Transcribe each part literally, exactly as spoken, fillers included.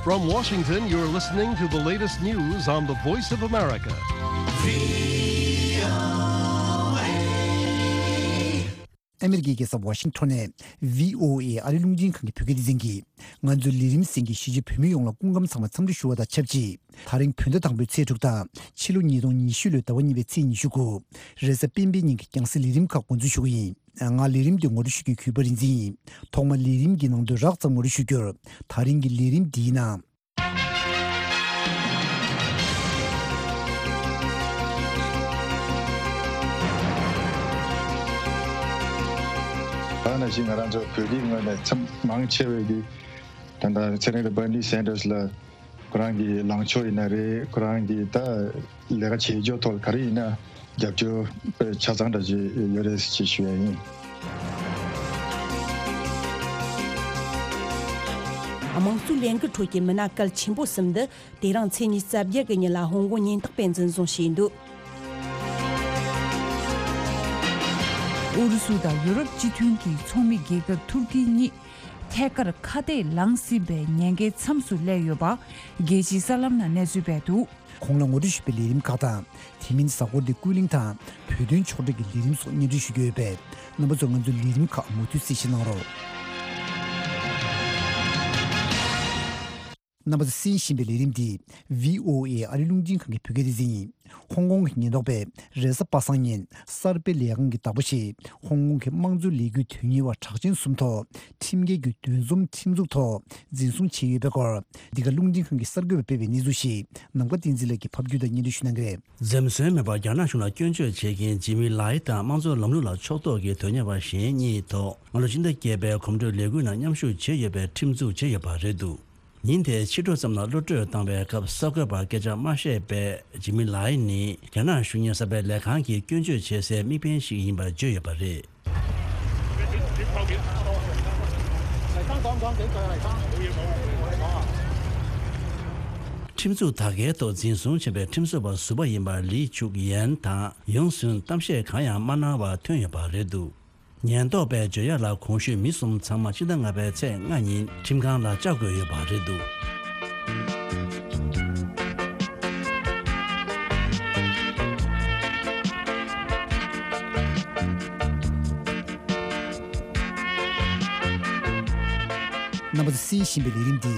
From Washington, you're listening to the latest news on the Voice of America. ཨ་མེ་རི་ཀའི་རྒྱལ་ས་ཝ་ཤིང་ཊོན་ནས་བྷི་ཨོ་ཨེ་ཨ་རི་རླུང་འཕྲིན་ཁང་གི་བོད་སྐད་སྡེ་ཚན་གྱིས། ང་ཚོའི་ལས་རིམ་གསན་མཁན་གཞིས་བྱེས་བོད་མི་ཡོངས་ལ་སྐུ་ཁམས་བཟང་བའི་འཚམས་འདྲི་ཞུ་བ་དང་ཆབས་ཅིག་ད་རིང་བོད་ཟླ་དང་པོའི་ཚེས་དྲུག་དང་ཕྱི་ལོ་ཉིས་སྟོང་ཉི་ཤུ་ལོའི་ཟླ་བ་གཉིས་པའི་ཚེས་ཉི་ཤུ་དགུ། རེས་གཟའ་སྤེན་པའི་ཉིན་གྱི་རྒྱང་སྲིང་ལས་རིམ་ཁག་འགོ་འཛུགས་ཞུ་གི་ཡིན། ང་ལས་རིམ་འདི་ངོ་སྤྲོད་ཞུ་མཁན་གུས་པ་རིག་འཛིན་ཡིན། ཐོག་མར་ལས་རིམ་གྱི་ནང་དོན་རགས་ཙམ་ངོ་སྤྲོད་ཞུ་རྒྱུར། ད་རིང་གི་ལས་རིམ་འདིའི་ནང་། ད་ནང་བཞིན་ང་རང་ཚོ་བོད་རིགས་ངོས་ནས་ཚད་མང་ཆེ་བས་ཀྱི་ད་ལྟ་ཚེ་རིང་དང་Bernie Sanders་ལ་ཁོ་རང་གི་ལངས་ཕྱོགས་ཡིན་ན་རེད། ཁོ་རང་གི་ད་ལས་ཀ་བྱེད་ཕྱོགས་ཐོག་ག་རེ་ཡིན་ན་རྒྱབ་སྐྱོར་དཔེ་ཆ་ཚང་འདྲ་ཅིག་ཡོད་རེད་ཅེས་ཞུ་ཡ་ཡིན། དམངས་གཙོའི་ལས་འགུལ་ཁྲོད་ཀྱི་མི་སྣ་གལ་ཆེན་པོ་གསུམ་འདི་དེ་རིང་ཚེས་ཉི་ཤུ་རྩ་བརྒྱད་ཀྱི་ཉིན་ལ་ཧོང་ཀོང་ཉེན་རྟོག་པས་འཛིན་བཟུང་བྱས་འདུག་ཨུ་རུ་སུ་དང་ཡུ་རོབ་སྤྱི་མཐུན་གྱི་ཚོགས་མི་རྒྱལ་ཁབ་ཐུར་ཀི་གཉིས་ཐད་ཀར་ཁ་གཏད་ལངས་ཟིན་པའི་ཉེན་ཁའི་མཚམས་སུ་སླེབས་ཡོད་པ་རྒྱལ་སྤྱིའི་གསར་ལམ་ནང་གནས་ཚུལ་སྤེལ་འདུག་ཁོང་ལ་ངོ་སྤྲོད་ཞུས་པའི་ལས་རིམ་ཁག་དང་། དེ་མིན་གཟའ་འཁོར་འདིའི་ཀུན་གླེང་དང་བོད་དོན་ཕྱོགས་སྒྲིག་གི་ལས་རིམ་སོགས་སྙན་སྒྲོན་ཞུ་རྒྱུ་ཡོད་པས། རྣམ་པ་ཚོས་ང་ཚོའི་ལས་རིམ་ཁག་མུ་མཐུད་གསན་བཞེས་གནང་རོགས། རྣམ་པ་ཚོས་གསན་བཞིན་པའི་ལས་རིམ་འདི་བྷི་ཨོ་ཨེ་ཨ་རི་རླུང་འཕྲིན་ཁང་གི་བོད་སྐད་སྡེ་ཚན་ཡིན། ཧོང་ཀོང་གི་ཉེན་རྟོག་པས་རེས་གཟའ་པ་སངས་ཉིན་གསར་སྤེལ་ལས་ཁང་གི་བདག་པོ་བཞེས། ཧོང་ཀོང་གི་དམངས་གཙོའི་ལས་འགུལ་དོན་གཉེར་བ་གྲགས་ཅན་གསུམ་ཐོག་ཁྲིམས་འགལ་གྱི་འདུ་འཛོམས་ཁྲིམས་འཛུགས་ཐོག་འཛིན་བཟུང་བྱས་ཡོད་པའི་སྐོར། འདི་ག་རླུང་འཕྲིན་ཁང་གི་གསར་འགོད་པས་སྤེལ་བའི་གནས་ཚུལ་ཞིག་ནམ་མཁའ་བསྟན་འཛིན་ལགས་ཀྱིས་ཕབ་སྒྱུར་དང་སྙན་སྒྲོན་ཞུ་གནང་གི་རེད། འཛེམ་ཟོན་མེད་པར་རྒྱ་ནག་གཞུང་ལ་སྐྱོན་བརྗོད་བྱེད་མཁན་ཇི་མི་ལའི་དང་དམངས་གཙོའི་ལམ་ལུགས་ལ་ཕྱོགས་གཏོགས་ཀྱི་དོན་གཉེར་བ་གཞན་གཉིས་ཐོག་སྔ་ལོ་ཕྱི་ཟླ་བརྒྱད་པའི་གོམ་བགྲོད་ལས་འགུལ་ནང་མཉམ་ཞུགས་བྱས་ཡོད་པའི་ཁྲིམས་འཛུགས་བྱས་ཡོད་པ་རེད་འདུག་ཉིན་དེའི་ཕྱི་དྲོ་ཙམ་ལ་གློད་བཀྲོལ་བཏང་བའི་སྐབས་གསར་འགོད་པར་སྐད་ཆ་མ་བཤད་པའི་ཇི་མི་ལའི་ནི་རྒྱ་ནག་གཞུང་གཉེར་གསར་སྤེལ་ལས་ཁང་གིས་སྐྱོན་བརྗོད་བྱེད་སའི་དམིགས་འབེན་ཞིག་ཡིན་པར་བརྗོད་ཡོད་པ་རེད། ཁྲིམས་འཛུགས་ད་གའི་ཐོག་འཛིན་བཟུང་བྱས་པའི་ཁྲིམས་རྩོད་པ་ཟུར་པ་ཡིན་པ་ལི་ཆུག་ཡན་དང་ཡོང་སུན་གཏམ་བཤད་གང་ཡང་མ་གནང་བར་ཐོན་ཡོད་པ་རེད་འདུག་ཉེན་རྟོག་པས་བརྗོད་ཡག་ལ་གོང་ཞུས་མི་གསུམ་ཚང་མ་ཕྱི་ཟླ་ལྔ་པའི་ཚེས་ལྔ་ཉིན་ཁྲིམས་ཁང་ལ་བཅར་དགོས་ཡོད་པ་རེད་འདུག་རྣམ་པ་ཚོས་གསན་བཞིན་པའི་ལས་རིམ་འདི་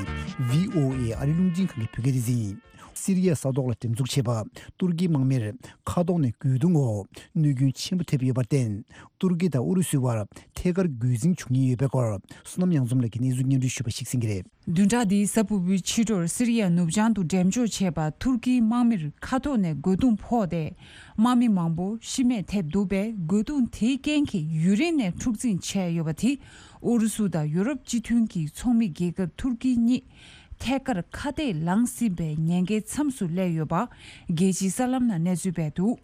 བྷི་ཨོ་ཨེ་ཨ་རི་རླུང་འཕྲིན་ཁང་གི་བོད་སྐད་སྡེ་ཚན་ཡིན། སི་རི་ཡའི་ས་ཐོག་ལ་འགྲེམས་འཛུགས་བྱས་པ་ཏུར་ཀིའི་དམག་མིར་མཁའ་ཐོག་ནས་རྒོལ་རྡུང་འོག་གནོད་སྐྱོན་ཆེན་པོ་ཐེབས་ཡོད་པར་བརྟེན། ཏུར་ཀི་དང་ཨུ་རུ་སུའི་བར་ཐད་ཀར་རྒོལ་འཛིང་བྱུང་ཉེན་ཡོད་པའི་སྐོར། བསོད་ནམས་གཡང་འཛོམས་ལགས་ཀྱིས་གནས་ཚུལ་སྙན་སྒྲོན་ཞུས་པ་ཞིག་གསན་གྱི་རེད། བདུན་ཕྲག་འདིའི་གཟའ་ཕུར་བུའི་ཕྱི་དྲོར་སི་རི་ཡ་ནུབ་བྱང་དུ་འགྲེམས་འཇོག་བྱས་པ་ཏུར་ཀིའི་དམག་མིར་མཁའ་ཐོག་ནས་རྒོལ་རྡུང་ཕོག་སྟེ། དམག་མི་མང་པོ་ཤི་རྨས་ཐེབས་འདུག་པས། རྒོལ་རྡུང་དེའི་རྐྱེན་གྱིས་ཡུན་རིང་ནས་འཁྲུག་འཛིང་ཆད་ཡོད་པ་དེ། ཨུ་རུ་སུ་དང་ཡུ་རོབ་སྤྱི་མཐུན་གྱི་ཚོགས་མི་རྒྱལ་ཁབ་ཏུར་ཀི་གཉིས་ཐད་ཀར་ཁ་གཏད་ལངས་ཟིན་པའི་ཉེན་ཁའི་མཚམས་སུ་སླེབས་ཡོད་པ་རྒྱལ་སྤྱིའི་གསར་ལམ་ནང་གནས་ཚུལ་སྤེལ་འདུག་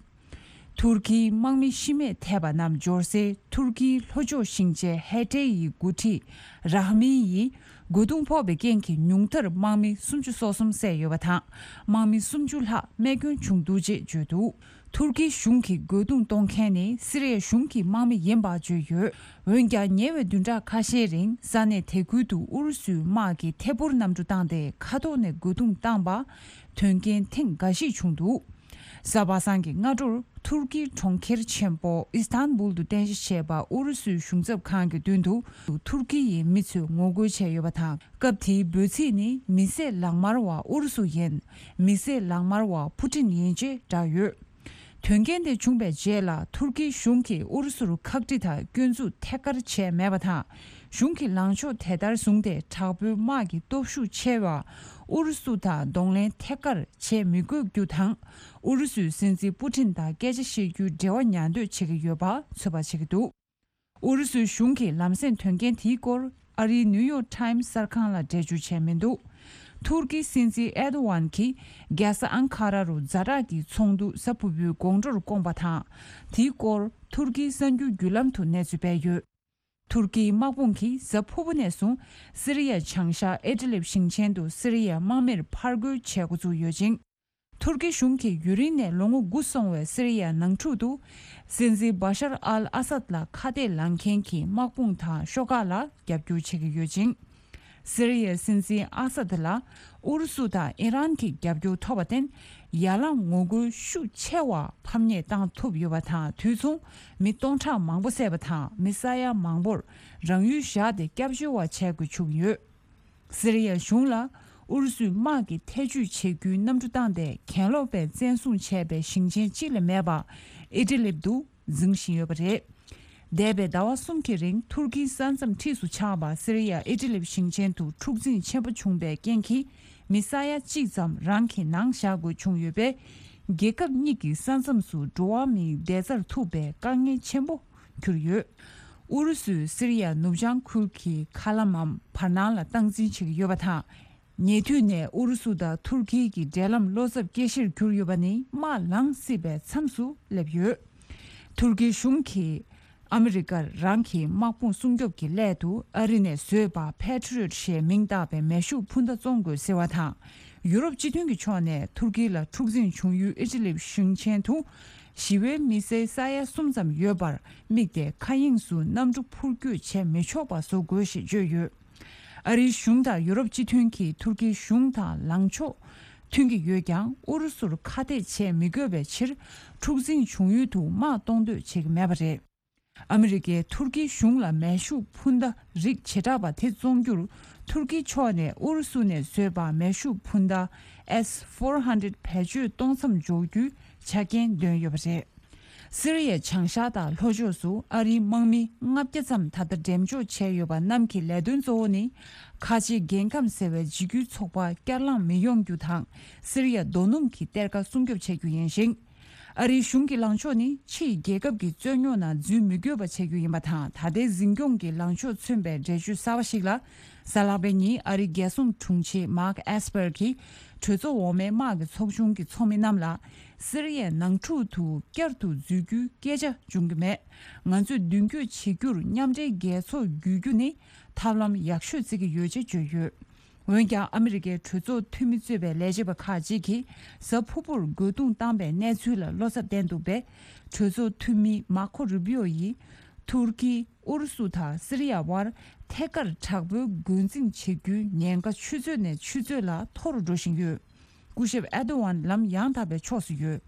ཐུར་ཁིའི་དམག་མི་ཤི་རྨས་ཐེབས་པ་རྣམས་འབྱོར་སའི་ཐུར་ཁིའི་ལྷོ་ཕྱོགས་ཞིང་ཆེན་ཧེ་ཏེ་ཡི་འགོ་ཁྲིད་རཱ་མི་ཡིས་རྒོལ་རྡུང་ཕོག་པའི་རྐྱེན་གྱིས་ཉུང་མཐར་དམག་མི་སུམ་ཅུ་སོ་གསུམ་བསད་ཡོད་པ་དང་། དམག་མི་སུམ་ཅུ་ལྷག་རྨས་སྐྱོན་བྱུང་འདུག་ཅེས་བརྗོད་འདུག་ཐུར་ཁིའི་གཞུང་གིས་རྒོལ་རྡུང་གཏོང་མཁན་ནི་སི་རི་ཡ་གཞུང་གི་དམག་མི་ཡིན་པ་བརྗོད་ཡོད། འོན་ཀྱང་ཉེ་བའི་བདུན་ཕྲག་ཁ་ཤས་རིང་ས་གནས་དེ་ཁུལ་དུ་ཨུ་རུ་སུའི་དམག་གིས་ཐད་འཕུར་གནམ་གྲུ་བཏང་སྟེ་མཁའ་ཐོག་ནས་རྒོལ་རྡུང་བཏང་པ་དོན་རྐྱེན་ཐེངས་འགའ་ཞིག་བྱུང་འདུག་གཟའ་པ་སངས་ཀྱི་སྔ་དྲོར་ཐུར་ཀིའི་གྲོང་ཁྱེར་ཆེན་པོ་ཨི་སྟན་བུལ་དུ་རྟེན་གཞི་བྱས་པ་ཨུ་རུ་སུའི་གཞུང་ཚབ་ཁང་གི་མདུན་དུ་ཐུར་ཀི་ཡི་མི་ཚོས་ངོ་རྒོལ་བྱས་ཡོད་པ་དང་། སྐབས་དེའི་འབོད་ཚིག་ནི་མི་བསད་ལག་དམར་བ་ཨུ་རུ་སུ་ཡིན། མི་བསད་ལག་དམར་བ་ཕུ་ཏིན་ཡིན་ཅེས་བསྒྲགས་ཡོད། དོན་རྐྱེན་དེ་བྱུང་བའི་རྗེས་ལ་ཐུར་ཀིའི་གཞུང་གིས་ཨུ་རུ་སུར་ཁག་དཀྲི་དང་སྐྱོན་འཛུགས་ཐད་ཀར་བྱས་མེད་པ་དང་། གཞུང་གི་ལངས་ཕྱོགས་དེ་ལྟར་བཟུང་སྟེ་དྲག་པོའི་དམག་གི་སྟོབས་ཤུགས་ཆེ་བ་ཨུ་རུ་སུ་དང་གདོང་ལེན་ཐད་ཀར་བྱེད་མི་དགོས་རྒྱུ་དང་། ཨུ་རུ་སུའི་སྲིད་འཛིན་པུ་ཏིན་དང་སྐད་ཆ་བཤད་རྒྱུའི་འབྲེལ་བ་ཉར་འདོད་བྱེད་ཀྱི་ཡོད་པ་ཚོད་དཔག་བྱེད་ཀྱི་འདུག་ཨུ་རུ་སུའི་གཞུང་གིས་ལམ་སེང་དོན་རྐྱེན་དེའི་སྐོར་ཨ་རིའི་ནིའུ་ཡོག་ཊའིམ་གསར་ཁང་ལ་འགྲེལ་བརྗོད་བྱས་མི་འདུག་ཐུར་ཀིའི་སྲིད་འཛིན་ཨེར་དོ་ཝན་གྱིས་རྒྱལ་ས་ཨང་ཁ་ར་རུ་ཛ་དྲག་གི་ཚོགས་འདུ་གཟའ་ཕུར་བུའི་དགོང་དྲོར་བསྐོངས་པ་དང་། དེའི་སྐོར་ཐུར་ཀིའི་གསར་འགྱུར་བརྒྱུད་ལམ་དུ་གནས་ཚུལ་སྤེལ་ཡོད། ཐུར་ཀིའི་དམག་དཔུང་གིས་གཟའ་ཕུར་བུ་ནས་བཟུང་སི་རི་ཡའི་བྱང་ཤར་ཨི་ཏི་ལིབ་ཞིང་ཆེན་དུ་སི་རི་ཡའི་དམག་མིར་ཕར་རྒོལ་བྱེད་འགོ་བཙུགས་ཡོད་ཅིང་། ཐུར་ཀི་གཞུང་གིས་ཡུན་རིང་ནས་ལོ་ངོ་དགུ་སོང་བའི་སི་རི་ཡའི་ནང་འཁྲུག་ཏུ། སྲིད་འཛིན་བྷ་ཤར་ཨལ་ཨ་སད་ལ་ཁ་གཏད་ལངས་མཁན་གྱི་དམག་དཔུང་དང་ཤོག་ཁག་ལ་རྒྱབ་སྐྱོར་བྱེད་ཀྱི་ཡོད་ཅིང་། སི་རི་ཡའི་སྲིད་འཛིན་ཨ་སད་ལ་ཨུ་རུ་སུ་དང་ཨི་རན་གྱི་རྒྱབ་སྐྱོར་ཐོབ་པར་བརྟེན། ཡར་ལངས་ངོ་རྒོལ་ཤུགས་ཆེ་བ་ཕམ་ཉེས་བཏང་ཐུབ་ཡོད་པ་དང་། དུས་མཚུངས་མི་སྟོང་ཕྲག་མང་པོ་བསད་པ་དང་། མི་ས་ཡ་མང་པོར་རང་ཡུལ་བཞག་སྟེ་སྐྱབས་བཅོལ་བ་བྱེད་དགོས་བྱུང་ཡོད། སི་རི་ཡ་གཞུང་ལ་ཨུ་རུ་སུའི་དམག་གིས་ཐེ་བྱུས་བྱེད་རྒྱུའི་གནམ་གྲུ་བཏང་སྟེ་གྱེན་ལོག་པས་བཙན་བཟུང་བྱས་པའི་ཞིང་ཆེན་གཅིག་ལས་མེད་པ་ཨི་ཏི་ལིབ་ཏུ་འཛིང་བཞིན་ཡོད་པ་རེད། འདས་པའི་ཟླ་བ་གསུམ་གྱི་རིང་ཐུར་ཁིའི་ས་མཚམས་འཁྲིས་སུ་ཆགས་པ་སི་རི་ཡ་ཨི་ཏི་ལིབ་ཞིང་ཆེན་དུ་འཁྲུག་འཛིང་ཆེན་པོ་བྱུང་བའི་རྐྱེན་གྱིས། མི་ས་ཡ་གཅིག་ཙམ་རང་གི་ནང་བཞག་དགོས་བྱུང་ཡོད་པས། རྒྱལ་ཁབ་གཉིས་ཀྱི་ས་མཚམས་སུ་འགྲོ་བ་མིའི་བདེ་རྩར་ཐུག་པའི་དཀའ་ངལ་ཆེན་པོ་གྱུར་ཡོད། ཨུ་རུ་སུས་སི་རི་ཡ་ནུབ་བྱང་ཁུལ་གྱི་མཁའ་ལམ་མམ་བར་སྣང་ལ་སྟངས་འཛིན་བྱེད་ཀྱི་ཡོད་པ་དང་། ཉེ་དུས་ནས་ཨུ་རུ་སུ་དང་ཐུར་ཁེ་གྱི་འབྲེལ་ལམ་བློ་འཚབ་སྐྱེ་གཞིར་གྱུར་ཡོད་པ་ནི་དམག་ལངས་སྲིད་པའི་མཚམས་སུ་སླེབས་ཡོད། ཐུར་ཁེ་གཞུང་གིས་ཨ་མི་རི་ཀར་རང་གི་དམག་དཔུང་སྲུང་སྐྱོབ་ཀྱི་སླད་དུ་ཨ་རི་ནས་བཟོས་པ་Patriot ཞེས་མིང་བཏགས་པའི་མེ་ཤུགས་འཕུར་མདའ་བཙོང་དགོས་ཟེར་བ་དང་། ཡུ་རོབ་སྤྱི་མཐུན་གྱི་ཕྱོགས་ནས་ཐུར་ཁེ་ལ་འཁྲུག་འཛིང་བྱུང་ཡུལ་ཨི་ཏི་ལིབ་ཞིང་ཆེན་དུ་ཞི་བའི་མི་སེར་ས་ཡ་གསུམ་ཙམ་ཡོད་པར་དམིགས་ཏེ་མཁའ་དབྱིངས་སུ་གནམ་གྲུ་འཕུར་སྐྱོད་བྱེད་མི་ཆོག་པ་བཟོ་དགོས་ཞེས་བརྗོད་ཡོད། ཨ་རིའི་གཞུང་དང་ཡུ་རོབ་སྤྱི་མཐུན་གྱིས་ཐུར་ཁེའི་གཞུང་དང་ལངས་ཕྱོགས་མཐུན་གྱི་ཡོད་ཀྱང་། ཨུ་རུ་སུར་ཁ་གཏད་བྱེད་མི་དགོས་པའི་ཕྱིར། འཁྲུག་འཛིང་བྱུང་ཡུལ་དུ་དམག་གཏོང་འདོད་བྱེད་ཀྱི་མེད་པ་རེད། ཨ་མི་རི་ཀས་ཐུར་ཁེའི་གཞུང་ལ་མེ་ཤུགས་འཕུར་མདའ་རིགས་བྱེ་བྲག་པ་དེ་བཙོང་རྒྱུར། ཐུར་ཁེའི་ཕྱོགས་ནས་ཨུ་རུ་སུ་ནས་བཟོས་པ་མེ་ཤུགས་འཕུར་མདའ་S four hundred བེད་སྤྱོད་གཏོང་མཚམས་འཇོག་རྒྱུའི་ཆ་རྐྱེན་འདོན་ཡོད་པ་རེད། སི་རི་ཡའི་བྱང་ཤར་དང་ལྷོ་ཕྱོགས་སུ་ཨ་རིའི་དམག་མི་ལྔ་བརྒྱ་ཙམ་ད་ལྟ་འགྲེམས་འཇོག་བྱས་ཡོད་པ་རྣམས་ཀྱི་ལས་དོན་གཙོ་བོ་ནི། ཁ་ཆེའི་རྒྱལ་ཁམས་ཟེར་བའི་འཇིགས་སྐུལ་ཚོགས་པ་བསྐྱར་ལངས་མི་ཡོང་རྒྱུ་དང་། སི་རི་ཡ་རྡོ་སྣུམ་གྱི་གཏེར་ཁ་སྲུང་སྐྱོབ་བྱེད་རྒྱུ་ཡིན་ཞིང་། ཨ་རིའི་གཞུང་གི་ལངས་ཕྱོགས་ནི་ཕྱིའི་རྒྱལ་ཁབ་ཀྱི་རྩོད་རྙོག་ནང་འཛུལ་མི་དགོས་པ་བྱེད་རྒྱུ་ཡིན་པ་དང་། ད་ལྟའི་འཛིན་སྐྱོང་གི་ལངས་ཕྱོགས་མཚོན་པའི་འགྲེལ་བརྗོད་གསར་པ་ཞིག་ལ། གཟའ་ལྷག་པའི་ཉིན་ཨ་རིའི་རྒྱལ་སྲུང་དྲུང་ཆེ་Mark Esper གྱིས་གྲོས་ཚོགས་འོག་མའི་དམག་གི་ཚོགས་ཆུང་གི་ཚོགས་མི་རྣམས་ལ། སི་རི་ཡའི་ནང་འཁྲུག་ཏུ་བསྐྱར་དུ་འཛུལ་རྒྱུའི་སྐད་ཆ་འབྱུང་གི་མེད། ང་ཚོས་མདུན་སྐྱོད་བྱེད་རྒྱུར་མཉམ་འབྲེལ་རྒྱལ་ཚོགས་བརྒྱུད་རྒྱུ་ནི་ཐབས་ལམ་ཡག་ཤོས་བརྩི་གི་ཡོད་ཅེས་བརྗོད་ཡོད། འོན་ཀྱང་ཨ་མི་རི་ཀའི་གྲོས་ཚོགས་འཐུས་མི་གཙོས་པའི་ལས་བྱེད་པ་ཁག་ཅིག་གིས་གཟའ་ཕུར་བུར་རྒོལ་རྡུང་བཏང་པའི་གནས་ཚུལ་ལ་བློ་འཚབ་བསྟན་འདུག་པས། གྲོས་ཚོགས་འཐུས་མི་མར་ཁོ་རུ་པི་ཨོ་ཡིས་ཐུར་ཁི། ཨུ་རུ་སུ་དང་སི་རི་ཡ་དབར་ཐད་ཀར་དྲག་པོའི་རྒོལ་འཛིང་བྱེད་རྒྱུའི་ཉེན་ཁ་ཆུ་ཚོད་ནས་ཆུ་ཚོད་ལ་མཐོ་རུ་འགྲོ་བཞིན་ཡོད། སྐུ་ཞབས་ཨེར་ཏོ་ཝན་ལམ་ཡང་དག་པའི་ཕྱོགས་སུ་ཡོད།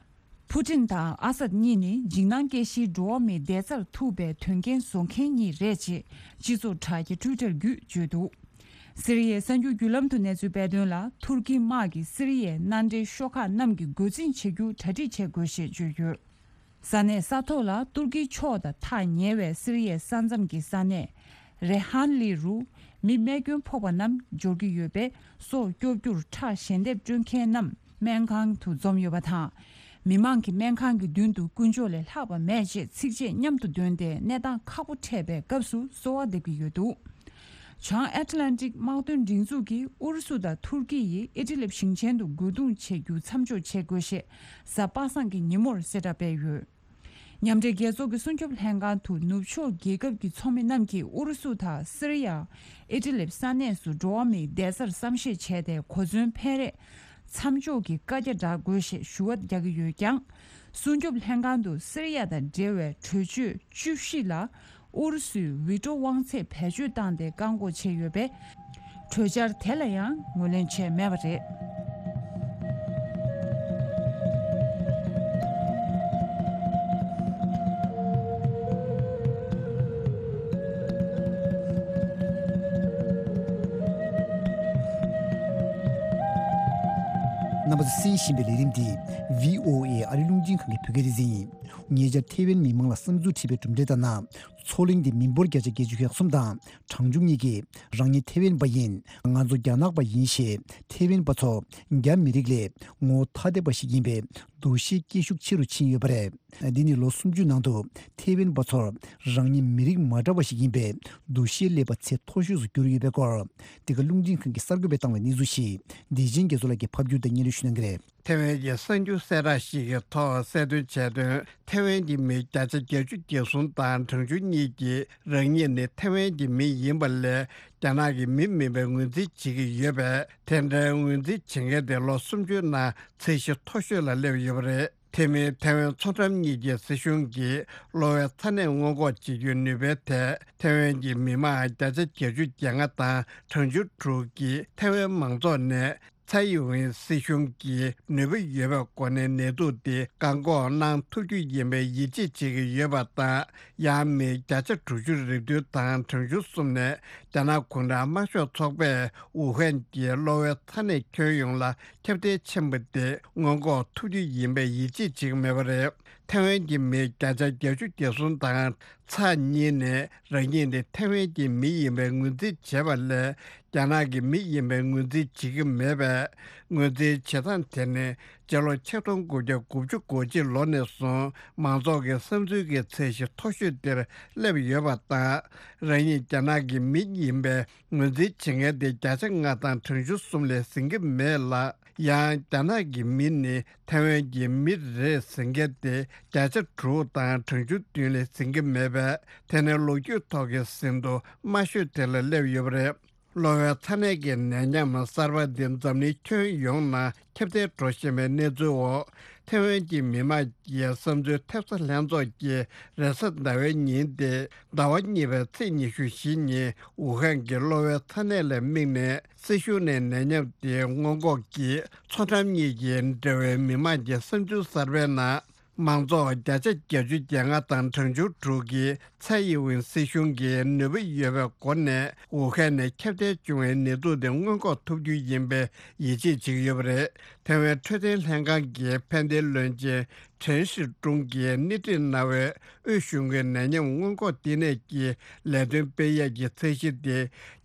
ཕུ་ཏིན་དང་ཨ་སད་གཉིས་ནི་འཇིགས་སྣང་སྐྱེ་གཞིའི་འགྲོ་བ་མིའི་བདེ་རྩར་ཐུག་པའི་དོན་རྐྱེན་བཟོ་མཁན་གཉིས་རེད་ཅེས་སྤྱི་ཚོགས་དྲ་རྒྱའི་ཊུའི་ཊར་བརྒྱུད་བརྗོད་འདུག། སི་རི་ཡའི་གསར་འགྱུར་བརྒྱུད་ལམ་དུ་གནས་ཚུལ་སྤེལ་དོན་ལ། ཐུར་ཁི་དམག་གིས་སི་རི་ཡའི་མནའ་འབྲེལ་ཤོག་ཁག་རྣམས་ཀྱིས་རྒོལ་འཛིང་བྱེད་རྒྱུ་གྲ་སྒྲིག་བྱེད་དགོས་ཞེས་བརྗོད་ཡོད། ས་གནས་ས་ཐོག་ལ་ཏུར་ཀིའི་ཕྱོགས་དང་ཐག་ཉེ་བའི་སི་རི་ཡའི་ས་མཚམས་ཀྱི་ས་གནས་རེ་ཧན་ལི་རུ་མི་རྨས་སྐྱོན་ཕོག་པ་རྣམས་འབྱོར་གྱི་ཡོད་པས། སྲོག་སྐྱོབ་རྒྱུར་ཁྲག་ཞལ་འདེབས་སྤྲོད་མཁན་རྣམས་སྨན་ཁང་དུ་འཛོམས་ཡོད་པ་དང་། མི་མང་གིས་སྨན་ཁང་གི་མདུན་དུ་ཀུན་སྤྱོད་ལས་ལྷག་པ་མེད་ཅེས་ཚིགས་བཅད་མཉམ་དུ་འདོན་ཏེ་གནས་སྟངས་ཁག་པོ་འཕྲད་པའི་སྐབས་སུ་གསོལ་བ་འདེབས་ཀྱི་ཡོད་འདུག། བྱང་ཨེཊ་ལན་ཊིག་དམག་དོན་སྒྲིག་འཛུགས་ཀྱིས་ཨུ་རུ་སུ་དང་ཐུར་ཀི་ཡིས་ཨི་ཏི་ལིབ་ཞིང་ཆེན་དུ་རྒོལ་རྡུང་བྱེད་རྒྱུ་མཚམས་འཇོག་བྱེད་དགོས་ཞེས་གཟའ་པ་སངས་ཀྱི་ཉིན་མོར་གསལ་བསྒྲགས་སྤེལ་ཡོད། མཉམ་འབྲེལ་རྒྱལ་ཚོགས་ཀྱི་སྲུང་སྐྱོབ་ལྷན་ཁང་དུ་ནུབ་ཕྱོགས་རྒྱལ་ཁབ་ཀྱི་ཚོགས་མི་རྣམས་ཀྱིས་ཨུ་རུ་སུ་དང་སི་རི་ཡ། ཨི་ཏི་ལིབ་ས་གནས་སུ་འགྲོ་བ་མིའི་བདེ་རྩར་བསམ་ཤེས་བྱས་ཏེ། གོ་མཚོན་ཕན་རེས་མཚམས་འཇོག་གི་བཀའ་རྒྱ་བསྒྲགས་དགོས་ཞེས་ཞུ་བ་རྒྱག་གི་ཡོད་ཀྱང་། སྲུང་སྐྱོབ་ལྷན་ཁང་དུ་སི་རི་ཡ་དང་འབྲེལ་བའི་གྲོས་ཆོད་བཅུ་བཞི་ལ་ཨུ་རུ་སུས་ཝི་ཏོ་དབང་ཚད་བེད་སྤྱོད་བཏང་སྟེ་བཀག་འགོག་བྱས་ཡོད་པས། གྲོས་འཆར་དེ་ལ་ཡང་ངོས་ལེན་བྱས་མེད་པ་རེད། རྣམ་པ་ཚོས་གསན་བཞིན་པའི་ལས་རིམ་འདི་བྷི་ཨོ་ཨེ་ཨ་རི་རླུང་འཕྲིན་ཁང་གི་བོད་སྐད་སྡེ་ཚན་ཡིན། ཉེ་ཆར་ཐེ་ཝན་མི་མང་ལ་བསམ་ཚུལ་དྲིས་པའི་གྲུབ་འབྲས་ལྟར་ན། མཚོ་གླིང་དེ་མི་འབོར་བརྒྱ་ཆ་བརྒྱད་ཅུ་གྱ་གསུམ་དང་གྲངས་ཆུང་གཉིས་ཀྱིས་རང་ཉིད་ཐེ་ཝན་པ་ཡིན། ང་ཚོ་རྒྱ་ནག་པ་ཡིན་ཞེས་ཐེ་ཝན་པ་ཚོ་རྒྱ་མི་རིགས་ལས་ངོ་བོ་ཐ་དད་པ་ཞིག་ཡིན་པའི་འདུ་ཤེས་སྐྱེ་ཤུགས་ཆེ་རུ་ཕྱིན་ཡོད་པ་རེད། འདི་ནི་ལོ་སུམ་ཅུ་ནང་དུ་ཐེ་ཝན་པ་ཚོར་རང་ཉིད་མི་རིགས་མ་འདྲ་བ་ཞིག་ཡིན་པའི་འདུ་ཤེས་སླེབས་པ་ཚད་མཐོ་ཤོས་སུ་གྱུར་ཡོད་པའི་སྐོར། འདི་ག་རླུང་འཕྲིན་ཁང་གིས་གསར་འགོད་པས་བཏང་བའི་གནས་ཚུལ་ཞིག་བདེ་ཆེན་རྒྱ་མཚོ་ལགས་ཀྱིས་ཕབ་སྒྱུར་དང་སྙན་སྒྲོན་ཞུ་གནང་གི་རེད། ཐེ་ཝན་གྱི་གསར་འགྱུར་གསལ་བསྒྲགས་ཤིག་གི་ཐོག་གསལ་སྟོན་བྱས་དོན། ཐེ་ཝན་གྱི་མི་བརྒྱ་ཆ་བརྒྱད་ཅུ་གྱ་གསུམ་དང་གྲངས་ཆུང་གཉིས་ཀྱིས་རང་ཉིད་ནི་ཐེ་ཝན་གྱི་མི་ཡིན་པ་ལས་རྒྱ་ནག་གི་མི་མིན་པའི་ངོས་འཛིན་བྱེད་ཀྱི་ཡོད་པས། དེ་འདྲའི་ངོས་འཛིན་བྱེད་མཁན་དེ་ལོ་སུམ་ཅུའི་ནང་ཚད་གཞི་མཐོ་ཤོས་ལ་སླེབས་ཡོད་པ་རེད། དེ་མིན་ཐའེ་ཝན་མཚོ་འགྲམ་གཉིས་ཀྱི་སྲིད་གཞུང་གིས་གློ་བའི་ཚ་ནད་སྔོན་འགོག་བྱེད་རྒྱུའི་ནུས་པའི་ཐད་ཐའེ་ཝན་གྱི་མི་མང་བརྒྱ་ཆ་བརྒྱད་ཅུ་གྱ་ལྔ་དང་གྲངས་ཆུང་དྲུག་གིས་ཐའེ་ཝན་མང་ཚོགས་ནས་ཚའེ་ཡིན་ཝིན་སྲིད་གཞུང་གིས་ནུས་པ་ཡོད་པའི་སྒོ་ནས་ནད་དུག་དེ་བཀག་འགོག་གནང་ཐུབ་རྒྱུ་ཡིན་པའི་ཡིད་ཆེས་བྱེད་ཀྱི་ཡོད་པ་དང་། ཡང་མི་བརྒྱ་ཆ་དྲུག་ཅུ་རེ་བདུན་དང་གྲངས་ཆུང་གསུམ་ནས་རྒྱ་ནག་གུང་ཁྲན་དམར་ཤོག་ཚོགས་པས་ཝུ་ཧན་གྱི་གློ་བའི་ཚ་ནད་ཁྱོན་ཡོངས་ལ་ཁྱབ་གདལ་ཕྱིན་པ་དེ་སྔོན་འགོག་ཐུབ་རྒྱུ་ཡིན་པའི་ཡིད་ཆེས་བྱེད་ཀྱི་མེད་པ་རེད། ཐའེ་ཝན་གྱི་མི་བརྒྱ་ཆ་བརྒྱད་ཅུ་གྱ་གསུམ་དང་ཚེག་གཉིས་ནས་རང་ཉིད་ནི་ཐའེ་ཝན་གྱི་མི་ཡིན་པའི་ངོས་འཛིན་བྱེད་པ་ལས། རྒྱ་ནག་གི་མི་ཡིན་པའི་ངོས་འཛིན་བྱེད་ཀྱི་མེད་པས། ངོས་འཛིན་བྱེད་སྟངས་དེ་ནི་སྤྱི་ལོ་ཆིག་སྟོང་དགུ་བརྒྱ་དགུ་བཅུ་གོ་གཅིག་ལོ་ནས་བཟུང་མང་ཚོགས་ཀྱི་བསམ་ཚུལ་གྱི་ཚད་གཞི་མཐོ་ཤོས་དེར་སླེབས་ཡོད་པ་དང་། རང་ཉིད་རྒྱ་ནག་གི་མི་ཡིན་པའི་ངོས་འཛིན་བྱེད་མཁན་དེ་བརྒྱ་ཆ་ལྔ་དང་གྲངས་ཆུང་གསུམ་ལས་ཟིན་གྱི་མེད་ལ། ཡང་རྒྱ་ནག་གི་མི་ནི་ཐའེ་ཝན་གྱི་མི་རེད་ཟེར་མཁན་དེ་བརྒྱ་ཆ་དྲུག་དང་གྲངས་ཆུང་བདུན་ལས་ཟིན་གྱི་མེད་པས། དེ་ནི་ལོ་རྒྱུས་ཐོག་གི་ཟིན་ཐོ་དམའ་ཤོས་དེ་ལ་སླེབས་ཡོད་པ་རེད། གློ་བའི་ཚ་ནད་ཀྱི་ནད་ཡམས་གསར་པ་འདི་འཛམ་གླིང་ཁྱོན་ཡོངས་ནང་ཁྱབ་གདལ་འགྲོ་བཞིན་པའི་གནས་ཚུལ་འོག་ཐའེ་ཝན་གྱི་མི་དམངས་ཀྱི་བསམ་ཚུལ་ཐེབས་རྩ་ལྷན་ཚོགས་ཀྱིས་རེས་གཟའ་ཟླ་བའི་ཉིན་ཏེ་ཟླ་བ་གཉིས་པའི་ཚེས་ཉི་ཤུ་བཞི་ཉིན་ཝུ་ཧན་གྱི་གློ་བའི་ཚ་ནད་ལ་དམིགས་ནས། སྲིད་གཞུང་ནས་ནད་ཡམས་དེ་སྔོན་འགོག་གིས་མཚོ་འགྲམ་གཉིས་ཀྱི་འབྲེལ་བའི་མི་དམངས་ཀྱི་བསམ་ཚུལ་གསར་པའི་ནང་། མང་ཚོགས་བརྒྱ་ཆ་བརྒྱད་ཅུ་གྱ་ལྔ་དང་གྲངས་ཆུང་དྲུག་གིས་ཚའེ་ཡིན་ཝིན་སྲིད་གཞུང་གིས་ནུས་པ་ཡོད་པའི་སྒོ་ནས་ཝུ་ཧན་ནས་ཁྱབ་གདལ་བྱུང་བའི་ནད་དུག་དེ་སྔོན་འགོག་ཐུབ་རྒྱུ་ཡིན་པའི་ཡིད་ཆེས་བྱེད་ཀྱི་ཡོད་པ་རེད། ཐའེ་ཝན་འཕྲོད་བསྟེན་ལྷན་ཁང་གི་ཕན་བདེའི་བློན་ཆེན་ཁྲེན་ཧྲི་ཀྲུང་གིས་སྣེ་ཁྲིད་གནང་བའི་དབུས་གཞུང་གི་ནད་ཡམས་སྔོན་འགོག་ལྟེ་གནས་ཀྱི་ལས་དོན་སྤེལ་ཡས་ཀྱི་ཚད་གཞི་དེ་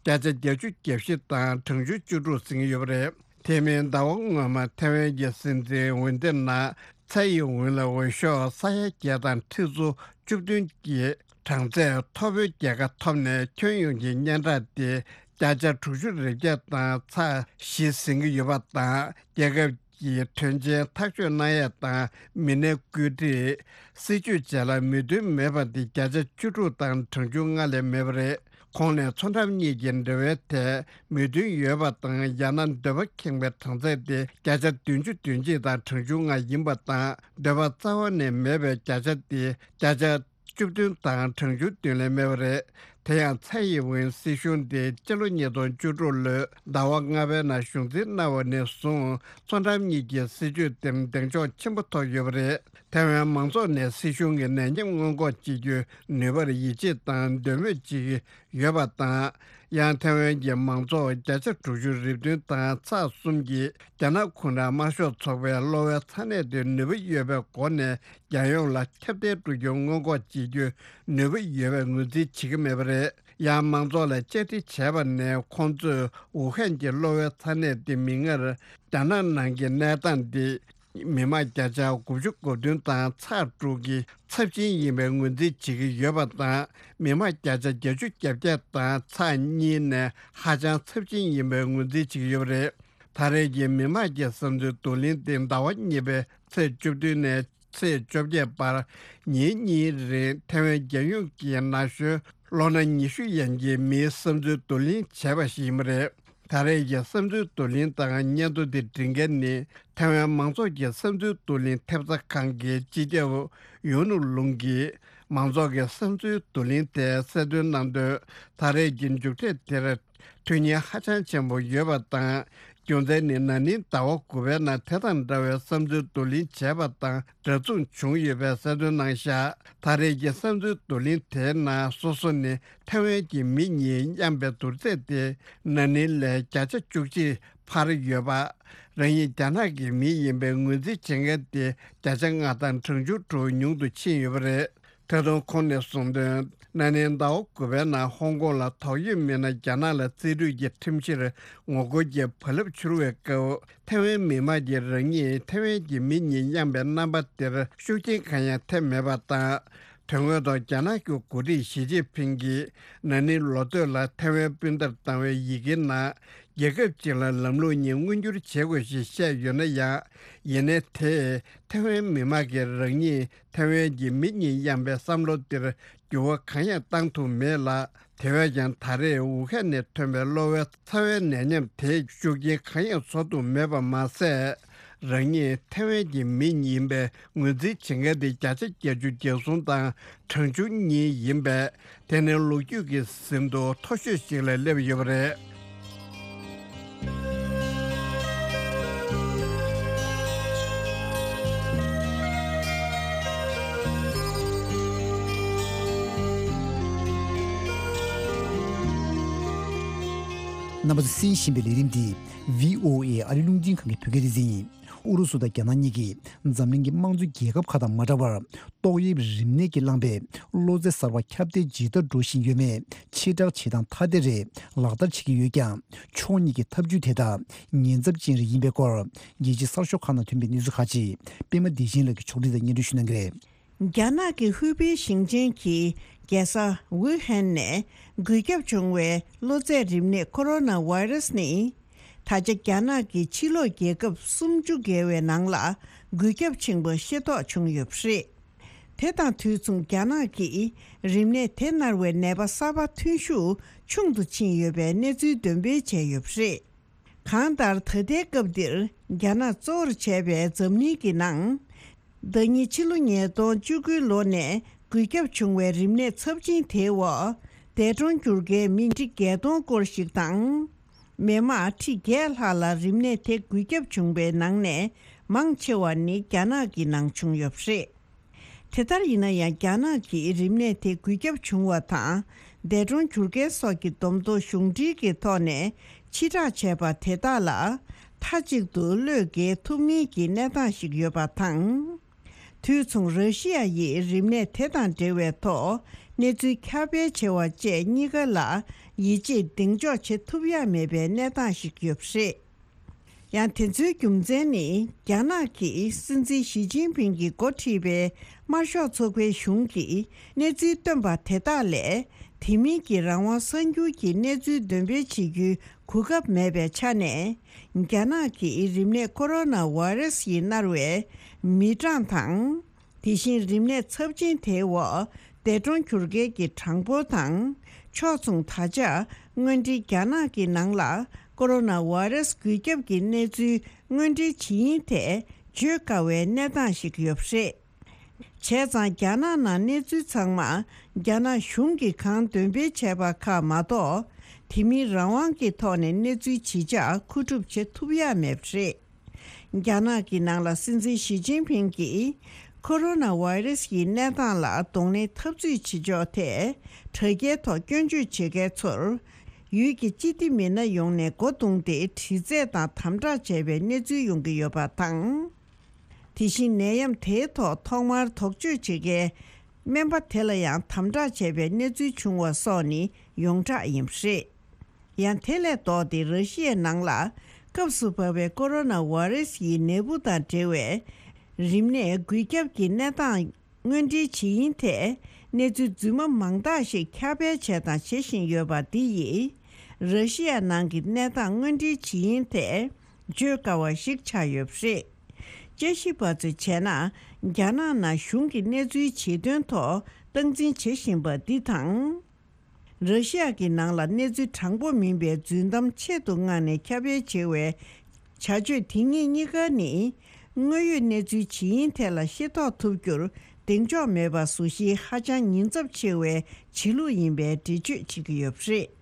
བརྒྱ་ཆ་བརྒྱད་ཅུ་གྱ་བཞི་དང་གྲངས་ཆུང་བཅུ་དྲུག་ཟིན་ཡོད་པ་རེད། དེ་མིན་ཟླ་བ་སྔོན་མ་ཐའེ་ཝན་གྱི་སྲིད་འཛིན་ཝུན་ཏེ་ནང་ཚའེ་ཡིན་ཝུན་ལ་འོས་ཤོག་ས་ཡ་བརྒྱད་དང་ཁྲི་ཚོ་བཅུ་བདུན་གྱི་གྲངས་ཚད་མཐོ་པོའི་རྒྱལ་ཁ་ཐོབ་ནས། ཁྱོན་ཡོངས་ཀྱི་སྙན་གྲགས་དེ་བརྒྱ་ཆ་དྲུག་ཅུ་རེ་བརྒྱད་དང་ཚེག་བཞི་ཟིན་གྱི་ཡོད་པ་དང་། རྒྱལ་ཁབ་ཀྱི་དོན་ཆེན་ཐག་གཅོད་གནང་ཡས་དང་མི་སྣའི་བཀོད་སྒྲིག་སྲིད་ཇུས་བཅས་ལ་མོས་མཐུན་མེད་པ་དེ་བརྒྱ་ཆ་བཅུ་དྲུག་དང་གྲངས་ཆུང་ལྔ་ལས་མེད་པ་རེད། ཁོང་ནས་མཚོ་འགྲམ་གཉིས་ཀྱི་འབྲེལ་བའི་ཐད་མོས་མཐུན་ཡོད་པ་དང་། ཡང་ན་འདོད་པ་ཁེངས་པའི་གྲངས་ཚད་དེ་བརྒྱ་ཆ་བདུན་ཅུ་དོན་གཅིག་དང་གྲངས་ཆུང་ལྔ་ཡིན་པ་དང་། འདོད་པ་རྩ་བ་ནས་མེད་པའི་བརྒྱ་ཆ་དེ་བརྒྱ་ཆ་བཅུ་བདུན་དང་གྲངས་ཆུང་བདུན་ལས་མེད་པ་རེད། དེ་ཡང་ཚའེ་ཡིན་ཝིན་སྲིད་གཞུང་དེ་སྤྱི་ལོ་ཉིས་སྟོང་བཅུ་དྲུག་ལོའི་ཟླ་བ་ལྔ་པའི་ནང་གཞུང་འཛིན་གནང་བ་ནས་བཟུང་མཚོ་འགྲམ་གཉིས་ཀྱི་སྲིད་ཇུས་དེར་གདེང་འཇོག་ཆེན་པོ་ཐོབ་ཡོད་པ་རེད། ཐའེ་ཝན་མང་ཚོགས་ནས་སྲིད་གཞུང་གི་ནད་ཡམས་སྔོན་འགོག་བྱེད་རྒྱུའི་ནུས་པར་ཡིད་ཆེས་དང་འདོད་མོས་བྱེད་ཀྱི་ཡོད་པ་དང་། ཡང་ཐའེ་ཝན་གྱི་མང་ཚོགས་བརྒྱ་ཆ་དྲུག་ཅུ་རེ་བདུན་དང་ཚེག་གསུམ་གྱིས་རྒྱ་ནག་གུང་ཁྲན་དམར་ཤོག་ཚོགས་པའི་གློ་བའི་ཚ་ནད་དེ་ནུས་པ་ཡོད་པའི་སྒོ་ནས་རྒྱལ་ཡོངས་ལ་ཁྱབ་གདལ་འགྲོ་རྒྱུ་སྔོན་འགོག་བྱེད་རྒྱུའི་ནུས་པ་ཡོད་པའི་ངོས་འཛིན་བྱེད་ཀྱི་མེད་པ་རེད། ཡང་མང་ཚོགས་ལ་བཅར་འདྲི་བྱས་པ་ནས། ཁོང་ཚོས་ཝུ་ཧན་གྱི་གློ་བའི་ཚ་ནད་དེ་མིག་སྔར་རྒྱ་ནག་ནང་གི་གནས་སྟངས་དེ། མི་མང་བརྒྱ་ཆ་དགུ་བཅུ་གོ་བདུན་དང་ཚེག་དྲུག་གི་ཚབས་ཆེན་ཡིན་པའི་ངོས་འཛིན་བྱེད་ཀྱི་ཡོད་པ་དང་། མི་མང་བརྒྱ་ཆ་བརྒྱད་ཅུ་གྱ་བརྒྱད་དང་ཚེག་གཉིས་ནས་ཧ་ཅང་ཚབས་ཆེན་ཡིན་པའི་ངོས་འཛིན་བྱེད་ཀྱི་ཡོད་པ་རེད། ད་རེས་ཀྱི་མི་མང་གི་བསམ་ཚུལ་བསྡུ་ལེན་དེ་ཟླ་བ་གཉིས་པའི་ཚེས་བཅུ་བདུན་ནས་ཚེས་བཅོ་བརྒྱད་བར་ཉིན་གཉིས་རིང་ཐའེ་ཝན་རྒྱལ་ཡོངས་ཀྱི་ན་གཞོན་ལོ་ན་ཉི་ཤུ་ཡན་གྱི་མིའི་བསམ་ཚུལ་བསྡུ་ལེན་བྱས་པ་ཞིག་ཡིན་པ་རེད། ད་རེས་ཀྱི་བསམ་ཚུལ་བསྡུ་ལེན་དང་སྙན་ཐོ་འདི་འབྲི་མཁན་ནི་ཐའེ་ཝན་མང་ཚོགས་ཀྱི་བསམ་ཚུལ་བསྡུ་ལེན་ཐེབས་རྩ་ཁང་གི་སྤྱི་ཁྱབ་ཡུང་ནུ་ལུང་གིས། མང་ཚོགས་ཀྱི་བསམ་ཚུལ་བསྡུ་ལེན་དེ་གསལ་སྟོན་གནང་དོན། ད་རེས་ཀྱི་མཇུག་འབྲས་དེར་དོན་སྙིང་ཧ་ཅང་ཆེན་པོ་ཡོད་པ་དང་། རྒྱུ་མཚན་ནི་ན་ནིང་ཟླ་བ་དགུ་པའི་ནང་དེ་དང་འདྲ་བའི་བསམ་ཚུལ་བསྡུ་ལེན་བྱས་པ་དང་འདྲ་མཚུངས་བྱུང་ཡོད་པའི་གསལ་སྟོན་གནང་བཞག་ད་རེས་ཀྱི་བསམ་ཚུལ་བསྡུ་ལེན་དེའི་ནང་སོ་སོ་ནི་ཐའེ་ཝན་གྱི་མི་གཉིས་མཉམ་པའི་བསྡུར་ཚད་དེ་ན་ནིང་ལས་བརྒྱ་ཆ་བཅུ་གཅིག་འཕར་ཡོད་པ། རང་ཉིད་རྒྱ་ནག་གི་མི་ཡིན་པའི་ངོས་འཛིན་བྱེད་མཁན་དེ་བརྒྱ་ཆ་ལྔ་དང་གྲངས་ཆུང་དྲུག་ཉུང་དུ་ཕྱིན་ཡོད་པ་རེད། ད་དུང་ཁོང་ནས་གསུངས་དོན། ན་ནིང་ཟླ་བ་དགུ་པའི་ནང་ཧོང་ཀོང་ལ་དོགས་ཡོད་མི་སྣ་རྒྱ་ནག་ལ་རྩིས་སྤྲོད་ཀྱི་ཁྲིམས་གཞིར་ངོ་རྒོལ་གྱི་བག་ལེབ་འཕྱུར་བའི་སྐབས། ཐའེ་ཝན་མི་དམངས་ཀྱིས་རང་ཉིད་ཐའེ་ཝན་གྱི་མི་གཉིས་མཉམ་པའི་རྣམ་པ་དེར་ཤུགས་རྐྱེན་གང་ཡང་ཐེབས་མེད་པ་དང་། དོན་དངོས་ཐོག་རྒྱ་ནག་གི་འགོ་ཁྲིད་ཞི་ཅིན་ཕིང་གིས་ན་ནིང་ལོ་སྟོད་ལ་ཐའེ་ཝན་སྤུན་ཟླར་བཏང་བའི་ཡི་གེའི་ནང་། རྒྱལ་ཁབ་ཅིག་ལ་ལམ་ལུགས་གཉིས་མངོན་འགྱུར་བྱེད་དགོས་ཞེས་བཤད་ཡོད་ན་ཡང་། ཡིན་ནའི་དེས་ཐའེ་ཝན་མི་དམངས་ཀྱིས་རང་ཉིད་ཐའེ་ཝན་གྱི་མི་གཉིས་མཉམ་པའི་བསམ་བློ་དེར་འགྱུར་བ་གང་ཡང་བཏང་ཐུབ་མེད་ལ། དེ་བས་ཀྱང་ད་རེས་ཝུ་ཧན་ནས་ཐོན་པའི་གློ་བའི་ཚ་བའི་ནད་ཡམས་དེས་ཤུགས་རྐྱེན་གང་ཡང་བཟོ་ཐུབ་མེད་པ་མ་ཟད། རང་ཉིད་ཐའེ་ཝན་གྱི་མི་ཡིན་པའི་ངོས་འཛིན་བྱེད་མཁན་དེ་བརྒྱ་ཆ་བརྒྱད་ཅུ་གྱ་གསུམ་དང་གྲངས་ཆུང་གཉིས་ཡིན་པས། དེ་ནི་ལོ་རྒྱུས་ཀྱི་ཟིན་ཐོ་མཐོ་ཤོས་ཤིག་ལ་སླེབས་ཡོད་པ་རེད། རྣམ་པ་ཚོས་གསན་བཞིན་པའི་ལས་རིམ་འདི་བྷི་ཨོ་ཨེ་ཨ་རི་རླུང་འཕྲིན་ཁང་གི་བོད་སྐད་སྡེ་ཚན་ཡིན། ཨུ་རུ་སུ་དང་རྒྱ་ནག་གཉིས་ཀྱིས་འཛམ་གླིང་གི་དམངས་གཙོའི་རྒྱལ་ཁབ་ཁག་དང་མ་འདྲ་བར། ཏོག་དབྱིབས་རིམས་ནད་ཀྱིས་བསླངས་པའི་གློ་ཚད་གསར་པ་ཁྱབ་གདལ་ཇི་ལྟར་འགྲོ་བཞིན་ཡོད་མེད་ཕྱིར་བསྒྲགས་བྱེད་སྟངས་ཐ་དད་རེ་ལག་བསྟར་བྱེད་ཀྱི་ཡོད་ཀྱང་། ཕྱོགས་གཉིས་ཀྱི་ཐབས་ཇུས་དེ་དག་ཉེན་ཚབས་ཅན་རེ་ཡིན་པའི་སྐོར། རྒྱལ་སྤྱིའི་གསར་ཤོག་ཁག་ནང་ཐོན་པའི་གནས་ཚུལ་ཁག་ཅིག་པད་མ་བདེ་ཆེན་ལགས་ཀྱིས་ཕྱོགས་སྒྲིག་དང་སྙན་སྒྲོན་ཞུ་གནང་གི་རེད། རྒྱ་ནག་གི་ཧུའུ་པེ་ཞིང་ཆེན་གྱི་རྒྱལ་ས་ཝུ་ཧན་ནས་འགོས་ཁྱབ་བྱུང་བའི་གློ་ཚད་རིམས་ནད་ཀོ་རོ་ན་ཝེ་རུ་སི་ནི། ད་ཆ་རྒྱ་ནག་གི་ཕྱི་ལོགས་རྒྱལ་ཁབ་སུམ་ཅུ་བརྒལ་བའི་ནང་ལ་འགོས་ཁྱབ་ཆེན་པོ་ཤེས་རྟོགས་བྱུང་ཡོད་པ་རེད། དེ་དང་དུས་མཚུངས་རྒྱ་ནག་གིས་རིམས་ནད་དེ་མནར་བའི་ནད་པ་གསར་པ་ཐོན་ཤུགས་ཆུང་དུ་ཕྱིན་ཡོད་པའི་གནས་ཚུལ་འདོན་སྤེལ་བྱས་ཡོད་པ་རེད། གང་ལྟར་ད་ལྟའི་སྐབས་འདིར་རྒྱ་ནག་གཙོ་བོར་བྱས་པའི་འཛམ་གླིང་གི་ནང་། ཟླ་ཉིན་ཕྱི་ལོ་ཉིས་སྟོང་བཅུ་དགུའི་ལོ་ནས་འགོས་ཁྱབ་བྱུང་བའི་རིམས་ནད་ཚབས་ཆེན་དེའི་འོག་འདས་གྲོངས་གྱུར་མཁན་མི་ཁྲི་བརྒྱད་སྟོང་སྐོར་ཞིག་དང་། མི་དམངས་ཁྲི་བརྒྱད་ལྷག་ལ་རིམས་ནད་དེ་འགོས་ཁྱབ་བྱུང་བའི་ནང་ནས་མང་ཆེ་བ་ནི་རྒྱ་ནག་གི་ནང་བྱུང་ཡོད་པ་རེད། དེ་ལྟར་ཡིན་ན་ཡང་རྒྱ་ནག་གིས་རིམས་ནད་དེ་འགོས་ཁྱབ་བྱུང་བ་དང་འདས་གྲོངས་གྱུར་མཁན་སོགས་ཀྱི་བསྡོམས་ཐོ་གཞུང་འབྲེལ་གྱི་ཐོག་ནས་ཕྱིར་བསྒྲགས་བྱས་པ་དེ་དག་ལ་མཐའ་གཅིག་ཏུ་བློས་འགེལ་ཐུབ་མིན་གྱི་གནས་སྟངས་ཤིག་ཡོད་པ་དང་། དུས་མཚུངས་ར་ཤི་ཡ་ཡིས་རིམས་ནད་དེ་དང་འབྲེལ་བའི་ཐོག་གནས་ཚུལ་ཁྱབ་སྤེལ་བྱེད་པ་བཅས་གཉིས་ཀ་ལ་ཡིད་ཆེས་གདེང་འཇོག་བྱེད་ཐུབ་ཡ་མེད་པའི་གནས་སྟངས་ཤིག་ཡོད་པ་རེད། ཡང་དེ་ཚོའི་རྒྱུ་མཚན་ནི་རྒྱ་ནག་གི་སྲིད་འཛིན་ཞི་ཅིན་ཕིང་གིས་འགོ་ཁྲིད་པའི་དམར་ཤོག་ཚོགས་པའི་གཞུང་གིས་གནས་ཚུལ་བཏོན་པ་དེ་དག་ལས་དེ་མིན་གྱི་རང་དབང་གསར་འགྱུར་གྱི་གནས་ཚུལ་འདོན་སྤེལ་བྱེད་རྒྱུའི་གོ་སྐབས་མེད་པའི་ཆ་ནས། རྒྱ་ནག་གིས་རིམས་ནད་ཀོ་རོ་ན་ཝེ་རུ་སི་ཡིས་མནར་བའི་མི་གྲངས་དང་། དེ་བཞིན་རིམས་ནད་ཚབས་ཆེན་དེའི་འོག་འདས་གྲོངས་གྱུར་མཁན་གྱི་གྲངས་འབོར་དང་། ཕྱོགས་མཚུངས་ད་ཆ་དངོས་འབྲེལ་རྒྱ་ནག་གི་ནང་ལ་ཀོ་རོ་ན་ཝེ་རུ་སི་འགོས་ཁྱབ་ཀྱི་གནས་ཚུལ་དངོས་འབྲེལ་ཇི་ཡིན་ཐད་བརྗོད་དཀའ་བའི་གནས་སྟངས་ཤིག་ཡོད་པ་རེད། བྱས་ཙང་རྒྱ་ནག་ནང་གནས་ཚུལ་ཚང་མ་རྒྱ་ནག་གཞུང་གིས་གང་འདོན་སྤེལ་བྱས་པ་ཁག་མ་གཏོགས། དེ་མིན་རང་དབང་གི་ཐོག་ནས་གནས་ཚུལ་ཇི་ཆགས་མཁོ་སྒྲུབ་བྱེད་ཐུབ་ཡ་མེད་པ་རེད། རྒྱ་ནག་གི་ནང་ལ་སྲིད་འཛིན་ཞི་ཅིན་ཕིང་གིས་ཁོ་རོ་ན་ཝེ་རུ་སི་ཡི་གནས་སྟངས་ལ་གདོང་ལེན་འཐབ་རྩོད་བྱེད་ཕྱོགས་ཐད་དྲ་རྒྱའི་ཐོག་སྐྱོན་བརྗོད་བྱེད་མཁན་ཚོར་ཡུལ་གྱི་སྤྱི་བདེ་མི་སྣ་ཡོངས་ནས་སྒོ་བརྡུངས་ཏེ་དྲི་རྩད་དང་དམ་དྲག་བྱས་པའི་གནས་ཚུལ་ཡོང་གི་ཡོད་པ་དང་། དེ་བཞིན་ནད་ཡམས་དེའི་ཐོག་ཐོག་མར་དོགས་གཅོད་བྱེད་མཁན་སྨན་པ་དེ་ལ་ཡང་དམ་དྲག་བྱས་པའི་གནས་ཚུལ་བྱུང་བ་སོགས་ནི་ཡོངས་གྲགས་ཡིན་པ་རེད། ཡང་དེ་ལས་ལྡོག་སྟེ་ར་ཤི་ཡའི་ནང་ལ་སྐབས་སུ་བབས་པའི་ཀོ་རོ་ན་ཝེ་རུ་སི་ཡི་ནད་འབུ་དང་འབྲེལ་བའི་རིམས་ནད་འགོས་ཁྱབ་ཀྱི་གནས་སྟངས་དངོས་འབྲེལ་ཇི་ཡིན་ཐད་གནས་ཚུལ་རྫུན་མ་མང་དག་ཞིག་ཁྱབ་སྤེལ་བྱས་དང་བྱེད་བཞིན་ཡོད་པ་འདི་ཡིས་ར་ཤི་ཡ་ནང་གི་གནས་སྟངས་དངོས་འབྲེལ་ཇི་ཡིན་ཐད་བརྗོད་དཀའ་བ་ཞིག་ཆགས་ཡོད་པ་རེད། དཔྱད་ཞིབ་པ་ཚོས་བྱས་ན། རྒྱ་ནག་ནང་གཞུང་གི་གནས་ཚུལ་ཇི་དོན་ཐོག་སྟངས་འཛིན་བྱེད་བཞིན་པ་འདི་དང་། ར་ཤི་ཡ་གི་ནང་ལ་གནས་ཚུལ་དྲང་པོ་མིན་པའི་རྫུན་གཏམ་ཆེད་དུ་མངགས་ནས་ཁྱབ་སྤེལ་བྱེད་པའི་བྱ་སྤྱོད་དེ་གཉིས་གཉིས་ཀ་ནི། དངོས་ཡོད་གནས་ཚུལ་ཇི་ཡིན་ཐད་ལ་ཤེས་རྟོགས་ཐུབ་རྒྱུར་གདེང་འཇོག་མེད་པ་བཟོ་གཞིའི་ཧ་ཅང་ཉེན་ཚབས་ཆེ་བའི་བྱེད་ལུགས་ཡིན་པའི་འགྲེལ་བརྗོད་བྱེད་ཀྱི་ཡོད་པ་རེད།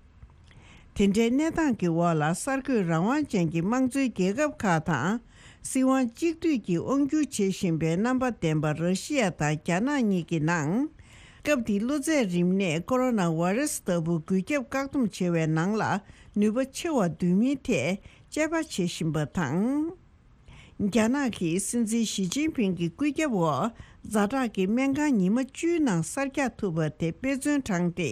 དེ་འདྲའི་གནས་སྟངས་ཀྱི་འོག་ལ་གསར་འགོད་རང་དབང་ཅན་གྱི་དམངས་གཙོའི་རྒྱལ་ཁབ་ཁག་དང་། སྲིད་དབང་གཅིག་སྡུད་ཀྱིས་དབང་སྒྱུར་བྱེད་བཞིན་པའི་རྣམ་པ་ལྡན་པ་ར་ཤི་ཡ་དང་རྒྱ་ནག་གཉིས་ཀྱི་ནང་། སྐབས་འདིའི་གློ་ཚད་རིམས་ནད་ཀོ་རོ་ན་ཝེ་རུ་སི་ལྟ་བུ་འགོས་ཁྱབ་བཀག་སྡོམ་བྱེད་པའི་ནང་ལ་ནུས་པ་ཆེ་བ་འདོན་མིན་ཐད་དཔྱད་པ་བྱེད་བཞིན་པ་དང་། རྒྱ་ནག་གི་སྲིད་འཛིན་ཞི་ཅིན་ཕིང་གི་བཀོད་ཁྱབ་འོག་ཛ་དྲག་གི་སྨན་ཁང་ཉི་མ་བཅུའི་ནང་གསར་རྒྱག་ཐུབ་པ་དེ་དཔེ་མཚོན་དྲངས་ཏེ།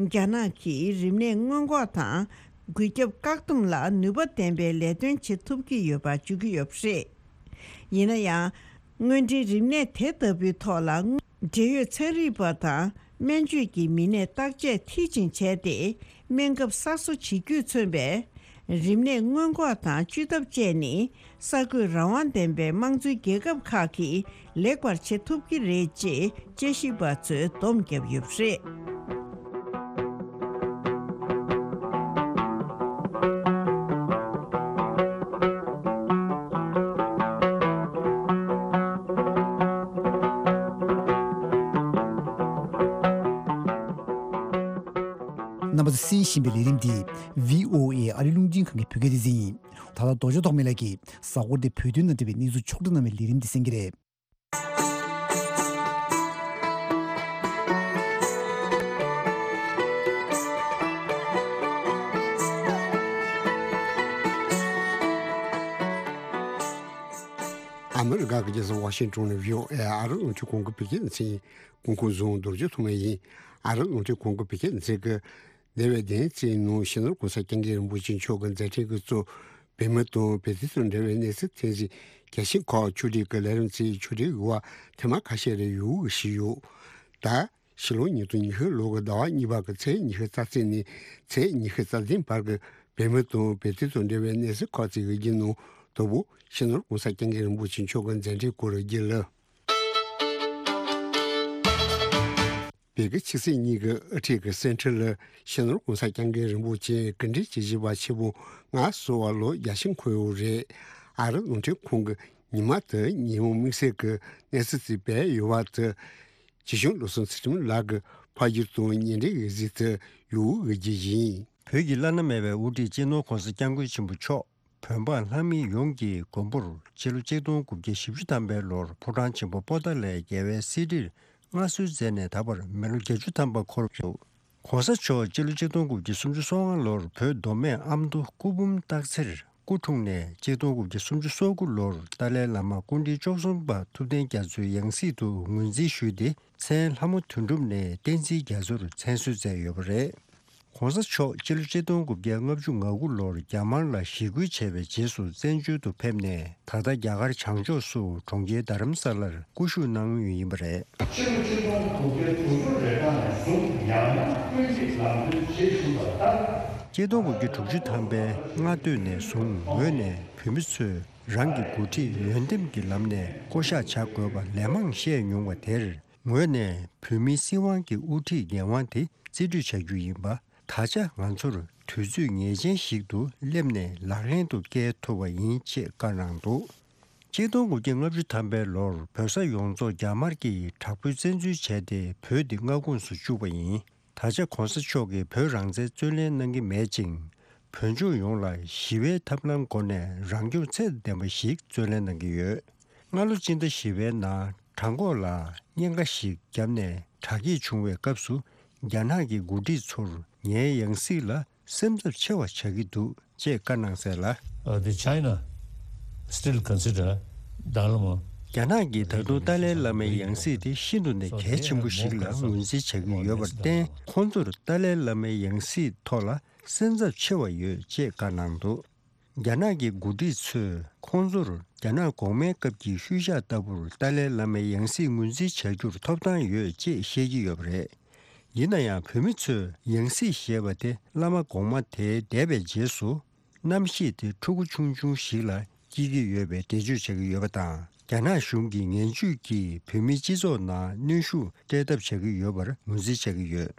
རྒྱ་ནག་གིས་རིམས་ནད་སྔོན་འགོག་དང་འགོས་ཁྱབ་བཀག་སྡོམ་ལ་ནུས་པ་ལྡན་པའི་ལས་དོན་བྱེད་ཐུབ་ཀྱི་ཡོད་པ་བརྗོད་ཀྱི་ཡོད་པ་རེད། ཡིན་ན་ཡང་། དངོས་འབྲེལ་རིམས་ནད་དེ་ལྟ་བུའི་ཐོག་ལ། འབྲེལ་ཡོད་ཚན་རིག་པ་དང་སྨན་བཅོས་ཀྱི་མི་སྣས་བརྟག་དཔྱད་མཐིལ་ཕྱིན་བྱས་ཏེ། སྨན་ཁབ་གསར་བཟོ་བྱེད་རྒྱུས་མཚོན་པའི་རིམས་ནད་སྔོན་འགོག་དང་བཅོས་ཐབས་བཅས་ནི། གསར་འགོད་རང་དབང་ལྡན་པའི་དམངས་གཙོའི་རྒྱལ་ཁབ་ཁག་གིས་ལེགས་པར་བྱེད་ཐུབ་ཀྱི་རེད་ཅེས་དཔྱད་ཞིབ་པ་ཚོས་སྡོམ་བརྒྱབ་ཡོད་པ་རེད། གསན་བཞིན་པའི་ལས་རིམ་འདི་བྷི་ཨོ་ཨེ་ཨ་རི་རླུང་འཕྲིན་ཁང་གི་བོད་སྐད་སྡེ་ཚན་ཡིན། ད་ལྟ་རྡོ་རྗེ་ཐོགས་མེད་ལགས་ཀྱིས་གཟའ་འཁོར་འདིའི་བོད་དོན་དང་འབྲེལ་བའི་གནས་ཚུལ་ཕྱོགས་བསྒྲིགས་གནང་བའི་ལས་རིམ་འདི་གསན་གྱི་རེད། ཨ་མི་རི་ཀ་གི་རྒྱལ་ས་ཝ་ཤིང་ཊོན་ནས་བྷི་ཨོ་ཨེ་ཨ་རི་རླུང་འཕྲིན་ཁང་གི་བོད་སྐད་སྡེ་ཚན་ཡིན། སྐུ་ཁམས་བཟང་། རྡོ་རྗེ་ཐོགས་མེད་ཡིན། ཨ་རི་རླུང་འཕྲིན་ཁང་གི་བོད་སྐད་སྡེ་ཚན་གྱིས་འདས་པའི་བདུན་ཚེས་ནང་སྤྱི་ནོར་༸གོང་ས་༸སྐྱབས་མགོན་རིན་པོ་ཆེ་མཆོག་གི་མཛད་འཕྲིན་གྱི་གཙོ། བོད་མི་དང་བོད་དོན་དང་འབྲེལ་བའི་གནས་ཚུལ་ཐོན་རྗེས་རྒྱལ་སྤྱིའི་ཁག་ཕྱོགས་སྒྲིག་གི་ལས་རིམ་གཙོས་ཕྱོགས་སྒྲིག་ཡོད་པ་ཐེངས་མ་ཁ་ཤས་རེ་ཡོད་ཞུས་ཡོད། ད་ཕྱི་ལོ་ཉིས་སྟོང་ཉི་ཤུ་ལོ་གི་ཟླ་བ་གཉིས་པ་གི་ཚེས་ཉི་ཤུ་རྩ་གཅིག་ནས་ཚེས་ཉི་ཤུ་རྩ་བདུན་བར་གྱི་བོད་མི་དང་བོད་དོན་དང་འབྲེལ་བའི་གནས་ཚུལ་ཁག་ཅིག་གི་རྒྱུན་ནང་དང་པོ་སྤྱི་ནོར་༸གོང་ས་༸སྐྱབས་མགོན་རིན་པོ་ཆེ་མཆོག་གི་མཛད་འཕྲིན་སྐོར་རྒྱུན་ལ། བོད་ཀྱི་ཆབ་སྲིད་གཉིས་ཀྱི་དབུ་ཁྲིད་ཀྱི་གསེར་ཁྲི་ལ་སྤྱི་ནོར་༸གོང་ས་༸སྐྱབས་མགོན་རིན་པོ་ཆེ་གོ་སྒྲིག་བྱེད་བཞིན་པ་ཆེན་པོ་ལྔ་བསུ་བ་ལོ་བརྒྱ་ཞིག་འཁོར་ཡོད་རེད། ཨ་རི་རླུང་འཕྲིན་ཁང་གིས་ཉི་མ་དེ་ཉིན་མོ་དམིགས་བསལ་གྱི་གནས་ཚུལ་ཞིག་སྤེལ་ཡོད་པ་དེ། ཆོས་སྐྱོང་བློ་བཟང་ཚུལ་ཁྲིམས་ལགས་ཀྱི་ཕ་རྒྱུད་དང་གཉེན་འབྲེལ་ཡོད་གཟིགས་དུ་ཡོད་ཀྱི་རྒྱུ་ཡིན། བོད་ཀྱི་བླ་ན་མེད་པའི་དབུ་ཁྲིད་སྤྱི་ནོར་༸གོང་ས་༸སྐྱབས་མགོན་ཆེན་པོ་མཆོག་བོད་འབངས་ལྷ་མི་ཡོངས་ཀྱི་མགོན་པོར་སྤྱི་ལོ་ཆིག་སྟོང་དགུ་བརྒྱ་བཞི་བཅུ་ཐམ་པའི་ལོར་ཕོ་བྲང་ཆེན་པོ་པོ་ཏཱ་ལའི་རྒྱལ་བའི་གསེར་ཁྲིར་མངའ་གསོལ་མཛད་ནས་ད་བར་མི་ལོ་བརྒྱད་ཅུ་ཐམ་པ་འཁོར་ཡོད། ༸གོང་ས་མཆོག་སྤྱི་ལོ་ཆིག་སྟོང་དགུ་བརྒྱ་སུམ་ཅུ་སོ་ལྔ་ལོར་བོད་མདོ་སྨད་ཨ་མདོ་སྐུ་འབུམ་སྟག་འཚེར་སྐུ་འཁྲུངས་ནས་ཆིག་སྟོང་དགུ་བརྒྱ་སུམ་ཅུ་སོ་དགུ་ལོར་ཏཱ་ལའི་བླ་མ་སྐུ་ཕྲེང་བཅུ་གསུམ་པ་ཐུབ་བསྟན་རྒྱ་མཚོའི་ཡང་སྲིད་དུ་ངོས་འཛིན་ཞུས་ཏེ་མཚན་ལྷ་མོ་དོན་གྲུབ་ནས་བསྟན་འཛིན་རྒྱ་མཚོར་མཚན་གསོལ་མཛད་ཡོད་པ་རེད། ༸གོང་ས་མཆོག་སྤྱི་ལོ་ཆིག་སྟོང་དགུ་བརྒྱ་ལྔ་བཅུ་ང་དགུ་ལོར་རྒྱ་དམར་ལ་ཞི་རྒོལ་བྱས་པའི་རྗེས་སུ་བཙན་བྱོལ་དུ་ཕེབས་ནས་ད་ལྟ་རྒྱ་གར་བྱང་ཕྱོགས་སུ་གྲོང་ཁྱེར་རྡ་རམ་ས་ལར་སྐུ་བཞུགས་གནང་མུས་ཡིན་པ་རེད། ཕྱི་ལོ་ཆིག་སྟོང་དགུ་བརྒྱ་དྲུག་ཅུ་རེ་གྲངས་ནས་བཟུང་ཡང་ཡང་སྐུ་ཡིག་ལམ་སྟོན་བྱེད་བཞིན་པ་ལྟར། ཆིག་སྟོང་དགུ་བརྒྱ་དྲུག་ཅུ་ཐམ་པའི་སྔ་སྟོད་ནས་བཟུང་ངོས་ནས་བོད་མི་ཚོས་རང་གི་འགོ་ཁྲིད་འོས་འདེམས་ཀྱི་ལམ་ནས་བསྐོ་གཞག་བྱ་དགོས་པ་ལན་མང་བཤད་མྱོང་བ་དེར། ངོས་ནས་བོད་མིའི་སྲིད་དབང་གི་དབུ་ཁྲིད་འགན་དབང་དེ་རྩིས་སྤྲོད་བྱ་རྒྱུ་ཡིན་པ། ད་ཆ་ང་ཚོར་དུས་ཚོད་ངེས་ཅན་ཞིག་ཏུ་སླེབས་ནས་ལག་ལེན་དུ་བསྐྱལ་ཐུབ་པ་ཡིན་ཅེས་བཀའ་གནང་འདུག་ཆིག་སྟོང་དགུ་བརྒྱ་ལྔ་བཅུ་ཐམ་པའི་ལོར་བོད་ས་ཡོངས་རྫོགས་རྒྱ་དམར་གྱིས་དྲག་པོའི་བཙན་འཛུལ་བྱས་ཏེ་བོད་འདི་མངའ་ཁོངས་སུ་བཅུག་པ་ཡིན། ད་ཆ་༸གོང་ས་མཆོག་གིས་བོད་རང་བཙན་རྩོད་ལེན་གནང་གི་མེད་ཅིང་། བོད་ལྗོངས་ཡོངས་ལ་ཞི་བའི་ཐབས་ལམ་སྒོ་ནས་རང་སྐྱོང་ཚད་ལྡན་པ་ཞིག་རྩོད་ལེན་གནང་གི་ཡོད། སྔ་ལོ་སྤྱི་ཟླ་བཞི་པའི་ནང་བྲང་ཁོག་ལ་གཉན་ཁ་ཞིག་བརྒྱབ་ནས་དྲག་སྐྱེད་བྱུང་བའི་སྐབས་སུ་རྒྱ་ནག་གི་འགོ་ཁྲིད་ཚོར་ངའི་ཡང་སྲིད་ལ་སེམས་འཚབ་ཆེ་བ་བྱ་གི་འདུག་ཅེས་བཀའ་གནང་གསལ་ལ། Uh, the China still consider Dalai Lama. རྒྱ་ནག་གིས་ད་དུང་ཏཱ་ལའི་བླ་མའི་ཡང་སྲིད་དེ་ཤིན་ཏུ་ནས་གལ་ཆེན་པོ་ཞིག་ལ་ངོས་འཛིན་བྱ་གི་ཡོད་པར་བརྟེན། ཁོང་ཚོར་ཏཱ་ལའི་བླ་མའི་ཡང་སྲིད་ཐོག་ལ་སེམས་འཚབ་ཆེ་བ་ཡོད་ཅེས་བཀའ་གནང་འདུག་རྒྱ་ནག་གི་འགོ་ཁྲིད་ཚོས་ཁོང་ཚོར་རྒྱ་ནག་གོང་མའི་སྐབས་ཀྱི་ཤུལ་བཞག་ལྟ་བུར་ཏཱ་ལའི་བླ་མའི་ཡང་སྲིད་ངོས་འཛིན་བྱ་རྒྱུར་ཐོབ་ཐང་ཡོད་ཅེས་བཤད་ཀྱི་ཡོད་པ་རེད། ཡིན་ན་ཡང་བོད་མི་ཚོས་ཡང་སྲིད་ཞེས་པ་དེ་བླ་མ་གོང་མ་དེ་འདས་པའི་རྗེས་སུ་རྣམ་ཤེས་དེ་ཕྲུ་གུ་ཆུང་ཆུང་ཞིག་ལ་སྐྱེལ་གྱི་ཡོད་པའི་འགྲེལ་བརྗོད་བྱ་གི་ཡོད་པ་དང་། རྒྱ་ནག་གཞུང་གི་ངན་ཇུས་ཀྱིས་བོད་མིའི་སྤྱི་ཚོགས་ནང་གནོན་ཤུགས་སྤྲད་ཐབས་བྱ་གི་ཡོད་པར་ངོས་འཛིན་བྱ་གི་ཡོད།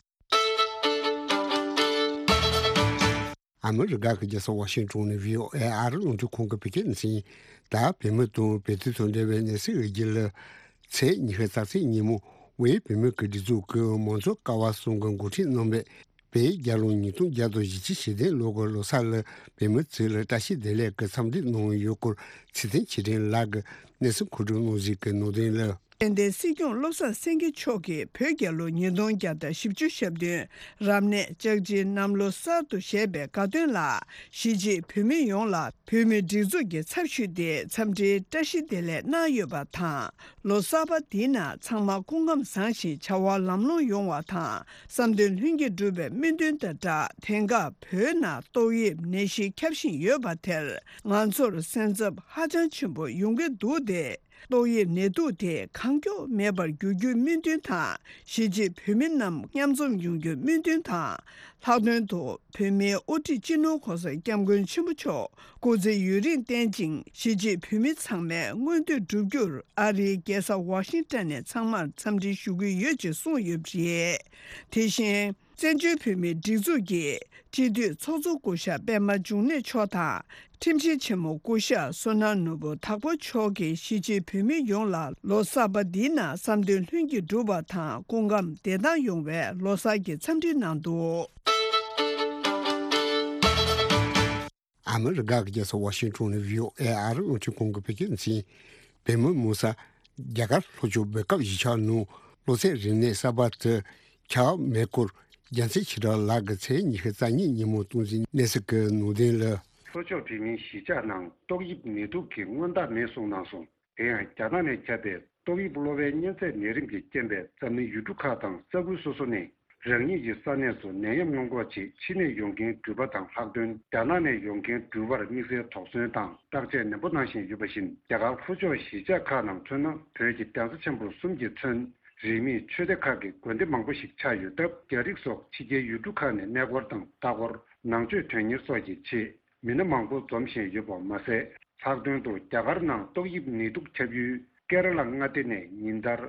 ཨ་མི་རི་ཀ་གི་རྒྱལ་ས་ཝ་ཤིང་ཊོན་ནས་བྷི་ཨོ་ཨེ་ཨ་རི་རླུང་འཕྲིན་ཁང་གི་བོད་སྐད་སྡེ་ཚན་ཡིན། ད་བོད་མི་དང་བོད་དོན་དང་འབྲེལ་བའི་གནས་ཚུལ་གྱི་རྒྱུད་ལ། ཚེས་ཉི་ཤུ་རྩ་གཅིག་ཉིན་མོ་དབུས་བོད་མི་གི་སྒྲིག་འཛུགས་ཀྱི་མང་གཙོ་ཀ་བ་གསུམ་གྱི་འགོ་ཁྲིད་རྣམ་པས་བོད་རྒྱལ་ལོ་ཉིས་སྟོང་བརྒྱ་དང་བཞི་བཅུ་ཞེ་བདུན་ལོ་གི་ལོ་གསར་ལ་བོད་མི་ཚོ་ལ་བཀྲ་ཤིས་བདེ་ལེགས་ཀྱི་འཚམས་འདྲི་གནང་ཡོད་སྐོར་ཚེ་བརྟན་ཆོས་སྒྲོན་ལགས་ཀྱིས་གནས་ཚུལ་མཁོ་སྒྲུབ་གནང་གཞི་གི་ནང་དོན་ལ། དཔལ་ལྡན་སྲིད་སྐྱོང་བློ་བཟང་སེང་གེ་མཆོག་གིས་བོད་རྒྱལ་ལོ་ཉིས་སྟོང་བརྒྱ་དང་བཞི་བཅུ་ཞེ་བདུན་རབ་གནས་ལྕགས་བྱི་གནམ་ལོ་གསར་དུ་བཞད་པའི་དགའ་སྟོན་ལ་གཞིས་བྱེས་བོད་མི་ཡོངས་ལ་བོད་མིའི་སྒྲིག་འཛུགས་ཀྱི་ཚབ་ཞུས་ཏེ་འཚམས་འདྲིའི་བཀྲ་ཤིས་བདེ་ལེགས་གནང་ཡོད་པ་དང་། ལོ་གསར་པ་འདིའི་ནང་ཚང་མ་སྐུ་ཁམས་བཟང་ཞིང་བྱ་བ་ལམ་ལྷོང་ཡོང་བ་དང་། བསམ་དོན་ལྷུན་གྱིས་འགྲུབ་པའི་སྨོན་འདུན་དང་སྦྲགས། དེང་སྐབས་བོད་ནང་ཏོག་དབྱིབས་ནད་གཞི་ཁྱབ་བཞིན་ཡོད་པ་དེར་ང་ཚོར་སེམས་འཚབ་ཧ་ཅང་ཆེན་པོ་ཡོང་གི་འདུག་སྟེ། ཏོག་དབྱིབས་ནད་དུག་དེ་གང་མགྱོགས་མེད་པར་འགྱུར་རྒྱུའི་སྨོན་འདུན་དང་། གཞིས་བྱེས་བོད་མི་རྣམས་མཉམ་འཛོམས་ཡོང་རྒྱུའི་སྨོན་འདུན་དང་། ལྷག་དོན་དུ་བོད་མིའི་དབུ་ཁྲིད་སྤྱི་ནོར་༸གོང་ས་༸སྐྱབས་མགོན་ཆེན་པོ་མཆོག་སྐུ་ཚེ་ཡུན་རིང་བརྟན་ཅིང་། གཞིས་བྱེས་བོད་མི་ཚང་མའི་མངོན་འདོད་འགྲུབ་རྒྱུར་ཨ་རིའི་རྒྱལ་ས་ཝ་ཤིང་ཊོན་ནས་ཚང་མར་འཚམས་འདྲི་ཞུ་གི་ཡོད་ཅེས་གསུངས་ཡོད་པ་རེད། དེ་བཞིན། བཙན་བྱོལ་བོད་མིའི་སྒྲིག་འཛུགས་ཀྱི་སྤྱི་འཐུས་ཚོགས་གཙོ་སྐུ་ཞབས་པད་མ་འབྱུང་གནས་མཆོག་དང་། ཁྲིམས་ཞིབ་ཆེན་མོ་སྐུ་ཞབས་བསོད་ནམས་ནོར་བུ་དྭགས་པོ་མཆོག་གིས་གཞིས་བྱེས་བོད་མི་ཡོངས་ལ་ལོ་གསར་པ་འདིའི་ནང་བསམ་དོན་ལྷུན་གྱིས་འགྲུབ་པ་དང་། སྐུ་ཁམས་བདེ་ཐང་ཡོང་བའི་ལོ་གསར་གྱི་འཚམས་འདྲི་གནང་འདུག་ཨ་མི་རི་ཀ་གི་རྒྱལ་ས་ཝ་ཤིང་ཊོན་ནས་བྷི་ཨོ་ཨེ་ཨ་རིའི་རླུང་འཕྲིན་ཁང་གི་བོད་སྐད་སྡེ་ཚན། བོད་མི་མང་སྟབས་རྒྱ་གར་ལྷོ་ཕྱོགས་བོད་ཁམས་གཞིས་ཆགས་ནང་གློ་ཚད་རིམས་ནད་གསར་པ་དེ་ཁྱབ་མེད་སྐོར། རྒྱལ་མཚན་ཆོས་གྲགས་ལགས་ཀྱིས་ཚེས་ཉི་ཤུ་རྩ་གཉིས་ཉིན་མོ་གཏོང་ཟིན་གནས་ཚུལ་གྱི་ནང་དོན་ལ། ལྷོ་ཕྱོགས་བོད་མིའི་གཞིས་ཆགས་ནང་ཏོག་དབྱིབས་ནད་དུག་གི་སྔོན་རྟགས་མེད་གསུངས་གནང་སོང་། དེ་ཡང་རྒྱ་ནག་ནས་ཁྱབ་པའི་ཏོག་དབྱིབས་གློ་བའི་གཉན་ཚད་ནད་རིམས་ཀྱི་རྐྱེན་པས་འཛམ་གླིང་ཡུལ་གྲུ་ཁག་དང་ས་ཁུལ་སོ་སོ་ནས་རང་ཉིད་ཀྱི་ས་གནས་སུ་ནད་ཡམས་སྔོན་འགོག་ཆེད་ཕྱི་ནས་ཡོང་མཁན་འགྲུལ་པ་དང་ལྷག་དོན་རྒྱ་ནག་ནས་ཡོང་མཁན་འགྲུལ་པར་དམིགས་བསལ་དོགས་ཟོན་དང་བརྟག་དཔྱད་ནན་པོ་གནང་བཞིན་ཡོད་པ་བཞིན། རྒྱ་གར་ལྷོ་ཕྱོགས་གཞིས་ཆགས་ཁག་ནང་མཚོན་ན་བོད་ཀྱི་གདན་ས་ཆེན་པོ་གསུམ་གྱིས་མཚོན། རིས་མེད་ཆོས་སྡེ་ཁག་གི་དགོན་སྡེ་མང་པོ་ཞིག་ཆགས་ཡོད་སྟབས། རྒྱ་རིགས་སོགས་ཕྱི་རྒྱལ་ཡུལ་གྲུ་ཁག་ནས་གནས་སྐོར་དང་ལྟ་སྐོར། ནང་ཆོས་དོན་གཉེར་སོགས་ཀྱི་ཆེད་མི་སྣ་མང་པོ་འཛོམས་བཞིན་ཡོད་པ་མ་ཟད། ལྷག་དོན་དུ་རྒྱ་གར་ནང་ཏོག་དབྱིབས་ནད་དུག་ཁྱབ་ཡུལ་ཀེ་ར་ལ་མངའ་སྡེ་ནས་ཉིན་ལྟར་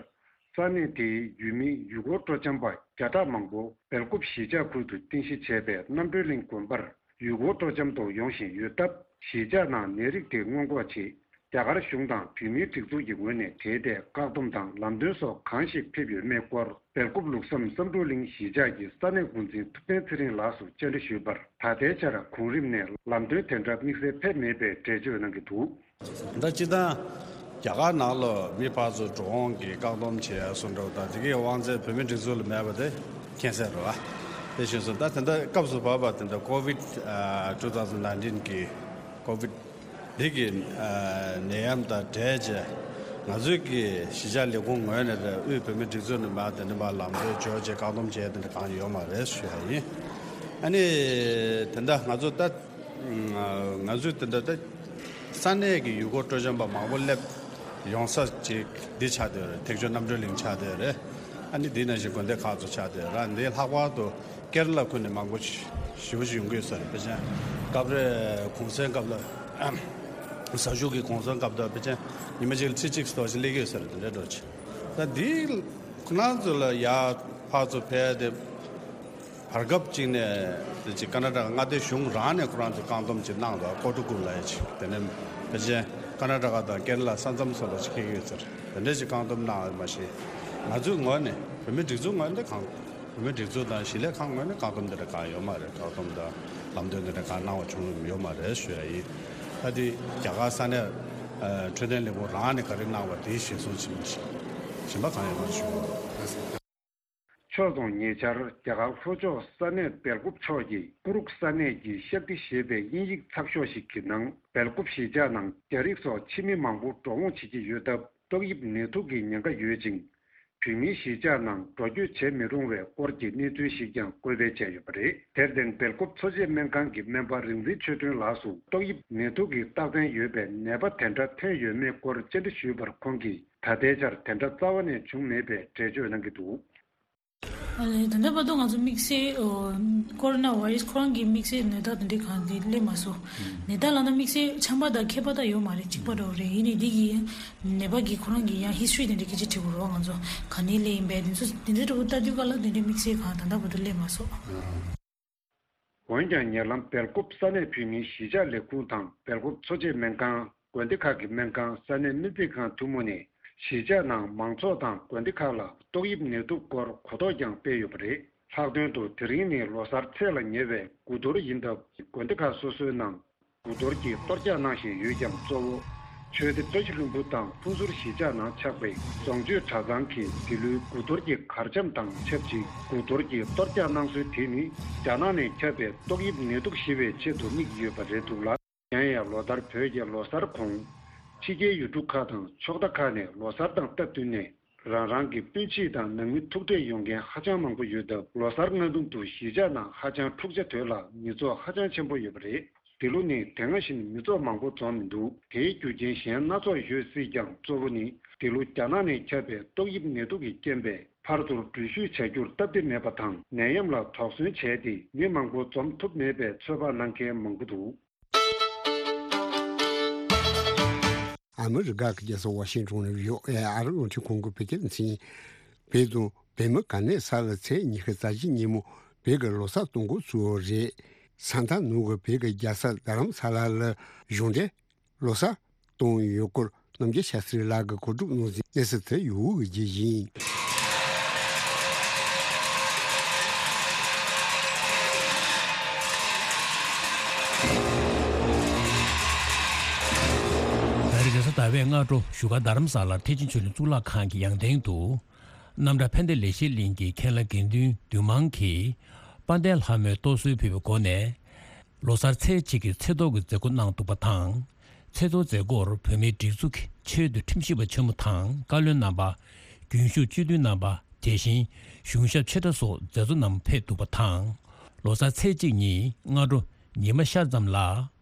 ས་གནས་དེའི་ཡུལ་མི་ཡུལ་སྐོར་སྤྲོ་འཆམ་པ་བརྒྱ་ཕྲག་མང་པོ་སྦེལ་ཀོབ་གཞིས་ཆགས་ཁུལ་དུ་རྟེན་གཞི་བྱས་པའི་རྣམ་གྲོལ་གླིང་དགོན་པར་ཡུལ་སྐོར་སྤྲོ་འཆམ་དུ་ཡོང་བཞིན་ཡོད་སྟབས། གཞིས་ཆགས་ནང་ནད་རིགས་དེ་སྔོན་འགོག་ཆེད། རྒྱ་གར་གཞུང་དང་བོད་མིའི་སྒྲིག་འཛུགས་ཀྱི་ངོས་ནས་དེའི་ཐད་བཀག་སྡོམ་དང་ལམ་སྟོན་སོགས་གང་ཞིག་ཕེབས་ཡོད་མེད་སྐོར། སྦེལ་ཀོབ་ལུགས་བསམ་བསམ་འགྲུབ་གླིང་གཞིས་ཆགས་ཀྱི་ས་གནས་འགོ་འཛིན་ཐུབ་བསྟན་ཚེ་རིང་ལགས་སུ་བཅར་འདྲི་ཞུས་པར། ད་ལྟའི་ཆར་གོང་རིམ་ནས་ལམ་སྟོན་དེ་འདྲ་དམིགས་བསལ་ཕེབས་མེད་པའི་འགྲེལ་བརྗོད་གནང་གི་འདུག། ད་སྤྱིར་བཏང་རྒྱ་གར་ནང་ལ་མི་ཕར་ཚུར་འགྲོ་འོང་གི་བཀག་སྡོམ་བྱས་སོང་འདྲ་བོ་དང་། དེ་གའི་དབང་ཚད་བོད་མིའི་སྒྲིག་འཛུགས་ལ་མེད་པ་དེ་མཁྱེན་གསལ་རེད་བ། དེ་བཞིན་སུ་ད་དེ་འདྲ་སྐབས་སུ་བབས་པ་དེ་འདྲ་ཀོ་ཝིད་two thousand nineteen གི་ཀོ་ཝིད་འདི་གི་ནད་ཡམས་དང་འབྲེལ་བྱས། ང་ཚོའི་གི་གཞིས་ཆགས་ལས་ཁུངས་ངོས་ནས་རེད། དབུས་བོད་མིའི་སྒྲིག་འཛུགས་ནས་མར་དེ་འདྲ་མར་ལམ་སྟོན་བྱས་བྱས་བཀག་སྡོམ་བྱས་དེ་འདྲ་གང་ཡོད་མ་རེད་ཞུ་ཡ་ཡིན། ཨ་ནི་དེ་འདྲ་ང་ཚོ་ད་ང་ཚོས་དེ་འདྲ་ད་ས་གནས་ཀྱི་ཡུལ་སྐོར་སྤྲོ་འཆམ་པ་མང་པོ་སླེབས་ཡོང་ས་ཅིག་འདི་ཆགས་བསྡད་ཡོད་རེད། ཐེག་མཆོག་རྣམ་གྲོལ་གླིང་ཆགས་བསྡད་ཡོད་རེད། ཨ་ནི་འདི་ནང་བཞིན་དགོན་སྡེ་ཁག་ཚོ་ཆགས་བསྡད་ཡོད་རེད། འདི་ལྷག་པར་དུ་ཀེ་ར་ལ་ཁུལ་ནས་མང་པོ་ཞེ་པོ་ཅིག་ཡོང་གི་ཡོད་ས་རེད། དཔེ་ཆ་སྐབས་རེ་གུང་སེང་སྐབས་ལ་ཟ་ཞུགས་ཀྱི་གུང་སེང་སྐབས་དུ་དཔེ་ཆ་ཉི་མ་གཅིག་ལ་ཁྲི་གཅིག་ཙམ་ཞིག་སླེབས་ཀྱི་ཡོད་ས་རེད། དེ་འདྲ་འགྲོ་ཆེ། ད་འདི་ཁོ་རང་ཚོ་ལ་ཡར་ཕར་ཚུར་ཕེབས་ཏེ། བར་སྐབས་གཅིག་ནས་དེ་ཅིག་ཀར་ནཱ་ཊ་ཀ་མངའ་སྡེ་གཞུང་རང་ནས་ཁོ་རང་ཚོས་བཀག་སྡོམ་ཅིག་གནང་འདུག། ཀོ་ཊུ་ཀུ་ལབ་ཡ་ཅིག། དེ་ནས་ཕལ་ཆེར་ཀར་ནཱ་ཊ་ཀ་དང་ཀེ་ར་ལ་ས་མཚམས་སོགས་ལ་ཅིག་འཁེལ་གྱི་ཡོད་ཟེར། དེ་འདྲ་ཅིག་བཀག་སྡོམ་གནང་བ་མ་ཤེས། ང་ཚོའི་ངོས་ནས་བོད་མིའི་སྒྲིག་འཛུགས་ངོས་ནས་གང་། བོད་མིའི་སྒྲིག་འཛུགས་དང་གཞིས་ལས་ཁང་ངོས་ནས་བཀག་སྡོམ་དེ་འདྲ་གང་ཡོད་མ་རེད། བཀག་སྡོམ་དང་ལམ་སྟོན་དེ་འདྲ་གང་གནང་བ་བྱུང་ཡོད་མ་རེད་ཞུ་ཡ་ཡིན། ད་དེ་རྒྱ་གར་ས་གནས་འཕྲོད་བསྟེན་ལས་ཁུངས་རང་ནས་ག་རེ་གནང་བ་དེ་གཞིར་བཟུང་བྱས་ནས་གཞན་པ་གང་ཡོད་མ་རེད་ཞུ་ཡ་ཡིན། ཕྱོགས་མཚུངས་ཉེ་ཆར་རྒྱ་གར་ལྷོ་ཕྱོགས་ས་གནས་སྦེལ་ཀོབ་ཕྱོགས་ཀྱི་ཀུ་རུག་ས་གནས་ཀྱི་ཤཀྟི་ཞེས་པའི་དབྱིན་ཡིག་ཚགས་ཤོག་ཞིག་གི་ནང་། སྦེལ་ཀོབ་གཞིས་ཆགས་ནང་རྒྱ་རིགས་སོགས་ཕྱི་མི་མང་པོ་འགྲོ་འོང་བྱེད་ཀྱི་ཡོད་སྟབས། ཏོག་དབྱིབས་ནད་དུག་གི་ཉེན་ཁ་ཡོད་ཅིང་། བོད་མིའི་གཞིས་ཆགས་ནང་འགྲོ་སྐྱོད་བྱེད་མི་རུང་བའི་སྐོར་གྱི་གནས་ཚུལ་ཞིག་ཀྱང་འགོད་སྤེལ་བྱས་ཡོད་པ་རེད། དེར་བརྟེན། སྦེལ་ཀོབ་འཚོ་བྱེད་སྨན་ཁང་གི་སྨན་པ་རིག་འཛིན་ཆོས་སྒྲོན་ལགས་སུ་ཏོག་དབྱིབས་ནད་དུག་གི་རྟགས་མཚན་ཡོད་པའི་ནད་པ་དེ་འདྲ་ཐོན་ཡོད་མེད་སྐོར་བཅར་འདྲི་ཞུས་པར། ཁོང་གིས་ད་ལྟའི་ཆར་དེ་འདྲ་རྩ་བ་ནས་བྱུང་མེད་པའི་འགྲེལ་བརྗོད་གནང་གི་འདུག། ཨ་ལས། ད་ལྟ་བར་དུ་ང་ཚོ་དམིགས་བསལ་ཨོ་ཀོ་རོ་ན་བྷ་ཡི་རུ་སི་ཁོ་རང་གི་དམིགས་བསལ་ནད་རྟགས་དེ་འདྲའི་གང་དེ་སླེབས་མ་སོང་། ནད་རྟགས་ལབ་ན་དམིགས་བསལ་ཆམ་པ་དང་ཁྱབ་པ་དང་ཡོད་མ་རེད། གཅིག་པ་འདྲ་བོ་རེད། ཡིན་ནའི་འདི་གི་ནད་པ་གི་ཁོ་རང་གི་ཡང་ཧི་སི་ཊོ་རི་དེ་འདྲ་སྐད་ཆ་དྲི་དགོས་རེད་བ། ང་ཚོ་ག་ནས་སླེབས་ཡིན་པས་དེ་ཚོ་དེ་འདྲའི་འདྲ་བོ་ལྟ་དུས་སྐབས་ལ་དེ་འདྲའི་དམིགས་བསལ་གང་ད་ལྟ་བར་དུ་སླེབས་མ་སོང་། འོན་ཀྱང་ཉེ་ལམ་སྦེལ་ཀོབ་ས་གནས་བོད་མིའི་གཞིས་ཆགས་ལས་ཁུངས་དང་སྦེལ་ཀོབ་འཚོ་བྱེད་སྨན་ཁང་། དགོན་སྡེ་ཁག་གི་སྨན་ཁང་། ས་གནས་སྨན་རྩིས་ཁང་ཐུན་མོང་ནས་གཞིས་ཆགས་ནང་མང་ཚོགས་དང་དགོན་སྡེ་ཁག་ལ་ཏོག་དབྱིབས་ནད་དུག་སྐོར་གོ་རྟོགས་ཀྱང་སྤེལ་ཡོད་པ་རེད། ལྷག་དོན་དུ་དེ་རིང་ནི་ལོ་གསར་ཚེས་ལ་ཉེ་བའི་དགུ་གཏོར་ཡིན་སྟབས། དགོན་སྡེ་ཁག་སོ་སོའི་ནང་དགུ་གཏོར་གྱི་གཏོར་རྒྱག་གནང་བཞིན་ཡོད་ཀྱང་། གཙོ་བོ་ཆོས་སྡེ་བཀྲ་ཤིས་ལྷུན་པོ་དང་ཕུན་ཚོགས་གཞིས་ཆགས་ནང་ཆགས་པའི་རྫོང་ཆོས་གྲྭ་ཚང་གིས་འདི་ལོའི་དགུ་གཏོར་གྱི་གར་འཆམ་དང་ཆབས་ཅིག་དགུ་གཏོར་གྱི་གཏོར་རྒྱག་གནང་སྲོལ་དེ་ནི་རྒྱ་ནག་ནས་ཁྱབ་པའི་ཏོག་དབྱིབས་ནད་དུག་ཞི་བའི་ཆེད་དུ་དམིགས་ཡོད་པ་རེད་འདུག་ལ། གཞན་ཡང་ལོ་ལྟར་བོད་ཀྱི་ལོ་གསར་གོང་། ཕྱི་རྒྱལ་ཡུལ་གྲུ་ཁག་དང་ཕྱོགས་མཐའ་ཁག་ནས་ལོ་གསར་དང་སྟབས་བསྟུན་ནས་རང་རང་གི་སྤུན་མཆེད་དང་ནང་མི་ཐུག་འཕྲད་ཡོང་མཁན་ཧ་ཅང་མང་པོ་ཡོད་སྟབས། ལོ་གསར་སྔ་དུས་སུ་གཞིས་ཆགས་ནང་ཧ་ཅང་འཁྲུག་ཆ་དོད་ལ་མི་ཚོགས་ཧ་ཅང་ཆེན་པོ་ཡོད་པ་རེད། འདི་ལོ་ནི་དེ་སྔ་བཞིན་མི་ཚོགས་མང་པོ་འཛོམས་མི་འདུག། དེའི་རྒྱུ་རྐྱེན་གཞན་སྣ་ཚོགས་ཡོད་སྲིད་ཀྱང་། གཙོ་བོ་ནི་འདི་ལོ་རྒྱ་ནག་ནས་ཁྱབ་པའི་ཏོག་དབྱིབས་ནད་དུག་གི་རྐྱེན་པས་ཕར་ཚུར་འགྲུལ་བཞུད་བྱ་རྒྱུར་སྟབས་བདེ་མེད་པ་དང་། ནད་ཡམས་ལ་དོགས་ཟོན་བྱས་ཏེ་མི་མང་པོ་འཛོམས་ཐུབ་མེད་པའི་ཚོད་དཔག་གནང་མཁན་མང་པོ་འདུག། ཨ་མི་རི་ཀ་གི་རྒྱལ་ས་ཝ་ཤིང་ཊོན་ནས་བྷི་ཨོ་ཨེ་ཨ་རིའི་རླུང་འཕྲིན་ཁང་གི་བོད་སྐད་སྡེ་ཚན། བོད་དང་བོད་མི་ག་ནས་ས་ལ་ཚེས་ཉི་ཤུ་རྩ་གཅིག་ཉིན་མོ་བོད་ཀྱི་ལོ་གསར་གཏོང་འགོ་ཚུགས་པ་རེད། ས་མཐའ་ནང་གི་བོད་ཀྱི་རྒྱལ་ས་རྡ་རམ་ས་ལ་ལ་གཞུང་འབྲེལ་ལོ་གསར་གཏོང་ཡོད་སྐོར་རྣམ་རྒྱལ་ཤཱ་སྟྲི་ལགས་ཀྱིས་གོ་སྒྲིག་གནང་ཟིན་གནས་ཚུལ་དེ་ཡོད་པའི་རྗེས་ཡིན། ཟླ་བའི་སྔ་དྲོ་བཞུགས་སྒར་རྡ་རམ་ས་ལ་ཐེག་ཆེན་ཆོས་གླིང་གཙུག་ལག་ཁང་གི་ཡང་སྟེང་དུ། རྣམ་གྲྭ་ཕན་བདེ་ལེགས་བཤད་གླིང་གི་མཁན་བླ་དགེ་འདུན་འདུས་མང་གིས་དཔལ་ལྡན་ལྷ་མོའི་གཏོར་གསོལ་ཕུལ་བའི་སྒོ་ནས། ལོ་གསར་ཚེས་གཅིག་གི་ཚེས་གཏོར་གྱི་མཛད་སྒོ་གནང་འདུག་པ་དང་། ཚེས་གཏོར་མཛད་སྒོར་བོད་མིའི་སྒྲིག་འཛུགས་ཀྱི་ཆེས་མཐོའི་ཁྲིམས་ཞིབ་པ་ཆེན་མོ་དང་བཀའ་བློན་རྣམ་པ། རྒྱུན་ཞུགས་སྤྱི་འཐུས་རྣམ་པ། དེ་བཞིན་གཞུང་ཞབས་ཆེ་ཕྲ་སོགས་མཛད་གཙོ་རྣམས་ཕེབས་འདུག་པ་དང་། ལོ་གསར་ཚེས་གཅིག་ཉིན་སྔ་དྲོ་ཉི་མ་ཤར་ཙམ་ལ།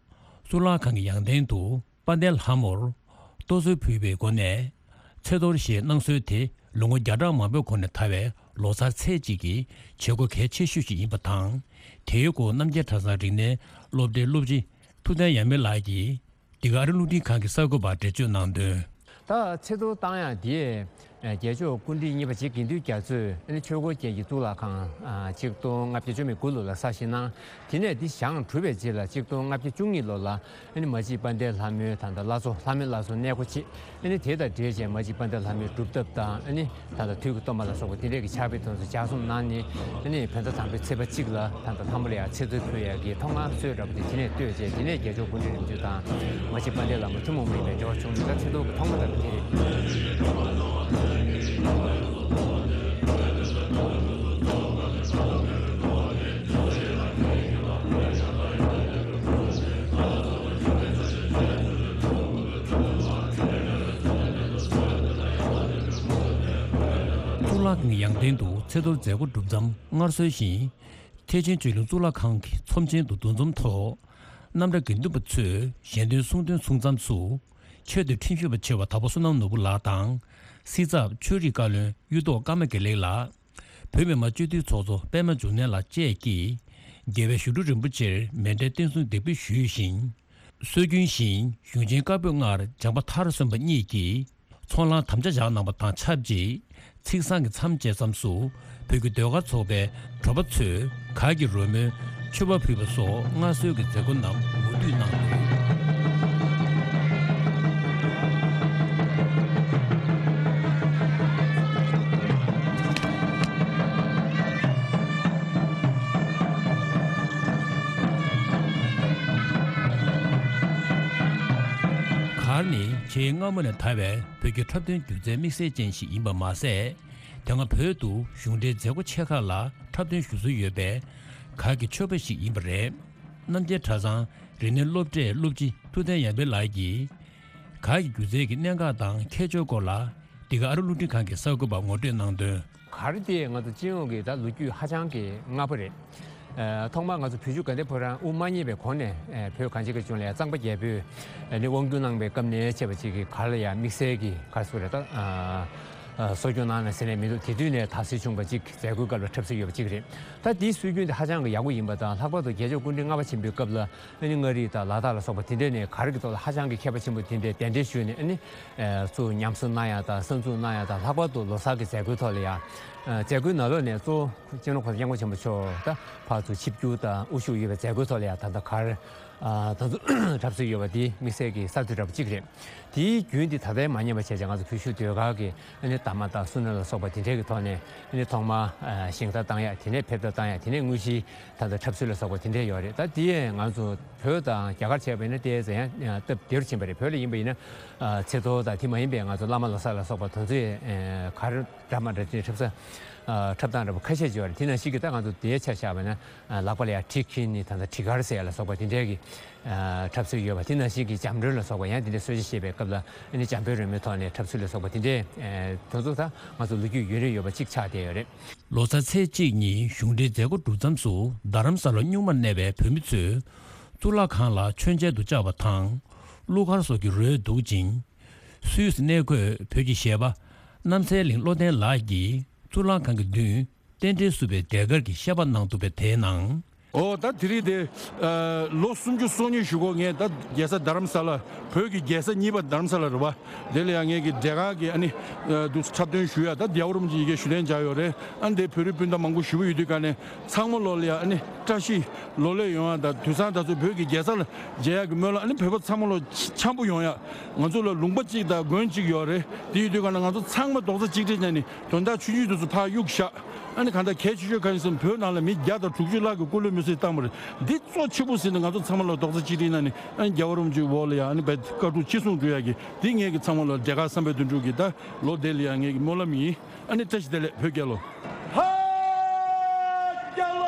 གཙུག་ལག་ཁང་གི་ཡང་སྟེང་དུ་དཔལ་ལྡན་ལྷ་མོར་གཏོར་གསོལ་ཕུལ་བའི་སྒོ་ནས། ཚེས་གཏོར་ཞེས་གནང་སྲོལ་དེ་ལོ་ངོ་བརྒྱ་ཕྲག་མང་པོའི་གོང་ནས་དར་བའི་ལོ་གསར་ཚེས་གཅིག་གི་བྱེད་སྒོ་གལ་ཆེ་ཤོས་ཤིག་ཡིན་པ་དང་། དེའི་སྐོར་རྣམ་རྒྱལ་གྲྭ་ཚང་རིག་གནས་སློབ་གྲྭའི་སློབ་སྤྱི་ཐུབ་བསྟན་ཡར་མེ་ལགས་ཀྱིས། འདི་ག་ཨ་རི་རླུང་འཕྲིན་ཁང་གི་གསར་འགོད་པར་འགྲེལ་བརྗོད་གནང་དོན། ད་ཚེས་གཏོར་བཏང་ཡག་འདི། རྒྱལ་མཆོག་སྐུ་ཕྲེང་གཉིས་པ་རྗེ་དགེ་འདུན་རྒྱ་མཚོས་ཨ་ནི་ཆོས་འཁོར་རྒྱལ་གྱི་གཙུག་ལག་ཁང་། ཆིག་སྟོང་ལྔ་བརྒྱ་བཅུ་མེད་དགུ་ལོ་ལ་གསར་བཞེངས་གནང་། དེ་ནས་འདི་བཞེངས་གྲུབ་པའི་རྗེས་ལ་ཆིག་སྟོང་ལྔ་བརྒྱ་བཅུ་གཉིས་ལོ་ལ་ཨ་ནི་མ་གཅིག་དཔལ་ལྡན་ལྷ་མོའི་ད་ལྟ་བླ་མཚོ་ལྷ་མོའི་བླ་མཚོ་གནས་སྒོ་ཕྱེ། ཨ་ནི་དེ་དང་འབྲེལ་བྱས་མ་གཅིག་དཔལ་ལྡན་ལྷ་མོའི་སྒྲུབ་ཐབས་དང་། ཨ་ནི་ད་ལྟ་དུས་ཀྱི་གཏོར་མ་ལ་སོགས་པ་དེ་འདྲས་ཀྱི་ཕྱག་དཔེ་དེ་ཚོ་ལྗགས་རྩོམ་གནང་ནས། ཨ་ནི་བོད་ཟླ་དང་པོའི་ཚེས་པ་གཅིག་ལ་ད་ལྟ་ལྷ་མོ་ལ་ཡང་ཚེས་གཏོར་ཕུལ་ཡག་གི་ཐོག་མར་སྲོལ་འདྲ་པོ་དེ་དེ་ནས་བཏོད་བྱས། དེ་ནས་རྒྱལ་མཆོག་སྐུ་ཕྲེང་རིམ་བྱོན་དང་མ་གཅིག་དཔལ་ལྡན་ལྷ་མོ་ཐུན་མོང་མ་ཡིན་པའི་འབྲེལ་བ་བྱུང་ནས། ད་ཚེས་གཏོར་གྱི་ཐོག་མ་ལྟ་བུ་དེ་རེད། གཙུག་ལག་ཁང་གི་ཡང་སྟེང་དུ་ཚེས་གཏོར་མཛད་སྒོ་གྲུབ་མཚམས། སྔར་སྲོལ་བཞིན། ཐེག་ཆེན་ཆོས་གླིང་གཙུག་ལག་ཁང་གི་ཚོམས་ཆེན་དུ་འདུ་འཛོམས་ཐོག་རྣམ་གྲྭ་དགེ་འདུན་པ་ཚོས་ཞལ་འདོན་གསུང་འདོན་གསུང་མཚམས་སུ། ཆེས་མཐོའི་ཁྲིམས་ཞིབ་པ་ཆེ་བ་དྭགས་པོ་བསོད་ནམས་ནོར་བུ་ལགས་དང་། སྲིད་ཚབ་ཆོས་རིག་བཀའ་བློན་གཡུ་ཐོག་ཀརྨ་དགེ་ལེགས་ལགས། བོད་མི་མང་སྤྱི་འཐུས་ཚོགས་གཙོ་པད་མ་འབྱུང་གནས་ལགས་བཅས་ཀྱིས། རྒྱལ་བའི་ཞབས་དྲུང་རིན་པོ་ཆེར་མཎྜལ་རྟེན་གསུམ་འདེགས་འབུལ་ཞུས་ཤིང་། སྲོལ་རྒྱུན་བཞིན་གཞུང་ཆེན་བཀའ་པོད་ལྔར་སྦྱངས་པ་མཐར་སོན་པ་གཉིས་ཀྱིས་ཚོགས་ལངས་དམ་བཅའ་བཞག་གནང་བ་དང་ཆབས་ཅིག་ཚིག་བཟང་གི་མཚམས་བཅད་མཚམས་སུ་བོད་ཀྱི་ཟློས་གར་ཚོགས་པའི་གྲོགས་པ་ཚོས་གར་གྱི་རོལ་མོའི་མཆོད་པ་ཕུལ་བ་སོགས་སྔར་སྲོལ་གྱི་མཛད་སྒོ་རྣམས་མུ་མཐུད་གནང་འདུག་གར་ནི་ཆེས་སྔ་མོ་ནས་དར་བའི་བོད་ཀྱི་འཁྲབ་སྟོན་སྒྱུ་རྩལ་དམིགས་བསལ་ཅན་ཞིག་ཡིན་པ་མ་ཟད། དེ་སྔ་བོད་དུ་གཞུང་འབྲེལ་མཛད་སྒོ་ཆེ་ཁག་ལ་འཁྲབ་སྟོན་ཞུ་སྲོལ་ཡོད་པའི་གར་གྱི་མཆོད་པ་ཞིག་ཡིན་པ་རེད། རྣམ་རྒྱལ་གྲྭ་ཚང་རིག་གནས་སློབ་གྲྭའི་སློབ་སྤྱི་ཐུབ་བསྟན་ཡར་འཕེལ་ལགས་ཀྱིས། གར་གྱི་སྒྱུ་རྩལ་གྱི་གནད་འགག་དང་ཁྱད་ཆོས་སྐོར་ལ། འདི་ག་ཨ་རི་རླུང་འཕྲིན་ཁང་གི་གསར་འགོད་པར་ངོ་སྤྲོད་གནང་དོན། གར་དེ་ང་ཚོ་སྤྱི་ཡོངས་ཀྱི་ད་ལོ་རྒྱུས་ཧ་ཅང་གི་སྔ་པོ་རེད། ཨ། ཐོག་མར་ང་ཚོ་བོད་བརྒྱུད་དགའ་ལྡན་ཕོ་བྲང་དབུ་མ་བརྙེས་པའི་གོང་ནས། ཨ། བོད་གངས་ཅན་གྱི་ལྗོངས་ལ་ཡང་གཙང་པ་རྒྱལ་པོས་ནི་དབང་བསྒྱུར་གནང་བའི་སྐབས་ནས་བྱས་པ་ཅིག་གིས་གར་ལ་ཡང་དམིགས་བསལ་གྱི་གར་སོ་རེད་ད། ཨ། ཨ། གསོ་སྐྱོང་གནང་ན་ཟེར་ནས་མི་འདུག་དེ་དུས་ནས་དར་སྲོལ་བྱུང་བ་ཅིག་མཛད་སྒོའི་སྐབས་ལ་འཁྲབ་སྲོལ་ཡོད་པ་ཅིག་རེད། ད་དེའི་སྲོལ་རྒྱུན་དེ་ཧ་ཅང་གི་ཡག་པོ་ཡིན་པ་དང་། ལྷག་པར་དུ་རྒྱལ་མཆོག་སྐུ་ཕྲེང་ལྔ་པ་ཆེན་པོའི་སྐབས་ལ། ཨ་ནི་མངའ་རིས་དང་ལ་དྭགས་ལ་སོགས་པ་དེ་འདྲས་ནས་གར་གྱི་ཐོག་ལ་ཧ་ཅང་གི་མཁས་པ་ཆེན་པོ་དེ་འདྲས་གདན་འདྲེན་ཞུས་ནས། ཨ་ནི་ཨ་ཚུར་ཉམས་གསོ་གནང་ཡག་དང་གསར་འཛུགས་གནང་ཡག་དང་། ལྷག་པར་དུ་ལོ་གསར་གྱི་མཛད་སྒོའི་ཐོག་ལ་ཡང་། ཨ། མཛད་སྒོའི་ནང་ལོགས་ནས་གཙོ་བོ་སྤྱི་ནོར་༸གོང་ས་༸སྐྱབས་མགོན་ཆེན་པོ་མཆོག་ད་ཕར་ཚུར་ཆིབས་བསྒྱུར་དང་དབུ་བཞུགས་ཡོད་པའི་མཛད་སྒོའི་ཐོག་ལ་ཡང་ད་ལྟ་གར། ཨ། ད་ཚོ་འཁྲབ་སྲོལ་ཡོད་པ་དེ་དམིགས་བསལ་གྱི་གསར་གཏོད་འདྲ་པོ་གཅིག་རེད། དེའི་རྒྱུན་དེ་ད་ལྟའི་མ་ཉམས་པ་བྱས་ཙང་། ང་ཚོ་བོད་གཞུང་ཟློས་གར་གྱི་ཨ་ནི་གདམས་ངག་དང་བསུ་ནོར་ལ་སོགས་པ་དེ་འདྲས་ཀྱི་ཐོག་ནས། ཨ་ནི་ཐོག་མར་ཨ་བཞེངས་ཐག་བཏང་ཡག་དེ་ནས་ཕེབས་ཐག་བཏང་ཡག་དེ་ནས་དངོས་གཞིའི་ད་ལྟ་འཁྲབ་སྲོལ་ལ་སོགས་པ་དེ་འདྲས་ཡོད་རེད། ད་དེ་ཡང་ང་ཚོ་བོད་དང་རྒྱ་གར་བྱས་པ་ཡིན་ན་དེ་ཙམ་ཡང་སྟབས་བདེ་རུ་ཕྱིན་པ་རེད། བོད་ལ་ཡིན་པ་ཡིན་ན། ཨ། ཚེས་གཏོར་དང་དེ་མ་ཡིན་པའི་ང་ཚོ་བླ་མ་ལོ་གསར་ལ་སོགས་པ་དེ་ཚོའི། ཨ། གར་འདྲ་མི་འདྲ་དེ་འཁྲབ་ས། ཨ། འཁྲབ་སྟངས་འདྲ་པོ་ཁ་ཤས་ཅིག་ཡོད་རེད། དེ་ནང་བཞིན་གྱི་ད་ང་ཚོ་དེའི་ཆ་བཞག་པ་ན། ཨ། ལག་པ་ལ་ཡང་གྲི་འཁྱེར་ནས་ད་ལྟ་གྲི་གར་ཟེར་ཡག་ལ་སོགས་པ་དེ་འདྲའི་གི། ཨ། འཁྲབ་སྲོལ་ཡོད་པ། དེ་ནང་བཞིན་གྱི་རྒྱབ་མགྲོན་ལ་སོགས་པ་ཡང་དེ་འདྲའི་གསོལ་ཇ་བཞེས་པའི་སྐབས་ལ། ཨ་ནི་འཇམ་དཔལ་རོལ་མོའི་ཐོག་ནས་འཁྲབ་སྲོལ་ལ་སོགས་པ་དེ་འདྲའི། ཨ། དེ་ཚོ་ད་ང་ཚོ་ལོ་རྒྱུས་ཡུན་རིང་ཡོད་པ་གཅིག་ཆགས་བསྡད་ཡོད་རེད། ལོ་གསར་ཚེས་གཅིག་ཉིན་གཞུང་འབྲེལ་མཛད་སྒོ་གྲུབ་མཚམས་སུ། རྡ་རམ་ས་ལ་གཉུག་མར་གནས་པའི་བོད་མི་ཚོས་གཙུག་ལག་ཁང་ལ་མཆོད་མཇལ་དུ་བཅར་བ་དང་། གླུ་གར་སོགས་ཀྱི་རོལ་འདུག་ཅིང་། སུད་སི་གནས་འཁོད་བོད་ཀྱི་གཞས་པ་རྣམ་སྲས་གླིང་བློ་ལྡན་ལགས་ཀྱིས་གཙུག་ལག་ཁང་གི་མདུན། རྟེན་འབྲེལ་བསུ་བའི་ཟློས་གར་གྱི་བཤད་པ་གནང་འདུག་པས། དེའི་ནང་། ཨོ། ད་དེ་རིང་དེ། ཨ། ལོ་སུམ་ཅུ་སོ་གཉིས་བཞུགས་གོ། ངས་ད་རྒྱལ་ས་རྡ་རམ་ས་ལ། བོད་ཀྱི་རྒྱལ་ས་གཉིས་པ་རྡ་རམ་ས་ལ་རེད་པ། དེ་ལ་ཡང་ངས་ཀྱི་འབྲས་དཀར་གྱི་ཨ་ནི། ཨ། འདུག་འཁྲབ་སྟོན་ཞུ་ཡག་ད་རྒྱལ་བ་རིན་པོ་ཆེ་ཡི་གེ་ཞུ་ལན་སྦྱར་ཡོད་རེད། ཨ་ནི་དེ་བོད་རིགས་སྤུན་ཟླ་མང་པོ་ཞེ་པོ་ཡོད་དུས་ག་ནས། ཚང་མ་ལོ་ལ་ཡང་ཨ་ནི་བཀྲ་ཤིས་ལོ་ལེགས་ཡོང་ཡག་དང་། དུས་སང་ད་ཚོ་བོད་ཀྱི་རྒྱལ་ས་ལ་མཇལ་ཡག་གི་སྨོན་ལམ། ཨ་ནི་བོད་པ་ཚང་མ་ལོ་འཆམ་པོ་ཡོང་ཡག་ང་ཚོ་ལ་ལུང་པ་གཅིག་དང་དགོན་གཅིག་ཡོད་རེད། དེ་ཡོད་དུས་ག་ནས་ང་ཚོ་ཚང་མ་རྡོག་རྩ་གཅིག་སྒྲིལ་བྱས་ནས་དོན་དག་ཆུང་ཆུང་དེ་ཚོ་ཕར་གཡུག་བཞག་ཨ་ནི་གང་ལྟར་གལ་ཆེ་ཤོས་གང་ཡིན་ཟེར་ན། བོད་ནང་ལ་མི་བརྒྱ་དང་དྲུག་ཅུ་ལྷག་གི་སྐུ་ལུས་མེར་སྲེག་བཏང་བ་རེད། འདི་གཙོ་ཆེ་པོ་ཟེར་ན། ང་ཚོ་ཚང་མ་ལ་རྡོག་རྩ་གཅིག་སྒྲིལ་གནང་ནས། ཨ་ནི་རྒྱལ་བ་རིན་པོ་ཆེའི་འོག་ལ་ཡ་ཨ་ནི་བཀའ་དྲིན་ཆེ་གསུང་འགྲོ་ཡ་གི་འདི་ངེད་ཀྱི་ཚང་མ་ལ་འབྲས་དཀར་བསམ་འཕེལ་དོན་གྲུབ་ཀྱི་ད་ལོ་འདི་ལ་ཡ་ངེད་ཀྱི་སྨོན་ལམ་ཡིན། ཨ་ནི་བཀྲ་ཤིས་བདེ་ལེགས། བོད་རྒྱལ་ལོ། ཧ་རྒྱལ་ལོ།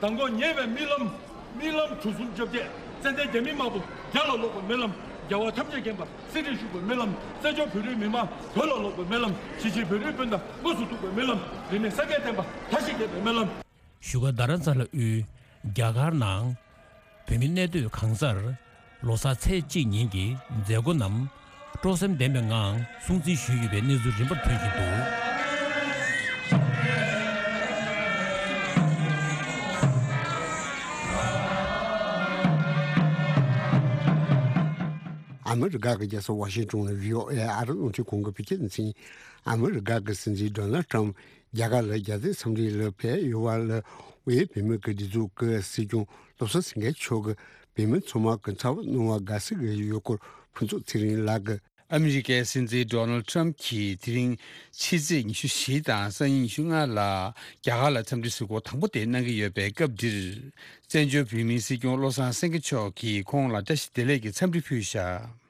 མདང་དགོང་ཉེ་བའི་རྨི་ལམ། རྨི་ལམ་གྲུ་གསུམ་བཅོ་བརྒྱད། ཙན་དན་རྒྱ་མི་དམར་པོ་རྒྱ་ལ་ལོག་པའི་རྨི་ལམ། རྒྱལ་བ་ཐམས་ཅད་མཁྱེན་པ་གསེར་ཁྲིར་བཞུགས་པའི་རྨི་ལམ། བཙན་བྱོལ་བོད་རིགས་མི་མང་བོད་ལ་ལོག་པའི་རྨི་ལམ། གཞིས་བྱེས་བོད་རིགས་སྤུན་ཟླ་དངོས་སུ་ཐུག་པའི་རྨི་ལམ། རིས་མེད་སངས་རྒྱས་བསྟན་པ་མཐའ་བཞི་རྒྱས་པའི་རྨི་ལམ། བཞུགས་སྒར་རྡ་རམ་ས་ལ་དབུས་རྒྱ་གར་ནང་བོད་མི་གནས་སྡོད་གང་སར་ལོ་གསར་ཚེས་གཅིག་ཉིན་གྱི་མཛད་སྒོ་རྣམས་སྤྲོ་སེམས་ལྡན་པའི་ངང་སྲུང་བརྩི་ཞུས་ཡོད་པའི་གནས་ཚུལ་རིམ་པར་ཐོན་བཞིན་འདུག། ཨ་མི་རི་ཀ་གི་རྒྱལ་ས་ཝ་ཤིང་ཏོན་ནས་བྷི་ཨོ་ཨེ་ཨ་རི་རླུང་འཕྲིན་ཁང་གི་བོད་སྐད་སྡེ་ཚན། ཨ་མི་རི་ཀ་གི་སྲིད་འཛིན་ཌོ་ནལ་ཊམ་རྒྱ་གར་ལ་རྒྱལ་རྩེད་འཚམས་འདྲི་ལ་ཕེབས་ཡོད་པ་ལ། དབུས་བོད་མིའི་སྒེར་སྡེ་ཚོགས་ཀྱི་སྲིད་སྐྱོང་བློ་བཟང་སེང་གེ་མཆོག་གིས་བོད་མི་ཚང་མ་གི་ཚབ་གནང་བར་དགའ་བསུ་ཡོད་སྐོར་ཕུན་ཚོགས་ཚེ་རིང་ལགས་ཀྱིས། ཨ་མི་རི་ཀའི་སྲིད་འཛིན་ཌོ་ནལ་ཊམ་གྱིས་དེ་རིང་ཕྱི་ཚེས་ཉི་ཤུ་བཞི་དང་སང་ཉིན་ཉི་ཤུ་ལྔ་ལ་རྒྱ་གར་ལ་འཚམས་འདྲི་གཟིགས་སྐོར་དང་པོ་དེ་གནང་གི་ཡོད་པའི་སྐབས་འདིར། བཙན་བྱོལ་བོད་མིའི་སྲིད་སྐྱོང་བློ་བཟང་སེང་གེ་མཆོག་གིས་ཁོང་ལ་བཀྲ་ཤིས་བདེ་ལེགས་ཀྱི་འཚམས་འདྲི་ཕུལ་བཞག།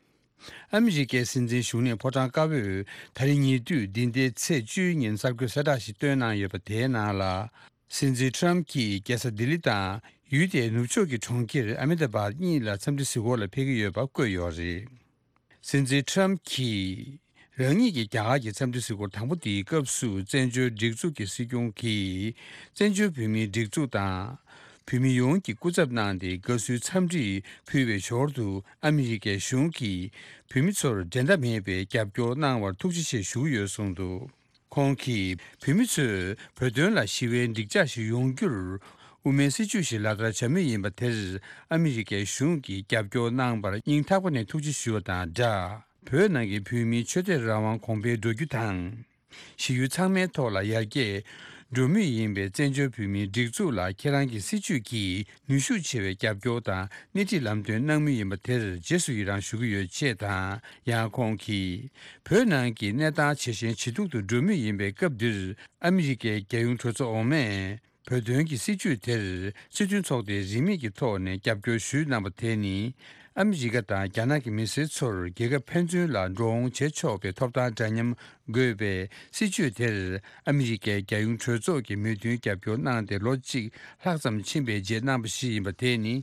ཨ་མི་རི་ཀའི་སྲིད་འཛིན་བཞུགས་གནས་ཕོ་བྲང་དཀར་པོས་ད་རེས་ཉེ་དུས་འདི་ཟླའི་ཚེས་བཅུའི་ཉིན་གསར་འགོད་གསལ་བསྒྲགས་ཤིག་བཏོན་གནང་ཡོད་པ་དེའི་ནང་ལ། སྲིད་འཛིན་ཊམ་གྱིས་རྒྱལ་ས་ལྡི་ལི་དང་ཡུལ་དེའི་ནུབ་ཕྱོགས་ཀྱི་གྲོང་ཁྱེར་ཨ་མེ་ད་བཱད་གཉིས་ལ་འཚམས་འདྲི་གཟིགས་སྐོར་ལ་ཕེབས་ཀྱི་ཡོད་པ་བཀོད་ཡོད་རེད། སྲིད་འཛིན་ཊམ་གྱིས་རང་ཉིད་ཀྱི་རྒྱ་གར་གྱི་འཚམས་འདྲི་གཟིགས་སྐོར་དང་པོ་དེའི་སྐབས་སུ། བཙན་བྱོལ་སྒྲིག་འཛུགས་ཀྱི་སྲིད་སྐྱོང་གིས་བཙན་བྱོལ་བོད་མིའི་སྒྲིག་འཛུགས་དང་། བོད་མི་ཡོངས་ཀྱི་སྐུ་ཚབ་གནང་སྟེ་དགའ་བསུའི་འཚམས་འདྲི་ཕུལ་བའི་ཞོར་དུ། ཨ་མི་རི་ཀའི་གཞུང་གིས་བོད་མི་ཚོར་འགྲན་ཟླ་མེད་པའི་རྒྱབ་སྐྱོར་གནང་བར་ཐུགས་རྗེ་ཆེ་ཞུ་གི་ཡོད་གསུངས་འདུག། ཁོང་གིས་བོད་མི་ཚོས་བོད་དོན་ལ་ཞི་བའི་འགྲིག་འཇགས་ཤིག་ཡོང་རྒྱུར་དབུ་མའི་སྲིད་བྱུས་ཤིག་ལག་བསྟར་བྱ་མུས་ཡིན་པ་དེར། ཨ་མི་རི་ཀའི་གཞུང་གིས་རྒྱབ་སྐྱོར་གནང་བར་སྙིང་ཐག་པ་ནས་ཐུགས་རྗེ་ཞུ་བ་དང་སྦྲགས། བོད་ནང་གི་བོད་མིའི་ཆོས་དད་རང་དབང་གོང་འཕེལ་འགྲོ་རྒྱུ་དང་། གཞི་ཡུལ་ཚང་མའི་ཐོག་ལ་ཡར་རྒྱས་འགྲོ་མུས་ཡིན་པའི་བཙན་བྱོལ་བོད་མིའི་སྒྲིག་འཛུགས་ལ་ཁྱེད་རང་གི་སྲིད་བྱུས་ཀྱིས་ནུས་ཤུགས་ཆེ་བའི་རྒྱབ་སྐྱོར་དང་སྣེ་ཁྲིད་ལམ་སྟོན་གནང་མུས་ཡིན་པ་དེར་རྗེས་སུ་ཡི་རང་ཞུ་གི་ཡོད་ཅེས་དང་། ཡང་ཁོང་གིས། བོད་ནང་གི་གནས་སྟངས་ཇེ་ཞན་ཇེ་སྡུག་ཏུ་འགྲོ་མུས་ཡིན་པའི་སྐབས་འདིར། ཨ་མི་རི་ཀའི་རྒྱལ་ཡོངས་གྲོས་ཚོགས་འོག་མས་བོད་དོན་གྱི་སྲིད་བྱུས་དེར་སྤྱི་མཐུན་ཚོགས་སྡེའི་རིན་མེད་ཀྱི་ཐོག་ནས་རྒྱབ་སྐྱོར་ཞུས་གནང་བ་དེ་ནི། ཨ་མི་རི་ཀ་དང་རྒྱ་ནག་གི་མི་སེར་ཚོར་རྒྱལ་ཁབ་ཕན་ཚུན་ལ་འགྲོ་འོང་བྱེད་ཆོག་པའི་ཐོབ་ཐང་འདྲ་མཉམ་དགོས་པའི་སྲིད་བྱུས་དེར། ཨ་མི་རི་ཀའི་རྒྱལ་ཡོངས་གྲོས་ཚོགས་ཀྱིས་མོས་མཐུན་རྒྱབ་སྐྱོར་གནང་སྟེ་ལོ་གཅིག་ལྷག་ཙམ་ཕྱིན་པའི་རྗེས་གནང་བ་ཞིག་ཡིན་པ་དེ་ནི།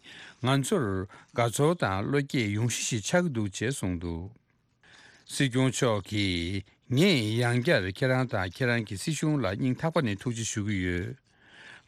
ང་ཚོར་དགའ་ཚོར་དང་བློ་སྐྱེད་ཡོང་གཞི་ཞིག་ཆགས་ཀྱི་འདུག་ཅེས་གསུངས་འདུག། སྲིད་སྐྱོང་མཆོག་གིས། ངས་ཡང་བསྐྱར་ཁྱེད་རང་དང་ཁྱེད་རང་གི་སྲིད་གཞུང་ལ་སྙིང་ཐག་པ་ནས་ཐུགས་རྗེ་ཞུ་གི་ཡོད།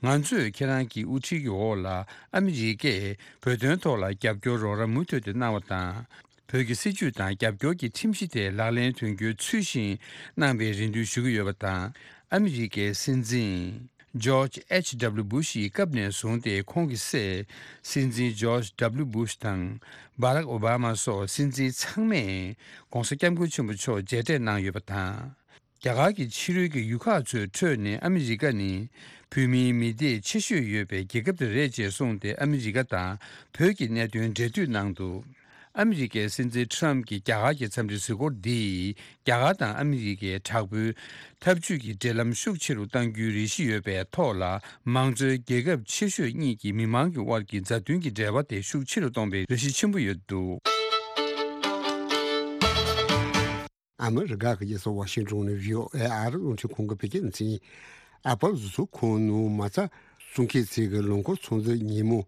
ང་ཚོས་ཁྱེད་རང་གི་དབུ་ཁྲིད་ཀྱི་འོག་ལ་ཨ་མི་རི་ཀས་བོད་དོན་ཐོག་ལ་རྒྱབ་སྐྱོར་རོགས་རམ་མུ་མཐུད་དུ་གནང་བ་དང་། བོད་ཀྱི་སྲིད་བྱུས་དང་རྒྱབ་སྐྱོར་གྱི་ཁྲིམས་གཞི་དེ་ལག་ལེན་དོན་འཁྱོལ་ཚུལ་བཞིན་གནང་བའི་རེ་འདུན་ཞུ་གི་ཡོད་པ་དང་། ཨ་མི་རི་ཀའི་སྲིད་འཛིན། George H W Bush ཡི་སྐབས་ནས་བཟུང་སྟེ་ཁོང་གི་སྲས་སྲིད་འཛིན་George W Bush དང་། Barack Obama སོགས་སྲིད་འཛིན་ཚང་མས་༧གོང་ས་༧སྐྱབས་མགོན་ཆེན་པོ་མཆོག་མཇལ་འཕྲད་གནང་ཡོད་པ་དང་། རྒྱ་གར་གྱི་ཕྱི་རོལ་གྱི་ཡུལ་ཁག་ཚོའི་ཁྲོད་ནས་ཨ་མི་རི་ཀ་ནི་བོད་མིའི་མི་སྡེ་ཆེ་ཤོས་ཡོད་པའི་རྒྱལ་ཁབ་དེ་རེད་ཅེས་གསུངས་ཏེ། ཨ་མི་རི་ཀ་དང་བོད་ཀྱི་གནད་དོན་འབྲེལ་མཐུད་གནང་འདུག། ཨ་མི་རི་ཀའི་སྲིད་འཛིན་ཊམ་གྱི་རྒྱ་གར་གྱི་འཚམས་འདྲི་གཟིགས་སྐོར་འདིས། རྒྱ་གར་དང་ཨ་མི་རི་ཀའི་དྲག་པོའི་འཐབ་ཇུས་ཀྱི་འབྲེལ་ལམ་ཤུགས་ཆེ་རུ་གཏང་རྒྱུའི་རེ་ཞིག་ཡོད་པའི་ཐོག་ལ། མང་གཙོའི་རྒྱལ་ཁབ་ཆེ་ཤོས་གཉིས་ཀྱི་མི་མང་གི་དབར་གྱི་མཛའ་མཐུན་གྱི་འབྲེལ་བ་དེ་ཤུགས་ཆེ་རུ་གཏོང་བའི་རེ་ཞིག་ཆེན་པོ་ཡོད་འདུག། ཨ་མི་རི་ཀ་གི་རྒྱལ་ས་ཝ་ཤིང་ཏོན་ནས་བྷི་ཨོ་ཨེ་ཨ་རི་རླུང་འཕྲིན་ཁང་གི་བོད་སྐད་སྡེ་ཚན། ཨེ་པལ་བཟོ་ཚོང་ཁང་ནང་མ་རྩ་གསུམ་ཁའི་ཚད་ཀྱི་ལོ་འཁོར་ཚོང་རྫས་ཉིན་མོ།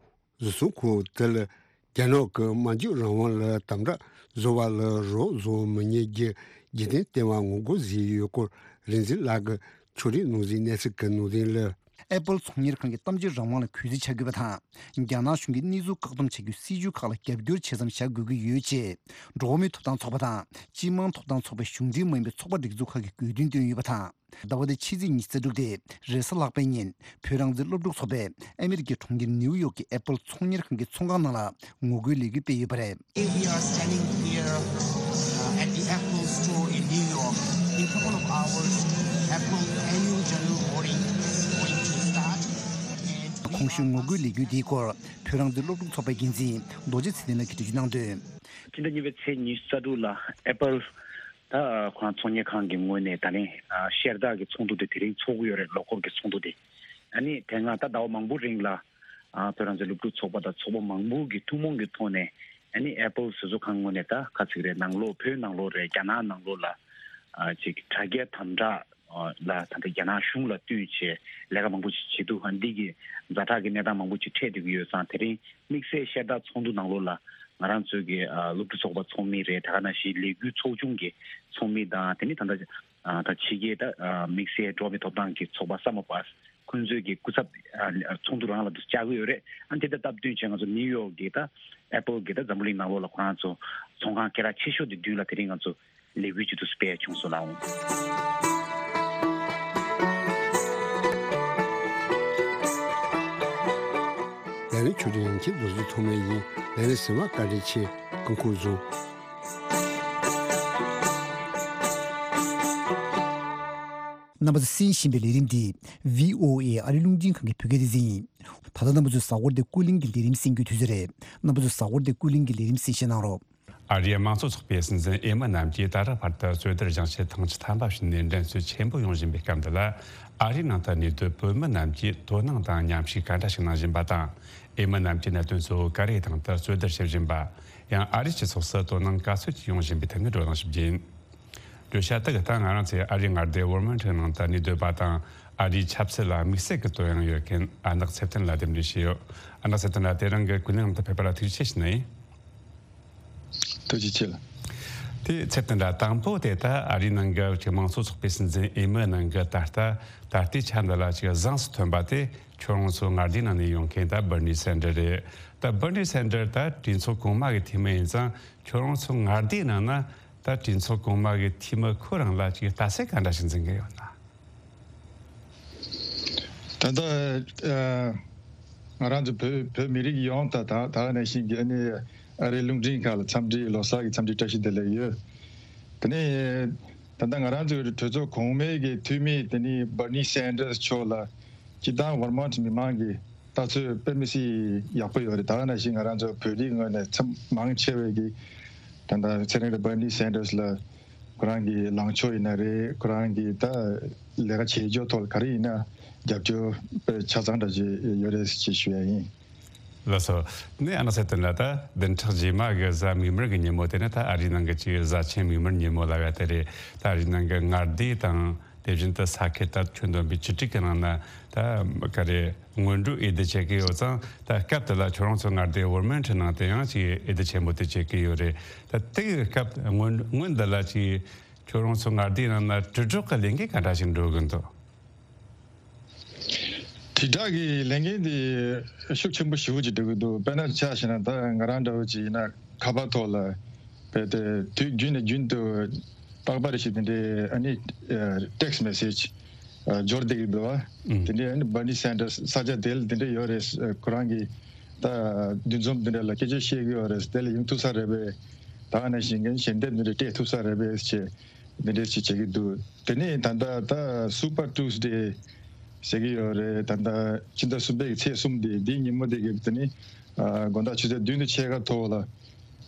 བཟོ་ཚོང་ཁང་དེ་ལ་རྒྱ་ནག་གི་སྨྲ་བརྗོད་རང་དབང་ལ་དམ་དྲག་བཟོ་བ་ལ་རོགས་བཟོ་མི་ཉན་རྒྱུ་རྒྱུན་ལྡན་བསྟན་པ་ངོ་རྒོལ་བཟོས་ཡོད་སྐོར། རིག་འཛིན་ལགས་ཀྱིས་ཕྱོགས་སྒྲིག་ནང་གཟིགས་གནས་ཚུལ་གྱི་ནང་དོན་ལ། ཨེ་པལ་ཚོང་གཉེར་ཁང་གིས་གཏམ་བརྗོད་རང་དབང་ལ་གུས་བརྩི་བྱ་དགོས་པ་དང་། རྒྱ་ནག་གཞུང་གིས་གནས་ཚུལ་བཀག་སྡོམ་བྱ་རྒྱུའི་སྲིད་བྱུས་ཁག་ལ་རྒྱབ་སྐྱོར་བྱེད་མཚམས་བཞག་དགོས་ཀྱི་ཡོད་ཅེས། འགྲོ་བ་མིའི་ཐོབ་ཐང་ཚོགས་པ་དང་། སྤྱི་དམངས་ཐོབ་ཐང་ཚོགས་པའི་གཞུང་འབྲེལ་མ་ཡིན་པའི་ཚོགས་པ་སྒྲིག་འཛུགས་ཁག་གིས་དགོས་འདུན་བཏོན་ཡོད་པ་དང་། ཟླ་བ་འདིའི་ཕྱི་ཚེས་ཉི་ཤུ་རྩ་དྲུག་སྟེ། རེས་གཟའ་ལྷག་པའི་ཉིན། བོད་རང་བཙན་སློབ་ཕྲུག་ཚོགས་པས་ཨ་མི་རི་ཀའི་གྲོང་ཁྱེར་ནེའུ་ཡོག་གི་ཨེ་པལ་ཚོང་གཉེར་ཁང་གི་ཚོང་ཁང་ནང་ལ་ངོ་རྒོལ་ལས་འགུལ་སྤེལ་ཡོད་པ་རེད། We are standing here, uh, at the Apple store in New York. In couple of hours, Apple annual general voting is going to start. And we གོང་ཞུས་ངོ་རྒོལ་ལས་འགུལ་འདིའི་སྐོར། བོད་རང་བཙན་སློབ་ཕྲུག་ཚོགས་པའི་འགན་འཛིན་རྡོ་རྗེ་ཚེ་བརྟན་ལགས་ཀྱིས་འགྲེལ་བརྗོད་གནང་དོན། སྤྱི་ཟླ་གཉིས་པའི་ཚེས་ཉི་ཤུ་རྩ་དྲུག་ལ་ཨེ་པལ་ ད་ཁོ་རང་ཚོང་གཉེར་ཁང་གི་ངོས་ནས་ད་ལན་ཤེལ་དཀར་གྱི་ཚོགས་འདུ་དེ་དེ་རིང་ཚོགས་ཀྱི་ཡོད་རེད། ལོ་འཁོར་གྱི་ཚོགས་འདུ་དེ། ཨ་ནི་དེ་སྔ་ད་ཟླ་བ་མང་པོ་རིང་ལ་ཨ་བོད་རང་བཙན་སློབ་ཕྲུག་ཚོགས་པ་དང་ཚོགས་པ་མང་པོ་གི་ཐུན་མོང་གི་ཐོག་ནས། ཨ་ནི་ཨེ་པལ་ཟེར་ཚོགས་ཁང་ངོས་ནས་ད་ག་ཚིག་རེད། ནང་ལོགས་བོད་ནང་ལོགས་རེད། རྒྱ་ནག་ནང་ལོགས་ལ་ཨ་ཅིག་དྲ་རྒྱའི་དམ་དྲག་ལ་ད་ལྟ་རྒྱ་ནག་གཞུང་ལ་བསྟུན་བྱས་ལས་ཀ་མང་པོ་ཞིག་བྱེད་འདུག་ཨ་འདི་གི་ཛ་དྲག་གི་གནས་སྟངས་མང་པོ་ཞིག་འཕྲད་བསྡད་ཀྱི་ཡོད་ཙང་། དེ་རིང་དམིགས་བསལ་ཤེལ་དཀར་ཚོགས་འདུ་ནང་ལོགས་ལ་ང་རང་ཚོའི་གི་ཨ་སློབ་ཕྲུག་ཚོགས་པ་ཚོགས་མི་རེད། ད་ག་ནང་བཞིན་ལས་འགུལ་ཚོགས་ཆུང་གི་ཚོགས་མི་དང་། དེ་ནི་ད་ལྟ་ཨ་ད་ཕྱི་རྒྱལ་ད་ཨ་དམིགས་བསལ་འགྲོ་བ་མིའི་ཐོབ་ཐང་གི་ཚོགས་པ་ས་མ་པ་ཁོང་ཚོའི་གི་སྐུ་ཚབ་ཨ་ཚོགས་འདུ་རང་ལ་དུ་བཅར་གྱི་ཡོད་རེད། ཨ་དེ་དང་སྟབས་བསྟུན་བྱས་ང་ཚོ་ནིའུ་ཡོག་གི་ད་ཨེ་པལ་གི་ད་འཛམ་བུ་གླིང་ནང་ལོགས་ལ་ཁོ་རང་ཚོ་ཚོང་ཁང་སྐད་གྲགས་ཆེ་ཤོས་དེ་མདུན་ལ་དེ་རིང་ང་ཚོ་ལས་འགུལ་ཅིག་ཏུ་སྤེལ་བྱུང་སོང་ལགས། ལས་རིམ་ཆུ་ཕྲན་ཡང་ཁྱེད་རྡོ་རྗེ་ཐོགས་མེད་ཡིན། ལས་རིམ་གསན་པར་བཀའ་དྲིན་ཆེ། སྐུ་ཁམས་བཟང་། རྣམ་པ་ཚོས་གསན་བཞིན་པའི་ལས་རིམ་འདི་བྷི་ཨོ་ཨེ་ཨ་རི་རླུང་འཕྲིན་ཁང་གི་བོད་སྐད་སྡེ་ཚན་ཡིན། ད་ལྟ་རྣམ་པ་ཚོས་གཟའ་འཁོར་འདིའི་ཀུན་གླེང་གི་ལས་རིམ་གསན་རྒྱུའི་དུས་ཚོད་རེད། རྣམ་པ་ཚོས་གཟའ་འཁོར་འདིའི་ཀུན་གླེང་གི་ལས་རིམ་གསན་བཞེས་གནང་རོགས། ཨ་རིའི་དམངས་གཙོ་ཚོགས་པའི་སྲིད་འཛིན་འོས་མི་རྣམས་ཀྱིས་ད་རེས་བར་དུ་རྩོད་བསྡུར་བཞེངས་ཆེད་ཐེངས་བཅུ་ཐམ་པ་ཞིག་ནས་འགྲན་རྩོད་ཆེན་པོ་ཡོང་བཞིན་པའི་སྐབས་འདི་ལ། ཨ་རིའི་ནང་དུ་གནས་སྡོད་བོད་མི་རྣམས་ཀྱིས་དོ་སྣང་དང་མཉམ་ཞུགས་ག་འདྲ་ཞིག་གནང་བཞིན་པ་དང་། འོས་མི་རྣམས་ཀྱིས་གནད་དོན་གཙོ་བོ་ག་རེའི་སྟེང་དུ་རྩོད་བསྡུར་བྱེད་བཞིན་པ། ཡང་ཨ་རིའི་སྤྱི་ཚོགས་སུ་དོ་སྣང་ག་ཚོད་ཀྱིས་ཡོང་བཞིན་པའི་ཐད་ནས་བགྲོ་གླེང་ཞིག་བྱས་ཡིན། བརྗོད་བྱ་དེ་གི་སྟེང་ང་རང་ཚོའི་ཨ་རིའི་མངའ་སྡེ་ཝར་མིན་ཊོན་ནང་དུ་གནས་སྡོད་པ་དང་། ཨ་རིའི་ཆབ་སྲིད་ལ་དམིགས་བསལ་གྱི་དོ་སྣང་ཡོད་མཁན་ཨ་ནག་ཚེ་བརྟན་ལ་གདན་འདྲེན་ཞུས་ཡོད། ཨ་ནག་ཚེ་བརྟན་ལགས་དེ་རིང་གི་ཀུན་གླེང་ནང་དུ་ཕེབས་པ་ལ་ཐུགས་རྗེ་ཆེ་ཞུ་ནི་ཡིན། ཐུགས་རྗེ་ཆེ་ལགས། དེ་ཚེ་བརྟན་ལགས། དང་པོ་དེ་ད་ཨ་རིའི་ནང་གི་ཅིག་དམངས་གཙོ་ཚོགས་པའི་སྲིད་འཛིན་འོས་མི་ནང་གི་ད་ལྟ་ད་ལྟའི་ཆ་འདི་ལ་ཅིག་བཟང་སུ་ཐོན་པ་དེ་ཁྱོད་རང་ཚོའི་མངའ་སྡེའི་ནང་ནས་ཡོང་མཁན་ད་བར་ནི་སན་ཌར་རེད། ད་བར་ནི་སན་ཌར་ད་གྲོས་ཚོགས་གོང་མ་གི་འཐུས་མི་ཡིན་ཙང་། ཁྱོད་རང་ཚོའི་མངའ་སྡེའི་ནང་ན་ད་གྲོས་ཚོགས་གོང་མ་གི་འཐུས་མི་ཁོ་རང་ལ་ཅིག་ལྟ་ཚུལ་ག་འདྲ་ཞིག་འཛིན་གྱི་ཡོད་ན། ད་ལྟ་ཨ་ང་རང་ཚོ་བོད་བོད་མི་རིགས་ཡོངས་ད་ད་ད་ནང་བཞིན་གྱི་ཨ་ནི་ཨ་རིའི་རླུང་འཕྲིན་ཁང་ལ་འཚམས་འདྲི། ལོ་གསར་གྱི་འཚམས་འདྲི་བཀྲ་ཤིས་བདེ་ལེགས་ཡོད། དེ་ནས་ད་ལྟ་ང་རང་ཚོའི་གྲོས་ཚོགས་གོང་མའི་གི་འཐུས་མི་དེ་ནི་བར་ནི་སན་ཌར་སི་མཆོག་ལ་སྤྱིར་བཏང་ཝར་མོན་ཊི་མི་མང་གི་ལྟ་ཚུལ་དཔེ་མི་སྲིད་ཡག་པོ་ཡོད་རེད། ད་ག་ནང་བཞིན་ང་རང་ཚོ་བོད་རིགས་ངོས་ནས་ཚབ་མང་ཆེ་བས་ཀྱི་ད་ལྟ་ཚེ་རིང་རེད། བར་ནི་སན་ཌར་སི་ལ་ཁོ་རང་གི་ལངས་ཕྱོགས་ཡིན་ན་རེད། ཁོ་རང་གི་ད་ལས་ཀ་བྱེད་ཕྱོགས་ཐོག་ལ་ག་རེ་ཡིན་ན་རྒྱབ་སྐྱོར་དཔེ་ཆ་ཚང་འདྲ་ཅིག་ཡོད་རེད་ཅེས་ཞུ་ཡ་ཡིན། ལགས་སོ། ནས་ཨ་ནག་ཚེ་བརྟན་ལགས། ད་བདུན་ཕྲག་རྗེས་མ་གི་གཟའ་མིག་དམར་གི་ཉིན་མོ་དེ་ནི་ད་ཨ་རིའི་ནང་གི་ཅིག་གཟའ་ཆེན་མིག་དམར་ཉིན་མོ་ལབ་ཡ་དེ་རེད། ད་ཨ་རིའི་ནང་གི་མངའ་སྡེ་དང་དེ་བཞིན་དུ་ས་ཁུལ་ད་ཁྱོན་བསྡོམས་པའི་བཅུ་དྲུག་གི་ནང་ན་ད་ག་རེ་སྔོན་འགྲོའི་འོས་བསྡུ་བྱེད་ཀྱི་ཡོད་ཙང་། ད་སྐབས་དེ་ལ་ཁྱོད་རང་ཚོ་མངའ་སྡེ་ཝར་མིན་ཊོན་ནང་དུ་ཡང་ཅིག་འོས་བསྡུ་ཆེན་པོ་དེ་བྱེད་ཀྱི་ཡོད་རེད། ད་དེ་གི་སྐབས་སྔོན་སྔོན་འདི་ལ་ཅིག་ཁྱོད་རང་ཚོ་མངའ་སྡེའི་ནང་ན་དྲིལ་སྒྲོག་གི་ལས་འགུལ་ག་འདྲ་ཞིག་འགྲོ་གི་འདུག་དྲིལ་བསྒྲགས་ཀྱི་ལས་འགན་དེ་ཤུགས་ཆེན་པོ་ཞེ་པོ་ཅིག་སྒྲུབ་ཀྱི་འདུག་དཔེར་ན་ཆ་བཞག་ན་ད་ང་རང་འདྲ་བོ་ཅིག་ཡིན་ན་ཁ་པར་ཐོག་ལ་བས་ཏེ་དུས་རྒྱུན་ནས་རྒྱུན་དུ་རྟག་པར་ཞིག་དེ་འདྲའི་ཨ་ནི་ཊེག་སི་མེ་སེ་ཇི་འབྱོར་བསྡད་ཀྱི་འདུག་བ། ཨུམ། དེ་འདྲའི་ཨ་ནི་བར་ནི་སན་ཌར་སི་ས་ཆ་དེ་ལ་དེ་འདྲ་ཡོད་རེད། ཁོ་རང་གི་ད་འདུ་འཛོམས་དེ་འདྲ་ལ་སྐད་ཆ་བཤད་ཀྱི་ཡོད་རེད། དེ་ལ་ཡོང་ཐུབ་ས་རེད་པས། ད་ག་ནང་བཞིན་གྱི་ཞལ་འདེབས་དེ་འདྲ་སྤྲད་ཐུབ་ས་རེད་པས་ཅེས། འདི་འདྲས་ཅིག་བྱེད་ཀྱི་འདུག་དེ་ནས་ད་ལྟ་ད་སུ་པར་ཊུ་སི་ཌེ་ཟེར་གྱི་ཡོད་རེད། ད་ལྟ་ཕྱི་ཟླ་གསུམ་པའི་ཚེས་གསུམ་དེ་འདིའི་ཉིན་མོ་དེ་གི་དེ་ནི་ཨ་དགོང་དག་ཆུ་ཚོད་བདུན་དང་ཕྱེད་ཀ་ཐོག་ལ་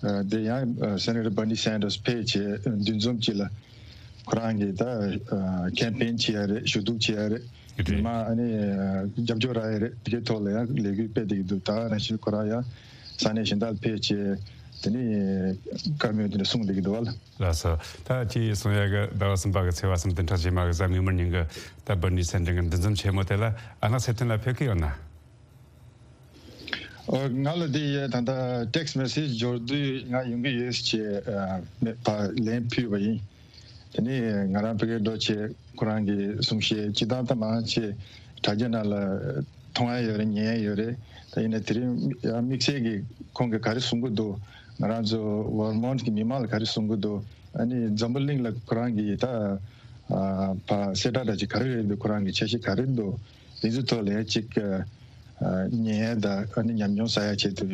ཨ་དེ་ཡང་ཨ་སེ་ནེ་ཊར་བར་ནི་སན་ཌར་སི་ཕེབས་བྱས་འདུ་འཛོམས་ཅིག་ལ་ཁོ་རང་གིས་ད་ཨ་ཁེམ་པེན་བྱེད་ཡ་རེད། ཞུ་གཏུག་བྱེད་ཡ་རེད། རེད། མི་མང་ཨ་ནི་ཨ་རྒྱབ་སྐྱོར་རག་ཡ་རེད། དེ་གའི་ཐོག་ལ་ཡང་ལས་འགུལ་སྤེལ་བསྡད་ཀྱི་འདུག་ད་ནང་བཞིན་ཁོ་རང་ཡང་ས་གནས་གཞན་དག་ལ་ཕེབས་བྱས་དེ་ནི་བཀའ་མོལ་དེ་འདྲ་གསུངས་བསྡད་ཀྱི་འདུག་བ་ལ། ལགས་སོ། ད་ཁྱེད་གསུང་ཡག་གི་ཟླ་བ་གསུམ་པ་གི་ཚེས་པ་གསུམ་བདུན་ཕྲག་རྗེས་མ་གི་གཟའ་མིག་དམར་ཉིན་གི་ད་བར་ནི་སན་ཌར་སི་གི་འདུ་འཛོམས་ཆེན་མོ་དེ་ལ་ཨ་ནག་ཚེ་བརྟན་ལགས་ཕེབས་ཀྱི་ཡོད་ན། ཨོ། ང་ལ་དེ་ཡས་ད་ལྟ་ཊེག་སི་མེ་སེ་ཇི་འབྱོར་དུས་ང་ཡོང་གི་ཡོད་ཅེས་ཨ་མེད་པ་ལན་ཕུལ་བ་ཡིན། དེ་ནས་ང་རང་ཕ་གིར་འགྲོ་བྱས་ཁོ་རང་གིས་གསུང་བཤད་ཅི་དང་ད་མང་ཆེ་དྲ་རྒྱ་ནང་ལ་མཐོང་ཡ་ཡོད་རེད། ཉན་ཡ་ཡོད་རེད། ད་ཡིན་ན་དེ་རིང་ཡང་དམིགས་བསལ་གྱི་ཁོང་གིས་ག་རེ་གསུང་གི་འདུག་ང་རང་ཚོ་ཝར་མོན་ཊི་གི་མི་མང་ལ་ག་རེ་གསུང་གི་འདུག་ཨ་ནི་འཛམ་བུ་གླིང་ལ་ཁོ་རང་གི་ད་ཨ་ཕ་གསལ་བསྒྲགས་འདྲ་ཅིག་ག་རེ་རེད་འདུག་ཁོ་རང་གི་འཆར་གཞི་ག་རེ་འདུག་དེ་ཚོའི་ཐོག་ལ་ཡང་ཅིག་ཨ་ཉན་ཡ་དང་ཨ་ནི་ཉམས་མྱོང་བསགས་ཡ་ཆེད་དུ་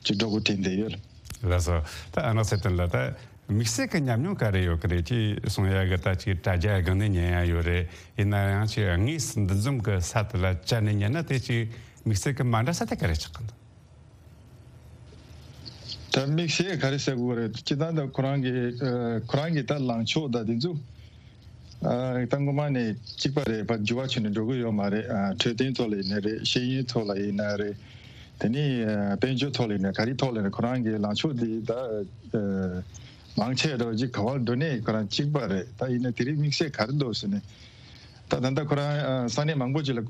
ཅིག་འགྲོ་དགོས་དྲན་བསྡད་ཡོད། ལགས་སོ། ད་ཨ་ནག་ཚེ་བརྟན་ལགས། ད་དམིགས་བསལ་གྱི་ཉམས་མྱོང་ག་རེ་ཡོད་ཀྱི་རེད། ཅེས་གསུང་ཡ་གི་ད་ཅིག་དྲ་རྒྱ་སྒང་ནས་ཉན་ཡ་ཡོད་རེད། ཡིན་ན་ཡང་ཅིག་དངོས་སུ་འདུ་འཛོམས་ཀྱི་ས་དེ་ལ་བཅར་ནས་ཉན་ན་དེ་ཅིག་དམིགས་བསལ་གྱི་མ་འདྲ་ས་དེ་ག་རེ་ཆགས་ཀྱི་འདུག་ད་དམིགས་བསལ་ག་རེ་ཟེར་དགོས་རེད། སྤྱིར་བཏང་ད་ཁོ་རང་གི་ཨ་ཁོ་རང་གི་ད་ལངས་ཕྱོགས་ད་དེ་ཚོ་ཨ་ད་སྔོན་མ་ནས་གཅིག་པ་རེད། ཕར་འགྱུར་བ་བྱུང་ནས་འགྲོ་གི་ཡོད་མ་རེད། ཨ་འཕྲོད་བསྟེན་ཐོག་ལ་ཡིན་ན་རེད། ཤེས་ཡོན་ཐོག་ལ་ཡིན་ན་རེད། དེ་ནས་ཨ་དཔལ་འབྱོར་ཐོག་ལ་ཡིན་ན་ག་རེ་ཐོག་ལ་ཡིན་ན་ཁོ་རང་གི་ལངས་ཕྱོགས་དེ་ད་ཨ་མང་ཆེ་འདྲ་བོ་ཅིག་ག་བར་འགྲོ་ནས་ཁོ་རང་གཅིག་པ་རེད། ད་ཡིན་ན་དེ་རིང་དམིགས་བསལ་ག་རེ་འདུག་ཟེར་ནས། ད་ད་ལྟ་ཁོ་རང་ཨ་ས་གནས་མང་པོ་ཅིག་ལ་ཨ་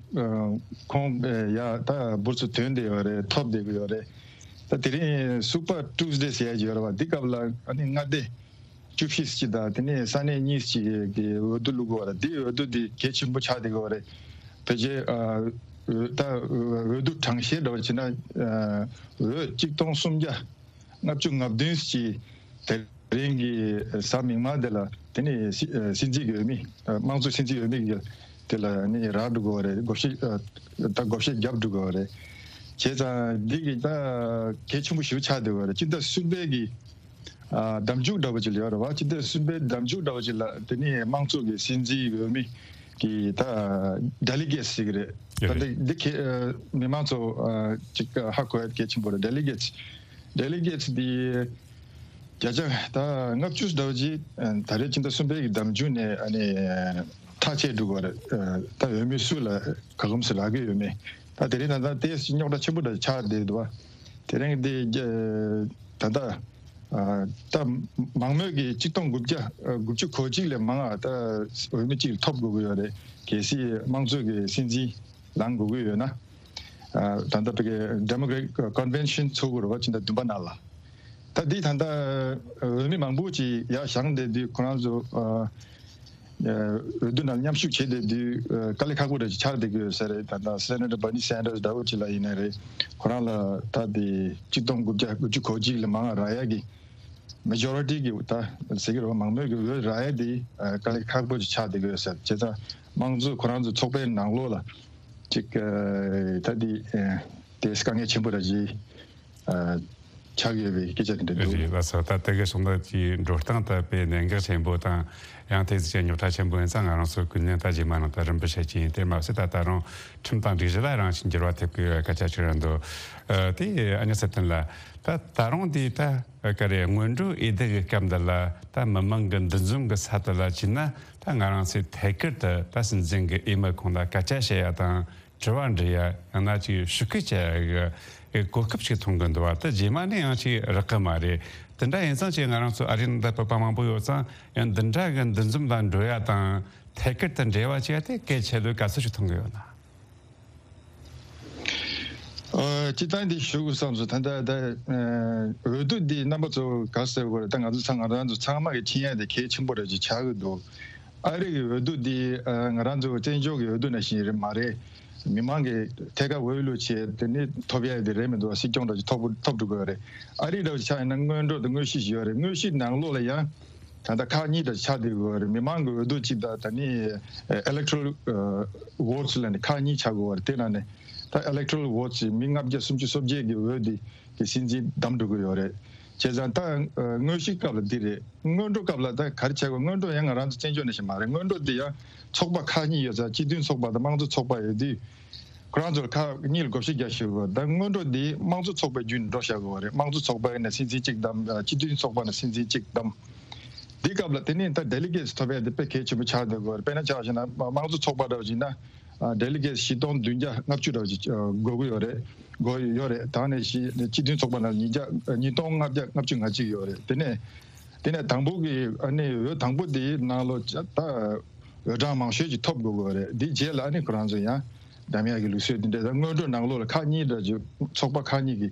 ཁོང་ཨ་ཡ་ད་འབུར་ཚོ་ཐོན་བསྡད་ཡོད་རེད། ཐོབ་བསྡད་ཀྱི་ཡོད་རེད། ད་དེ་རིང་Super Tuesday ཟེར་ཡ་ཅིག་ཡོད་རེད་བ། འདི་སྐབས་ལ་ཨ་ནི་མངའ་སྡེ་བཅུ་བཞི་ཅིག་དང་དེ་ནས་ས་གནས་གཉིས་ཅིག་གི་འོས་བསྡུ་བླུག་གི་ཡོད་རེད། འདི་འོས་བསྡུ་འདི་གལ་ཆེན་པོ་ཆགས་བསྡད་ཀྱི་ཡོད་རེད། ཕལ་ཆེར་ཨ་འོས་ད་འོས་བསྡུ་གྲངས་བཤེར་འདྲ་བ་བྱས་ན་ཨ་འོས་གཅིག་སྟོང་སུམ་བརྒྱ་ལྔ་བཅུ་ང་བདུན་ཅིག་དེ་རིང་གི་གཟའ་མིག་དམར་དེ་ལ་དེ་ནས་སྲིད་སྲིད་འཛིན་གྱི་འོས་མི་དམངས་གཙོ་སྲིད་འཛིན་འོས་མི་གི་དེ་ལ་ནི་རག་འགྲོ་གི་ཡོད་རེད། བགོ་བཤའ་ད་བགོ་བཤའ་བརྒྱབ་འགྲོ་གི་ཡོད་རེད། བྱས་ཙང་འདི་གི་ད་གལ་ཆེན་པོ་ཞེ་པོ་ཆགས་བསྡད་ཡོད་རེད། སྤྱི་ཟླ་གསུམ་པའི་གི་ཨ་ཟླ་མཇུག་འདྲ་བོ་ཅིག་ལ་ཡོད་རེད་བ། སྤྱི་ཟླ་གསུམ་པའི་ཟླ་མཇུག་འདྲ་བོ་ཅིག་ལ་དེ་ནི་དམངས་གཙོ་གི་སྲིད་འཛིན་འོས་མི་གི་ད་delegates་ཟེར་གི་རེད། ད་འདི་འདི་གི་ཨ་མི་མང་ཚོ་ཨ་ཅིག་ཧ་གོ་ཡ་གལ་ཆེན་པོ་རེད། delegates delegates་འདི་བརྒྱ་ཆ་ད་ལྔ་བཅུ་འདྲ་བོ་ཅིག་ཨ་ད་རེས་སྤྱི་ཟླ་གསུམ་པའི་གི་ཟླ་མཇུག་ནས་ཨ་ནི་ཐག་བཅད་འགྲོ་གི་རེད། ཨ་ད་འོས་མི་སུ་ལ་ག་རེ་ཟེར་རག་གི་ཡོད་མེད། ད་དེ་རིང་ད་ལྟ་ཏོག་ཙམ་རྙོག་དྲ་ཆེན་པོ་འདྲ་ཆགས་བསྡད་འདུག་བ། དེ་རིང་འདི་ཨ་ད་ལྟ་ཨ་ད་མང་མོས་ཀྱི་གཅིག་སྟོང་དགུ་བརྒྱ་ཨ་དགུ་བཅུ་གོ་གཅིག་ལས་མང་ང་ད་འོས་མི་གཅིག་ཐོབ་དགོས་ཀྱི་ཡོད་རེད། གལ་སྲིད་དམངས་གཙོ་གི་སྲིད་འཛིན་ལངས་དགོས་ཀྱི་ཡོད་ན། ཨ་ད་ལྟ་བོད་ཀྱི་Democratic Convention་ཚོགས་དགོས་རེད་བ། ཕྱི་ཟླ་བདུན་པ་ནང་ལ། ད་འདི་ད་ལྟ་འོས་མི་མང་པོ་ཅིག་ཡར་བཞེངས་བསྡད་དུས་ཁོ་རང་ཚོ་ཨ་འོས་བསྡུ་ནང་མཉམ་ཞུགས་བྱེད་བསྡད་དུས་དཀའ་ལས་ཁག་པོ་འདྲ་ཞིག་ཆགས་བསྡད་ཀྱི་ཡོད་ས་རེད། ད་ལྟ་Senator Bernie Sanders་འདྲ་བོ་ཅིག་ལ་ཡིན་ན་རེད། ཁོ་རང་ལ་ད་དེ་གཅིག་སྟོང་དགུ་བརྒྱ་དགུ་བཅུ་གོ་གཅིག་ལས་མང་རག་ཡ་གི་majority་གི་ད་ཟེར་གྱི་རེད་བ། མང་མོས་ཀྱི་འོས་རག་ཡ་དེ་དཀའ་ལས་ཁག་པོ་ཅིག་ཆགས་བསྡད་ཀྱི་ཡོད་ས་རེད། བྱས་ཙང་དམངས་གཙོ་ཁོ་རང་ཚོ་ཚོགས་པའི་ནང་ལོགས་ལ་ཅིག་ད་དེ་དེ་དཀའ་ངལ་ཆེན་པོ་ར་ཞིག་ཆགས་ཡོད་པའི་སྐད་ཆ་དེ་འདྲ་འདུག། རེད་ལགས་སོ། ད་དེ་གའི་སོང་ན་ཅིག་འགྲོ་སྟངས་ད་དཔེ་གནད་འགག་ཆེན་པོ་དང་ཡང་དེ་ཅིག་རྙོག་དྲ་ཆེན་པོ་ཡིན་ཙང་། ང་རང་ཚོ་ཀུན་ནས་ད་རྗེས་མ་ནང་ད་རིམ་པ་བཤད་ཀྱི་ཡིན། དེ་མ་ཟད་ད་ད་རུང་ཁྲིམས་དང་སྒྲིག་གཞི་ལ་རང་བཞིན་འགྱུར་བ་ཐེབས་ཀྱི་ཡོད་སྐད་ཆ་ཅིག་རང་འདུག། ཨ་དེ་ཨ་ནི་ཚེ་བརྟན་ལགས། ད་ད་རུང་དེ་ད་ག་རེ་སྔོན་འགྲོའི་འོས་བསྡུ་གི་སྐབས་འདི་ལ་ད་མི་མང་གི་འདུ་འཛོམས་གི་ས་དེ་ལ་ཕྱིན་ན་ད་ང་རང་ཚོས་ཐད་ཀར་དུ་ད་སྲིད་འཛིན་གི་འོས་མི་ཁོང་ལ་སྐད་ཆ་བཤད་ཡ་དང་། དྲི་བ་འདྲི་ཡ་ཡང་ན་ཅིག་ཤོག་ཁུ་བྱ་ཡ་གི་གོ་སྐབས་ཤིག་མཐོང་གི་འདུག་བ། ད་རྗེས་མ་ནས་ཡང་ཅིག་རག་གི་མ་རེད། དེ་འདྲ་ཡིན་ཙང་ཅིག་ང་རང་ཚོ་ཨ་རིའི་ནང་ད་བོད་པ་མང་པོ་ཡོད་ཙང་ཡང་འདི་འདྲ་གི་འདུ་འཛོམས་ལ་འགྲོ་ཡ་དང་ཐད་ཀར་དུ་འབྲེལ་བ་བྱེད་ཡ་དེ་གལ་ཆེ་ལོས་ག་ཚོད་ཅིག་མཐོང་གི་ཡོད་ན། ཨ་སྤྱིར་བཏང་འདི་ཞུ་དགོས་བསམ་སོང་། ད་ལྟ་ད་ཨ་འོས་བསྡུ་འདི་རྣམ་པ་ཚོ་ག་ཟེར་དགོས་རེད། ད་ང་ཚོ་ཚང་ང་རང་ཚོ་ཚང་མ་གི་མཁྱེན་ཡ་དེ་གལ་ཆེན་པོ་རེད་ཅིག་ཆགས་ཀྱི་འདུག། ཨ་རི་གི་འོས་བསྡུ་འདི་ཨ་ང་རང་ཚོ་བཙན་བྱོལ་གྱི་འོས་བསྡུ་ནང་བཞིན་རེད་མ་རེད། མི་མང་གི་ཐད་ཀར་འོས་བླུགས་བྱས་དེ་ནི་ཐོབ་ཡ་དེ་རེད་མི་འདུག། སྲིད་སྐྱོང་འདྲ་ཞིག་ཐོབ་ཐོབ་འགྲོ་དགོས་རེད། ཨ་རི་འདྲ་ཞིག་ཆགས་ཡིན་ན་སྔོན་འགྲོ་དང་དངོས་གཞི་ཞིག་ཡོད་རེད། དངོས་གཞི་ནང་ལོགས་ལ་ཡང་ད་ལྟ་ཁག་གཉིས་འདྲ་ཞིག་ཆགས་བསྡད་ཡོད་རེད། མི་མང་གི་འོས་བསྡུ་གཅིག་དང་ད་ནི་electoral votes་ལ་ནི་ཁག་གཉིས་ཆགས་དགོས་རེད། དེ་ནང་ནས་ད་electoral votes་མི་ལྔ་བརྒྱ་སུམ་ཅུ་སོ་བརྒྱད་ཀྱི་འོས་དེ་གི་སྲིད་འཛིན་བདམས་འགྲོ་གི་ཡོད་རེད། བྱས་ཙང་ད་དངོས་གཞི་སྐབས་ལ་འདི་རེད། སྔོན་འགྲོ་སྐབས་ལ་ད་ག་རེ་བྱ་དགོས། སྔོན་འགྲོ་ཡང་ང་རང་ཚོ་བཙན་བྱོལ་ནང་བཞིན་མ་རེད། སྔོན་འགྲོ་འདི་ཡང་ཚོགས་པ་ཁག་གཉིས་ཡོད་ཙང་སྤྱི་མཐུན་ཚོགས་པ་དང་དམངས་གཙོ་ཚོགས་པ་ཡོད་དུས། ཁོ་རང་ཚོར་ཁག་གཉིས་ལ་བགོ་བཤའ་རྒྱག་ཤེས་དགོས། ད་སྔོན་འགྲོ་འདི་དམངས་གཙོ་ཚོགས་པའི་བརྒྱུད་ནས་འགྲོ་བཞག་དགོས་པ་རེད། དམངས་གཙོ་ཚོགས་པ་ནས་སྲིད་འཛིན་གཅིག་བདམས། སྤྱི་མཐུན་ཚོགས་པ་ནས་སྲིད་འཛིན་གཅིག་བདམས། འདི་སྐབས་ལ་དེ་ནས་ད་delegates་ཐོབ་ཡ་དེ་དཔེ་གལ་ཆེན་པོ་ཆགས་བསྡད་དགོས་རེད། དཔེར་ན་ཆ་བཞག་ན་དམངས་གཙོ་ཚོགས་པ་འདྲ་བ་ཞིག་ན་delegates་བཞི་སྟོང་བདུན་བརྒྱ་ལྔ་བཅུ་འདྲ་བ་ཞིག་དགོས་ཀྱི་ཡོད་རེད། དགོས་ཡོད་རེད། ད་ནས་བཞི་སྤྱི་མཐུན་ཚོགས་པ་ནང་ཉིས་བརྒྱ་ཉིས་སྟོང་ལྔ་བརྒྱ་ལྔ་བཅུ་ང་གཅིག་ཡོད་རེད། དེ་ནས་དེ་ནས་དང་པོ་གི་ཨ་ནི་འོས་དང་པོ་དེའི་ནང་ལོ་ད་འོས་གྲངས་མང་ཤོས་ཅིག་ཐོབ་དགོས་ཀྱི་ཡོད་རེད། དེའི་རྗེས་ལ་ཨ་ནི་ཁོ་རང་ཚོ་ཡང་བདམས་ཡག་གི་ལུགས་སྲོལ་དེ་འདྲ། ད་སྔོན་འགྲོ་ནང་ལོགས་ལ་ཁག་གཉིས་འདྲ་ཅིག་ཚོགས་པ་ཁག་གཉིས་ཀྱི་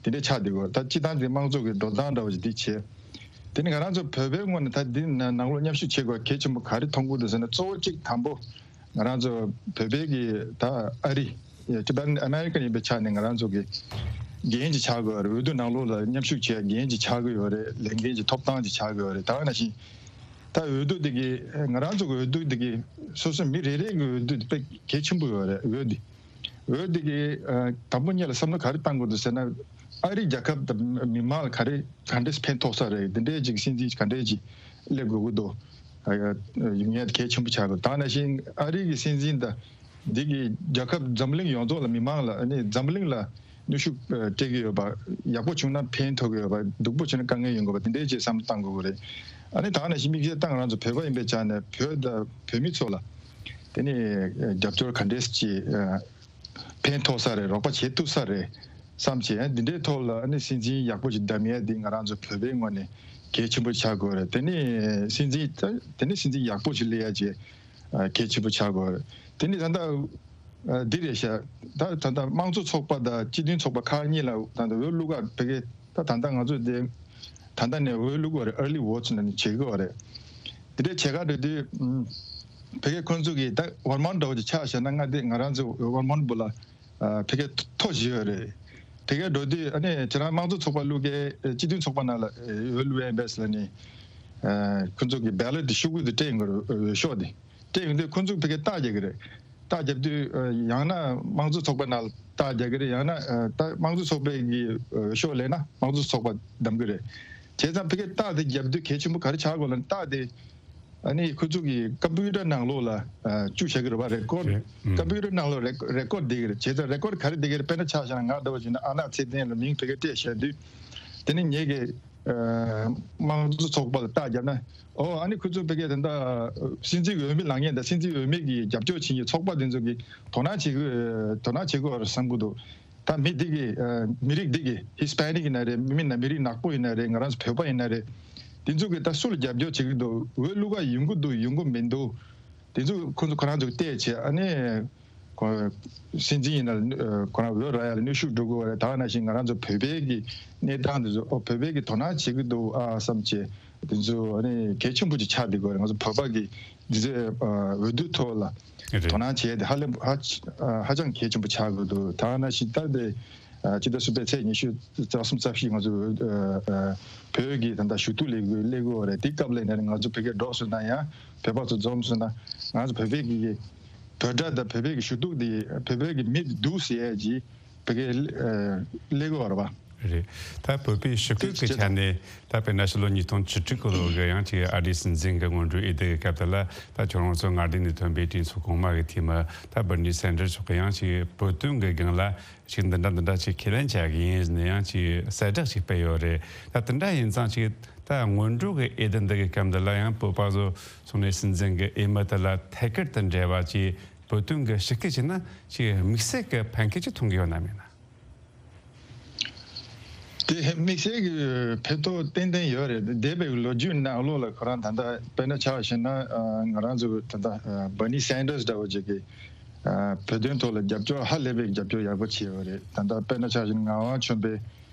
དེ་འདྲ་ཆགས་བསྡད་ཀྱི་ཡོད་རེད། ད་སྤྱིར་བཏང་དེ་དམངས་གཙོ་གི་འགྲོ་སྟངས་འདྲ་བ་ཞིག་དེ་བྱས། དེ་ནི་ང་རང་ཚོ་བོད་པའི་ངོས་ནས་ད་འདི་ནང་ལོགས་མཉམ་ཞུགས་བྱེད་དགོས་གལ་ཆེན་པོ་ག་རེ་མཐོང་གི་འདུག་ཟེར་ན། གཙོ་བོ་གཅིག་དང་པོ་ང་རང་ཚོ་བོད་པའི་གི་ད་ཨ་རི་Tibetan American་ཡིན་པའི་ཆ་ནས་ང་རང་ཚོ་གི་འགན་ཅིག་ཆགས་དགོས་རེད། འོས་བསྡུ་ནང་ལོགས་ལ་མཉམ་ཞུགས་བྱེད་འགན་ཅིག་ཆགས་ཀྱི་ཡོད་རེད། ལས་འགན་ཅིག་ཐོབ་ཐང་ཅིག་ཆགས་ཀྱི་ཡོད་རེད། ད་ག་ནང་བཞིན་ད་འོས་བསྡུ་དེ་གི་ང་རང་ཚོ་གི་འོས་བསྡུ་དེ་གི་སོ་སོ་མི་རེ་རེ་གི་འོས་བསྡུ་དེ་དཔེ་གལ་ཆེན་པོ་ཡོད་རེད། འོས་དེ་འོས་དེ་གི་ཨ་དང་པོ་ཉིད་ལ་བསམ་བློ་ག་རེ་བཏང་དགོས་འདུག་ཟེར་ན། ཨ་རི་རྒྱལ་ཁབ་དང་མི་མང་ལ་ག་རེ་ག་འདྲས་ཕན་ཐོགས་ས་རེད། འདི་འདྲས་ཅིག་སྲིད་འཛིན་ག་འདྲས་ཅིག་སླེབས་དགོས་ཀྱི་འདུག། ཨ་ཡ་ཡོང་ཡ་གལ་ཆེན་པོ་ཆགས་དགོས། ད་ནང་བཞིན་ཨ་རི་གི་སྲིད་འཛིན་དང་འདི་གི་རྒྱལ་ཁབ་འཛམ་གླིང་ཡོངས་རྫོགས་ལ་མི་མང་ལ་ཨ་ནི་འཛམ་གླིང་ལ་ ནུས་ཤུགས་སྤྲད་ཀྱི་ཡོད་པ། ཡག་པོ་བྱུང་ན་ཕན་ཐོགས་ཀྱི་ཡོད་པ། སྡུག་པོ་བྱུང་ན་དཀའ་ངལ་ཡོང་གི་ཡོད་པ། དེ་འདྲའི་ཅིག་བསམ་བློ་གཏང་དགོས་ཀྱི་རེད། ཨ་ནི་ད་ག་ནང་བཞིན་དམིགས་བསལ་ད་ང་རང་ཚོ་བོད་པ་ཡིན་པའི་ཆ་ནས་བོད་དང་བོད་མི་ཚོ་ལ་དེ་ནི་རྒྱབ་སྐྱོར་ག་འདྲས་ཅིག་ཕན་ཐོགས་ས་རེད། རོགས་པ་བྱེད་ཐུབ་ས་རེད་བསམ་བྱས། འདི་འདྲའི་ཐོག་ལ་ཨ་ནི་སྲིད་འཛིན་ཡག་པོ་ཞིག་བདམས་ཡས་འདི་ང་རང་ཚོ་བོད་པའི་ངོས་ནས་གལ་ཆེན་པོ་ཆགས་དགོས་རེད། དེ་ནི་སྲིད་འཛིན་དེ་ནི་སྲིད་འཛིན་ཡག་པོ་ཞིག་སླེབས་ཡས་ཀྱི་གལ་ཆེན་པོ་ཆགས་དགོས་རེད། དེ་ནི་ད་ལྟ་འདི་རེད་ཤག་ད་ད་ལྟ་དམངས་གཙོ་ཚོགས་པ་དང་སྤྱི་མཐུན་ཚོགས་པ་ཁག་གཉིས་ལ་ད་ལྟ་འོས་བླུག་ག་ཕ་གི་ད་ད་ལྟ་ང་ཚོ་དེ་ད་ལྟ་ནས་འོས་བླུག་གི་ཡོད་རེད། early vote ནས་བྱེད་ཀྱི་ཡོད་རེད། དེ་འདྲའི་བྱེད་ག་འགྲོ་དུས་ཕ་གི་ཁོང་ཚོ་གིས་ད་ཝར་མོན་འདྲ་བོ་ཅིག་ཆགས་བཞག་ན། ང་དེ་ང་རང་ཚོ་ཝར་མོན་པོ་ལ་ཕ་གི་མཐོ་བཞི་ཡོད་རེད། ཕ་གི་འགྲོ་དུས་ཨ་ནི་ཁྱེད་རང་དམངས་གཙོ་ཚོགས་པ་བླུག་གི་སྤྱི་མཐུན་ཚོགས་པ་ནང་ལ་འོས་བླུག་ཡས་བས་ལ་ནི་ཁོང་ཚོ་གིས་བེ་ལོཊ་དེ་ཤོག་གུ་དེ་སྤྲད་ཡོང་གི་རེད། འོས་ཤོག་དེ་སྤྲད་ཡོང་དུས་ཁོང་ཚོ་ཕ་གི་རྟགས་རྒྱག་གི་རེད། རྟགས་རྒྱབ་དུས་ཡང་ན་དམངས་གཙོ་ཚོགས་པ་ནང་ལ་རྟགས་རྒྱག་གི་རེད། ཡང་ན་ད་དམངས་གཙོ་ཚོགས་པའི་གི་འོས་ཤོག་ལེན་ན་དམངས་གཙོ་ཚོགས་པ་བདམས་གི་རེད། བྱས་ཙང་ཕ་གི་རྟགས་དེ་རྒྱབ་དུས་གལ་ཆེན་པོ་ག་རེ་ཆགས་དགོས་ལབ་ན། རྟགས་དེ་ཨ་ནི་ཁོ་ཚོ་གི་ཀམ་པུ་ཊར་ནང་ལོགས་ལ་བཅུག་བཞག་གི་རེད་པ། རེ་ཀོར་ཌི། ཀམ་པུ་ཊར་ནང་ལོགས་རེ་རེ་ཀོར་ཌི་བསྡད་ཀྱི་རེད། བྱས་ཙང་རེ་ཀོར་ཌི་ག་རེ་བསྡད་ཀྱི་རེད། དཔེར་ན་ཆ་བཞག་ན་ང་འདྲ་བོ་བྱས་ན་ཨ་ནག་ཚེ་བརྟན་ལ་མིང་ཕ་གི་སྤྲད་བཞག་དུས་དེ་ནི་ངེད་ཀྱི་དམངས་གཙོ་ཚོགས་པ་ལ་རྟགས་བརྒྱབ་ན། ཨོ་ཨ་ནི་ཁོ་ཚོ་ཕ་གི་ད་ལྟ་སྲིད་འཛིན་འོས་མི་ལངས་མཁན་དང་སྲིད་འཛིན་འོས་མི་གི་རྒྱབ་སྐྱོར་བྱེད་མཁན་ཚོགས་པ་དེ་ཚོ་གི་དོ་སྣང་བྱེད་དགོས། དོ་སྣང་བྱེད་དགོས་པ་རེད་བསམ་གྱི་འདུག་ད་མི་འདི་གི་མི་རིགས་འདི་གི་ཧི་སི་པེ་ནིག་ཡིན་ན་རེད། མི་མིན་ན་མི་རིགས་ནག་པོ་ཡིན་ན་རེད། ང་རང་ཚོ་བོད་པ་ཡིན་ན་རེད། དེ་ཚོ་གི་ད་སུ་ལ་རྒྱབ་སྐྱོར་བྱེད་ཀྱི་འདུག་འོས་བླུག་ག་ཡོང་གི་འདུག་ཡོང་གི་མི་འདུག་དེ་ཚོ་ཁོ་ཚོ་ཁོ་རང་ཚོ་བལྟས་བྱས། ཨ་ནི་ཁོ་སྲིད་འཛིན་ཡིན་ན་ཁོ་རང་འོས་རག་ཡ་ལ་ནུས་ཤུགས་འགྲོ་དགོས་པ་རེད། ད་ག་ནང་བཞིན་ང་རང་ཚོ་བོད་པའི་གི་གནས་སྟངས་དེ་ཚོ། ཨོ་བོད་པའི་གི་དོ་སྣང་བྱེད་ཀྱི་འདུག་ཨ་བསམ་བྱས། དེ་ཚོ་ཨ་ནི་གལ་ཆེན་པོ་ཅིག་ཆགས་བསྡད་དགོས་རེད། ང་ཚོ་བོད་པ་གི་འདི་ཚོའི་འོས་བསྡུ་ཐོག་ལ་རེད། དོ་སྣང་བྱས་ཏེ་ཧ་ལས་ཧ་ཧ་ཅང་གལ་ཆེན་པོ་ཆགས་དགོས་འདུག་ད་ག་ནང་བཞིན་ད་དེ་ཕྱི་ཟླ་གསུམ་པའི་ཚེས་ཉི་ཤུ་རྩ་གསུམ་རྩ་བཞི་ང་ཚོ་བོད་ཀྱི་ད་ལྟ་ཞུ་གཏུག་ལས་འགུལ་སླེབས་ཀྱི་ཡོད་རེད། དེ་སྐབས་ལ་ནས་ང་ཚོ་བོད་སྐད་སྒྲོག་སོང་ན་ཡང་། བོད་པ་ཚོ་འཛོམས་སོང་ན། ང་ཚོ་བོད་པའི་གི་བོད་སྒྲ་དང་བོད་པའི་གི་ཞུ་གཏུག་དེ་བོད་པའི་གི་མི་འདུག་ཟེར་ཡས་ཀྱི་བོད་སྐད་སླེབས་ཀྱི་ཡོད་རེད་པ། རེད། ད་བོད་པའི་ཞི་རྒོལ་གྱི་ཆ་ནས་ད་དཔེར་ན་ཕྱི་ལོ་ཉིས་སྟོང་བཅུ་དྲུག་གི་ལོ་གི་ཡང་ཅིག་ཨ་རིའི་སྲིད་འཛིན་གྱི་སྔོན་འགྲོའི་འོས་བསྡུ་གི་སྐབས་དེ་ལ། ད་ཁྱོད་རང་ཚོ་མངའ་སྡེ་ནས་ཐོན་པའི་གྲོས་ཚོགས་གོང་མ་གི་འཐུས་མི་ད་བར་ནི་སན་ཌར་སི་མཆོག་གིས་ཡང་ཅིག་བོད་དོན་གྱི་སྒང་ལ་ཅིག་འདི་འདྲ་འདི་འདྲ་ཅིག་ཁས་ལེན་བྱ་གི་ཡིན་ཟེར་ནས་ཡང་ཅིག་གསལ་བསྒྲགས་ཅིག་སྤེལ་ཡོད་རེད། ད་དེ་འདྲ་ཡིན་ཙང་ཅིག་ད་སྔོན་འགྲོ་གི་འོས་བསྡུ་འདི་གི་སྐབས་འདི་ལ་ཡང་བོད་པ་ཚོ་ཚོགས་ནས་སྲིད་འཛིན་གྱི་འོས་མི་དེ་ལ་ཐད་ཀར་དུ་འབྲེལ་བ་ཅིག་བོད་དོན་གྱི་ཞི་རྒོལ་བྱས་ན་ཅིག་དམིགས་བསལ་གྱི་ཕན་ཁེ་ཅིག་ཐོན་གྱི་ཡོད་ན་མེད་ན། དེ་དམིགས་བསལ་གྱི་ཕན་ཐོགས་ཏན་ཏན་ཡོད་རེད། འདས་པའི་ལོ་རྒྱུས་ནང་ལོགས་ལ་ཁོ་རང་ད་ལྟ་དཔེར་ན་ཆ་བཞག་ན་ང་རང་ཚོ་ད་ལྟ་བར་ནི་སན་ཌར་སི་འདྲ་བོ་ཅིག་གིས་བོད་དོན་ཐོག་ལ་རྒྱབ་སྐྱོར་ཧ་ལས་པའི་རྒྱབ་སྐྱོར་ཡག་པོ་བྱས་ཡོད་རེད། ད་ལྟ་དཔེར་ན་ཆ་བཞག་ན་ངག་དབང་ཆོས་འཕེལ་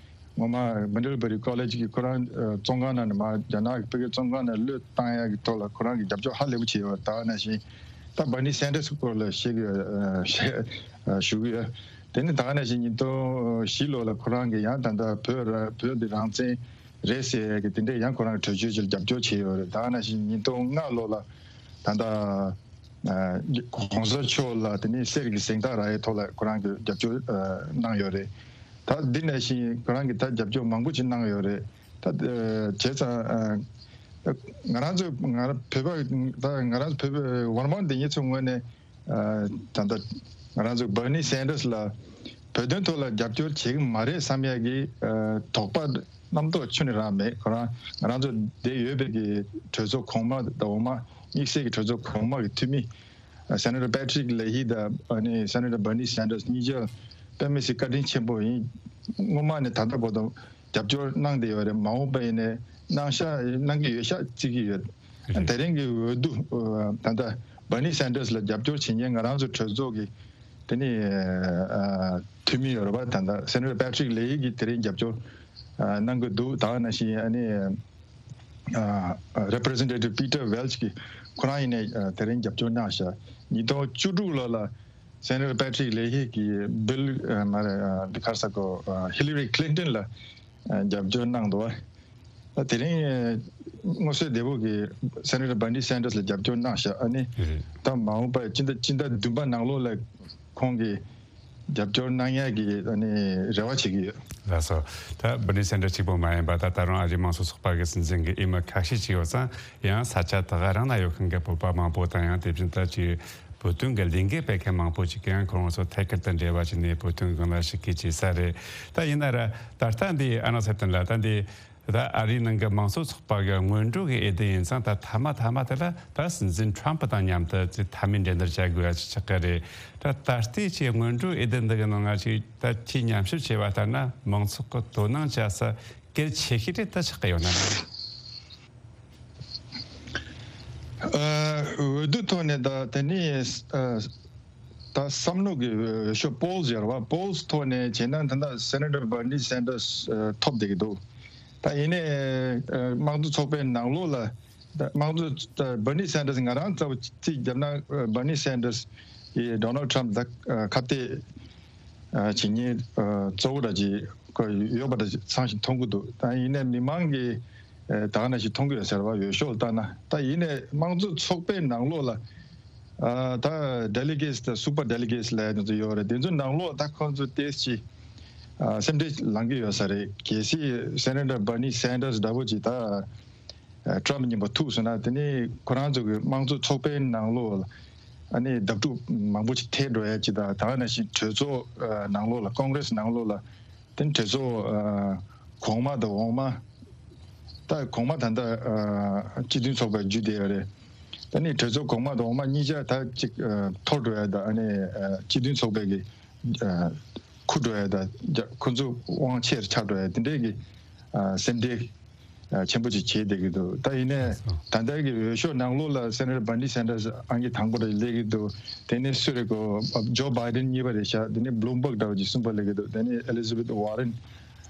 སྔོན་མ་མན་ཌལ་བྷ་རི་ཀོ་ལེཇ་གི་ཁོ་རང་བཙོན་ཁང་ནང་ནས་མར་རྒྱ་ནག་གི་བོད་ཀྱི་བཙོན་ཁང་ནང་གློད་བཏང་ཡག་གི་ཐོག་ལ་ཁོ་རང་གིས་རྒྱབ་སྐྱོར་ཧ་ལས་པོ་བྱས་ཡོད་རེད། ད་ག་ནང་བཞིན་ད་བར་ནི་སན་ཌར་སི་སྐོར་ལ་བཤད་ཀྱི་ཡོད། ཞུ་གི་ཡོད། དེ་ནི་ད་ག་ནང་བཞིན་ཉིས་སྟོང་བཞི་ལོ་ལ་ཁོ་རང་གིས་ཡང་ད་ལྟ་བོད་ར་བོད་འདི་རང་བཙན་རེད་ཟེར་ཡག་གི་དེ་འདྲས་ཡང་ཁོ་རང་གིས་གྲོས་ཆོད་ཅིག་ལ་རྒྱབ་སྐྱོར་བྱས་ཡོད་རེད། ད་ག་ནང་བཞིན་ཉིས་སྟོང་ལྔ་ལོ་ལ་ད་ལྟ་གོང་ས་མཆོག་ལ་དེ་ནས་གསེར་གྱི་གཟེངས་རྟགས་རག་ཡའི་ཐོག་ལ་ཁོ་རང་གིས་རྒྱབ་སྐྱོར་གནང་ཡོད་རེད། ད་འདི་ནང་བཞིན་ཁོ་རང་གིས་ད་རྒྱབ་སྐྱོར་མང་པོ་ཅིག་གནང་ཡོད་རེད། ད་བྱས་ཙང་ང་རང་ཚོ་ང་རང་བོད་པ་ད་ང་རང་ཚོ་བོད་པའི་ཝར་མ་འདི་ཉིད་ཚོ་ངོས་ནས་ད་ལྟ་ང་རང་ཚོ་བར་ནི་སན་ཌར་སི་ལ་བོད་དོན་ཐོག་ལ་རྒྱབ་སྐྱོར་བྱེད་ཀྱི་མ་རེད་བསམ་ཡག་གི་དོགས་པ་རྣམ་རྟོག་ཁྱོན་ནས་རང་མེད། ཁོ་རང་ང་རང་ཚོ་དེ་ཡོད་པའི་གི་གྲོས་ཚོགས་གོང་མ་དང་འོག་མ་དམིགས་བསལ་གྱི་གྲོས་ཚོགས་གོང་མ་གི་འཐུས་མི་སེ་ནེ་ཊར་པེ་ཊི་རིག་ལེ་ཧི་དང་ཨ་ནི་སེ་ནེ་ཊར་བར་ནི་སན་ཌར་སི་གཉིས་ཆ་དཔེ་མི་སྲིད་བཀའ་དྲིན་ཆེན་པོ་ཡིན། སྔོན་མ་ནས་ད་ལྟ་བར་དུ་རྒྱབ་སྐྱོར་གནང་བསྡད་ཡོད་རེད། མ་འོངས་པ་ཡིན་ནའི་གནང་ཤག་གནང་གི་ཡོད་ཤག་བརྩི་གི་ཡོད། དེ་རིང་གི་འོས་བསྡུ་ད་ལྟ་བར་ནི་སན་ཌར་སི་ལ་རྒྱབ་སྐྱོར་བྱེད་མཁན་ང་རང་ཚོ་གྲོས་ཚོགས་ཀྱི་དེ་ནི་འཐུས་མི་ཡོད་རེད་པ། ད་ལྟ་སེ་ནེ་ཊར་པེ་ཊི་རིག་ལེ་ཧི་གིས་དེ་རིང་རྒྱབ་སྐྱོར་གནང་གི་འདུག་ད་ག་ནང་བཞིན་ཨ་ནི། Representative Peter Welch གིས་ཁོ་རང་ཡིན་ནའི་དེ་རིང་རྒྱབ་སྐྱོར་གནང་ཤག་ཉིས་སྟོང་བཅུ་དྲུག་ལོ་ལ་སེ་ནེ་ཊར་པེ་ཊི་རིག་ལེ་ཧི་གིས་བིལ་མ་རེད་འདི་ག་རེ་ཟེར་དགོས་ཧི་ལི་རི་ཁི་ལིན་ཏོན་ལ་རྒྱབ་སྐྱོར་གནང་འདུག་ད་དེ་རིང་མངོན་གསལ་དོད་པོ་གིས་སེ་ནེ་ཊར་བར་ནི་སན་ཌར་སི་ལ་རྒྱབ་སྐྱོར་གནང་ཤག་ཨ་ནི་ད་མ་འོངས་པ་སྤྱི་ཟླ་སྤྱི་ཟླ་བདུན་པ་ནང་ལོགས་ལ་ཁོང་གིས་རྒྱབ་སྐྱོར་གནང་ཡག་གི་ཨ་ནི་རེ་བ་བྱེད་ཀྱི་ཡོད། ལགས་སོ། ད་བར་ནི་སན་ཌར་སི་གཅིག་པོ་མ་ཡིན་པ་ད་ད་རུང་ཨ་རིའི་དམངས་གཙོ་ཚོགས་པ་གི་སྲིད་འཛིན་གྱི་འོས་མི་ཁ་ཤས་ཅིག་ཡོད་ཙང་ཡང་ས་ཆ་དེ་ག་རང་ན་ཡོད་མཁན་གྱི་བོད་པ་མང་པོ་དང་ཡང་དེ་བཞིན་ད་ཅིག་ བོད་དོན་གྱི་ལས་འགུལ་སྤེལ་མཁན་མང་པོ་ཅིག་གིས་ཡང་ཁོ་རང་ཚོ་ཐད་ཀར་དུ་འབྲེལ་བ་བྱས་ནས་བོད་དོན་སྒང་ལ་ཞུགས་མཁན་བྱེད་ས་རེད། ད་ཡིན་ན་ར་ད་ལྟ་འདི་ཨ་ནག་ཚེ་བརྟན་ལགས། ད་འདི་ད་ཨ་རིའི་ནང་གི་མང་གཙོ་ཚོགས་པ་གི་སྔོན་འགྲོ་གི་འོས་བསྡུ་ཡིན་ཙང་། ད་མཐའ་མ་མཐའ་མ་དེ་ལ་ད་སྲིད་འཛིན་ཁྲོམ་ཕུ་དང་མཉམ་དུ་ཅིག་མཐའ་མའི་འགྲན་བསྡུར་བྱ་དགོས་ཡ་ཅིག་ཆགས་ཀྱི་རེད། ད་ད་ལྟའི་ཅིག་སྔོན་འགྲོ་འོས་བསྡུ་འདི་གི་ནང་ང་ཅིག་ད་ཁྱེད་མཉམ་ཞིབ་བྱས་པ་ལྟར་ན། མང་ཚོགས་ཀྱི་དོ་སྣང་བྱ་ས་གལ་ཆེ་ཤོས་དེ་ད་ཆགས་ཀྱི་ཡོད་ན། ཨ། འོས་བསྡུ་ཐོག་ནས་ད་དེ་ནི་ཨ་ད་བསམ་བློ་གི་འོས་ཤོག་པོལ་ཟེར་བ། པོལ་ཐོག་ནས་བྱས་ན་ད་ལྟ་སེ་ནེ་ཊར་བར་ནི་སན་ཏར་སི་ཨ་ཐོབ་བསྡད་ཀྱི་འདུག་ད་ཡིན་ནའི་ཨ་དམངས་གཙོ་ཚོགས་པའི་ནང་ལོགས་ལ། ད་དམངས་གཙོ་ད་བར་ནི་སན་ཏར་སི། ང་རང་རྩ་བ་རྩིས་བརྒྱབ་ན་ཨ་བར་ནི་སན་ཏར་སི་ཡིས་ཌོ་ནལ་ཊམ་ད་ཨ་ཁ་གཏད་ཨ་བྱེད་མཁན་ཨ་གཙོ་བོ་འདྲ་ཅིག་ཁོ་ཡོད་པ་འདྲ་ཅིག་ཚང་ཞིག་མཐོང་གི་འདུག་ད་ཡིན་ནའི་མི་མང་གིས་ཨ་ད་ག་ནང་བཞིན་མཐོང་གི་ཡོད་ཟེར་བ། འོས་ཤོག་ལ་བལྟས་ན། ད་ཡིན་ནའི་དམངས་གཙོ་ཚོགས་པའི་ནང་ལོགས་ལ་ཨ་ད་ཌེ་ལི་གེ་ཊི་དང་སུ་པར་ཌེ་ལི་གེ་ཊི་ལབ་ཡ་དེ་ཚོ་ཡོད་རེད། དེ་ཚོའི་ནང་ལོགས་ད་ཁོ་ཚོ་ཏོག་ཙམ་ཅིག་ཨ་སེམས་ཁྲལ་ལངས་ཀྱི་ཡོད་ས་རེད། གལ་སྲིད་སེ་ནེ་ཊར་བར་ནི་སན་ཏར་སི་འདྲ་པོ་ཅིག་ད་ཨ་ཊམ་ཕུ་མཉམ་པོ་ཐུག་སོང་ན། དེ་ནི་ཁོ་རང་ཚོ་གི་དམངས་གཙོ་ཚོགས་པའི་ནང་ལོགས་ལ་ཨ་ནི་བརྡབ་གྲབས་མང་པོ་ཅིག་ཐེབས་འགྲོ་ཡ་ཅིག་དང་། ད་ག་ནང་བཞིན་གྲོས་ཚོགས་ཨ་ནང་ལོགས་ལ། ཀོང་གྷི་རེ་སི་ནང་ལོགས་ལ། དེ་ནི་གྲོས་ཚོགས་ཨ་གོང་མ་དང་འོག་མ། ད་གོང་མ་ད་ལྟ་ཨ་སྤྱི་མཐུན་ཚོགས་པ་བརྒྱུད་བསྡད་ཡོད་རེད། ད་ནི་གྲོས་ཚོགས་གོང་མ་དང་འོག་མ་གཉིས་ཆ་ད་ཅིག་ཨ་འཐོར་འགྲོ་ཡ་དང་། ཨ་ནི་ཨ་སྤྱི་མཐུན་ཚོགས་པའི་གི་ཨ་འཁུར་འགྲོ་ཡ་དང་། ཁོ་ཚོ་དབང་ཆེར་ཆགས་འགྲོ་ཡ་དེ་འདྲའི་གི་ཨ་སེམས་ཁྲལ་ཨ་ཆེན་པོ་ཅིག་བྱས་བསྡད་ཀྱི་འདུག་ད་ཡིན་ནའི་ད་ལྟ་གི་འོས་ཤོག་ནང་ལོགས་ལ་སེ་ནེ་ཊར་བར་ནི་སན་ཏར་སི་ཨང་ཀི་དང་པོ་རེ་སླེབས་ཀྱི་འདུག་དེ་ནས་སུ་རེད་གོ། ཇོ་བྷའི་ཌེན་གཉིས་པ་རེད་ཤག་དེ་ནས་བྷི་ལུམ་བྷག་འདྲ་བོ་ཅིག་གསུམ་པ་སླེབས་ཀྱི་འདུག་དེ་ནས་ཨེ་ལི་ཛ་བེཐ་ཝར་རེན་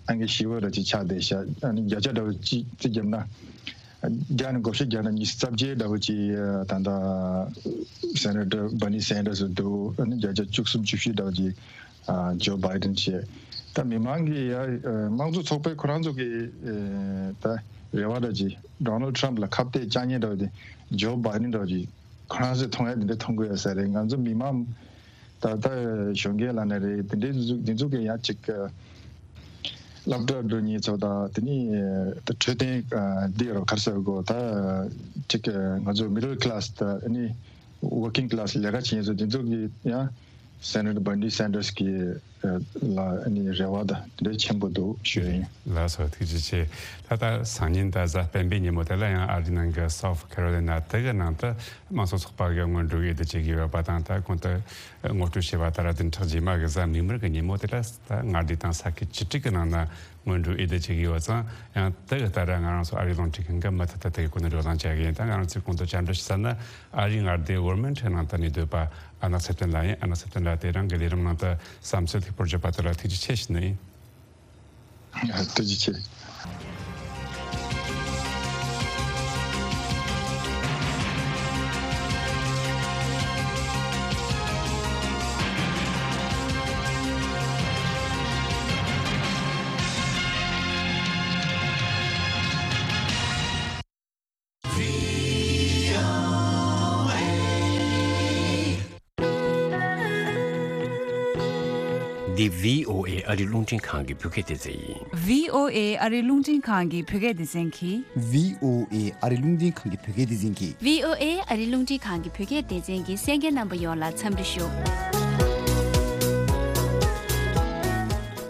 ཨང་ཀི་བཞི་པ་འདྲ་ཅིག་ཆགས་བསྡད་ཤག་ཨ་ནི་བརྒྱ་ཆ་འདྲ་བོ་ཅིག་རྩིས་བརྒྱབ་ན། བརྒྱ་ནས་བགོ་བཤའ་བརྒྱབ་ན་ཉི་ཤུ་རྩ་བརྒྱད་འདྲ་བོ་ཅིག་ད་ལྟ་སེ་ནེ་ཊར་བར་ནི་སན་ཏར་སི་འདུག་ཨ་ནི་བརྒྱ་ཆ་བཅུ་གསུམ་བཅུ་བཞི་འདྲ་བོ་ཅིག་ཨ་ཇོ་བྷའི་ཌེན་བྱས། ད་མི་མང་གིས་ཡ་ཨ་དམངས་གཙོ་ཚོགས་པའི་ཁོ་རང་ཚོ་གི་ཨ་ད་རེ་བ་འདྲ་ཅིག་ཌོ་ནལ་ཊམ་ཕུ་ལ་ཁ་གཏད་བཅག་མཁན་འདྲ་བོ་དེ་ཇོ་བྷའི་ཌེན་འདྲ་བོ་ཅིག་ཁོ་རང་ཚོས་མཐོང་ཡ་དེ་འདྲ་མཐོང་གི་ཡོད་ས་རེད། ང་ཚོ་མི་མང་ད་ལྟ་གཞོན་སྐྱེས་ལབ་ན་རེད། དེ་འདྲའི་འདི་ཚོ་གི་ཡང་ཅིག་སློབ་གྲྭ་འགྲོ་མཁན་ཚོ་དང་། དེ་ནས་ད་འཕྲོད་བསྟེན་འདི་རུ་ག་རེ་ཟེར་དགོས། ད་ཅིག་ང་ཚོ་མི་ཌལ་ཀི་ལ་སི་དང་། ཨ་ནི་ཝར་ཀིང་ཀི་ལ་སི་ལས་ཀ་བྱེད་མཁན་ཚོ་དེ་ཚོ་གི་ཡང་སེ་ནེ་ཊར་བར་ནི་སན་ཏར་སི་གི་ལ་ཨ་ནི་རེ་བ་ད་དེ་འདྲ་ཆེན་པོ་འདུག་ཞུ་ཡ་ཡིན། ལགས་སོ། ཐུགས་རྗེ་ཆེ། ད་ལྟ་སང་ཉིན་ད་གཟའ་སྤེན་པའི་ཉིན་མོ་དེ་ལ་ཡང་ཨ་རིའི་ནང་གི་སའུ་ཐི་ཁེ་རོ་ལི་ན་དེ་གི་ནང་དུ་དམངས་གཙོ་ཚོགས་པ་གི་སྔོན་འགྲོ་འོས་བསྡུ་བྱེད་ཀྱི་ཡོད་པ་དང་། ད་གོང་དུ་ངོ་སྤྲོད་བྱས་པ་ལྟར་བདུན་ཕྲག་རྗེས་མ་གི་གཟའ་མིག་དམར་གི་ཉིན་མོ་དེ་ལ་ད་མངའ་སྡེ་དང་ས་ཁུལ་བཅུ་དྲུག་གི་ནང་ན་སྔོན་འགྲོ་འོས་བསྡུ་བྱེད་ཀྱི་ཡོད་ཙང་། ཡང་དེ་གི་ལྟར་ང་རང་ཚོ་ཨ་རིའི་རླུང་འཕྲིན་ཁང་གི་མུ་མཐུད་དུ་དེ་གི་སྐོར་ནས་བགྲོ་གླེང་བྱ་གི་ཡིན། ད་ང་རང་ཚོས་གོང་དུ་བཅར་འདྲི་ཞུ་ས་ནི་ཨ་རིའི་མངའ་སྡེ་ཝར་མིན་ཊོན་ནང་དུ་གནས་སྡོད་པ་ཨ་ནག་ཚེ་བརྟན་ལགས་ཡིན། ཨ་ནག་ཚེ་བརྟན་ལགས་དེ་རིང་གི་ལས་རིམ་ནང་དུ་བསམ་ཚུལ་ལྷུག་པོར་བརྗོད་པ་དེ་ལ་ཐུགས་རྗེ་ཆེ་ཞུ་ནི་ཡིན། ཐུགས་རྗེ་ཆེ། འདི་བྷི་ཨོ་ཨེ་ཨ་རི་རླུང་འཕྲིན་ཁང་གི་བོད་སྐད་སྡེ་ཚན་ཡིན། བྷི་ཨོ་ཨེ་ཨ་རི་རླུང་འཕྲིན་ཁང་གི་བོད་སྐད་སྡེ་ཚན་གྱིས། བྷི་ཨོ་ཨེ་ཨ་རི་རླུང་འཕྲིན་ཁང་གི་བོད་སྐད་སྡེ་ཚན་གྱིས། བྷི་ཨོ་ཨེ་ཨ་རི་རླུང་འཕྲིན་ཁང་གི་བོད་སྐད་སྡེ་ཚན་གྱི་གསན་མཁན་རྣམ་པ་ཡོངས་ལ་འཚམས་འདྲི་ཞུ།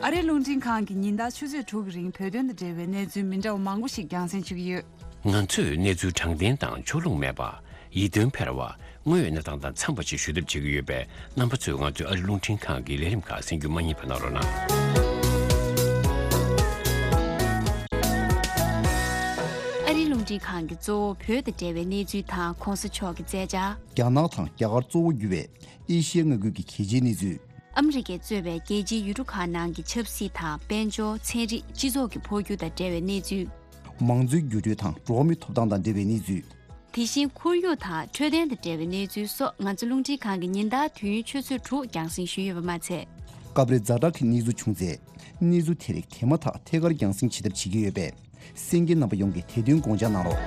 ཨ་རི་རླུང་འཕྲིན་ཁང་གིས་ཉིན་ལྟར་ཆུ་ཚོད་དྲུག་གི་རིང་བོད་དོན་དང་འབྲེལ་བའི་གནས་ཚུལ་མི་འདྲ་བ་མང་པོ་ཞིག་རྒྱང་སྲིང་ཞུ་གི་ཡོད། ང་ཚོས་གནས་ཚུལ་དྲང་བདེན་དང་ཕྱོགས་ལྷུང་མེད་པ། ཡིད་རྟོན་འཕེར་བ། དངོས་ཡོད་གནས་སྟངས་དང་འཚམས་པ་ཞིག་ཞུ་ཐབས་བྱེད་ཀྱི་ཡོད་པས། རྣམ་པ་ཚོས་ང་ཚོའི་ཨ་རི་རླུང་འཕྲིན་ཁང་གི་ལས་རིམ་ཁག་གསན་རྒྱུ་མ་བསྙེལ་བ་གནང་རོགས་གནང་། ཨ་རི་རླུང་འཕྲིན་ཁང་གིས་གཙོ་བོ་བོད་དང་འབྲེལ་བའི་གནས་ཚུལ་དང་། གོང་ས་མཆོག་གི་མཛད་འཆར། རྒྱ་ནག་དང་རྒྱ་གར་གཙོ་བོ་གྱུར་བའི་ཨེ་ཤི་ཡའི་མངའ་ཁུལ་གྱི་གལ་ཆེའི་གནས་ཚུལ། ཨ་མི་རི་ཀས་གཙོས་པའི་རྒྱལ་སྤྱིའི་ཡུལ་གྲུ་ཁག་ནང་གི་ཆབ་སྲིད་དང་། དཔལ་འབྱོར། ཚན་རིག། སྤྱི་ཚོགས་ཀྱི་འཕོ་འགྱུར་དང་འབྲེལ་བའི་གནས་ཚུལ། མང་གཙོའི་འགྱུར་འགྲོས་དང་འགྲོ་བ་མིའི་ཐོབ་ཐང་དང་འབྲེལ་བའི་གནས་ཚུལ། དེ་བཞིན་ཁོར་ཡུག་དང་འཕྲོད་བསྟེན་དང་འབྲེལ་བའི་གནས་ཚུལ་སོགས། ང་ཚོ་རླུང་འཕྲིན་ཁང་གིས་ཉིན་ལྟར་དུས་ཡུན་ཆུ་ཚོད་དྲུག་རྒྱང་སྲིང་ཞུས་ཡོད་པ་མ་ཚད། སྐབས་རེ་ཛ་དྲག་གི་གནས་ཚུལ་བྱུང་ཚེ། གནས་ཚུལ་དེ་རིགས་དེ་མ་ཐག་ཐད་ཀར་རྒྱང་སྲིང་བྱེད་ཐབས་བྱེད་ཀྱི་ཡོད་པས། གསན་མཁན་རྣམ་པ་ཡོངས་ཀྱིས་དེ་དོན་དགོངས་འཇགས་གནང་རོགས།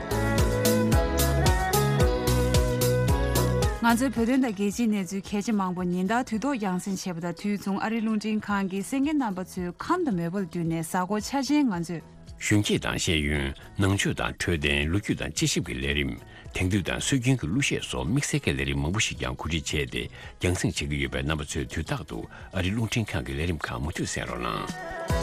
ང་ཚོའི་བོད་དོན་དང་རྒྱལ་སྤྱིའི་གནས་ཚུལ་གལ་ཆེ་མང་པོ་ཉིན་ལྟར་དུས་ཐོག་རྒྱང་སྲིང་བྱེད་པ་དང་། དུས་མཚུངས་ཨ་རིའི་རླུང་འཕྲིན་ཁང་གིས་གསན་མཁན་རྣམ་པ་ཚོའི་ཁམས་དང་མོས་པ་ལ་བསྟུན་ནས། གཟའ་འཁོར་འཆར་ཅན་ང་ཚོས་ གཞོན་སྐྱེས་དང་ཤེས་ཡོན། ནང་ཆོས་དང་འཕྲོད་བསྟེན། ལོ་རྒྱུས་དང་དཔྱད་ཞིབ་ཀྱི་ལས་རིམ། དེང་དུས་དང་སྲོལ་རྒྱུན་གྱི་གླུ་གཞས་སོགས་དམིགས་བསལ་གྱི་ལས་རིམ་མང་པོ་ཞིག་ཀྱང་གོ་སྒྲིག་བྱས་ཏེ་རྒྱང་སྲིང་བྱེད་ཀྱི་ཡོད་པས། རྣམ་པ་ཚོས་དུས་རྟག་ཏུ་ཨ་རི་རླུང་འཕྲིན་ཁང་གི་ལས་རིམ་ཁག་མུ་མཐུད་གསན་རོགས་གནང་།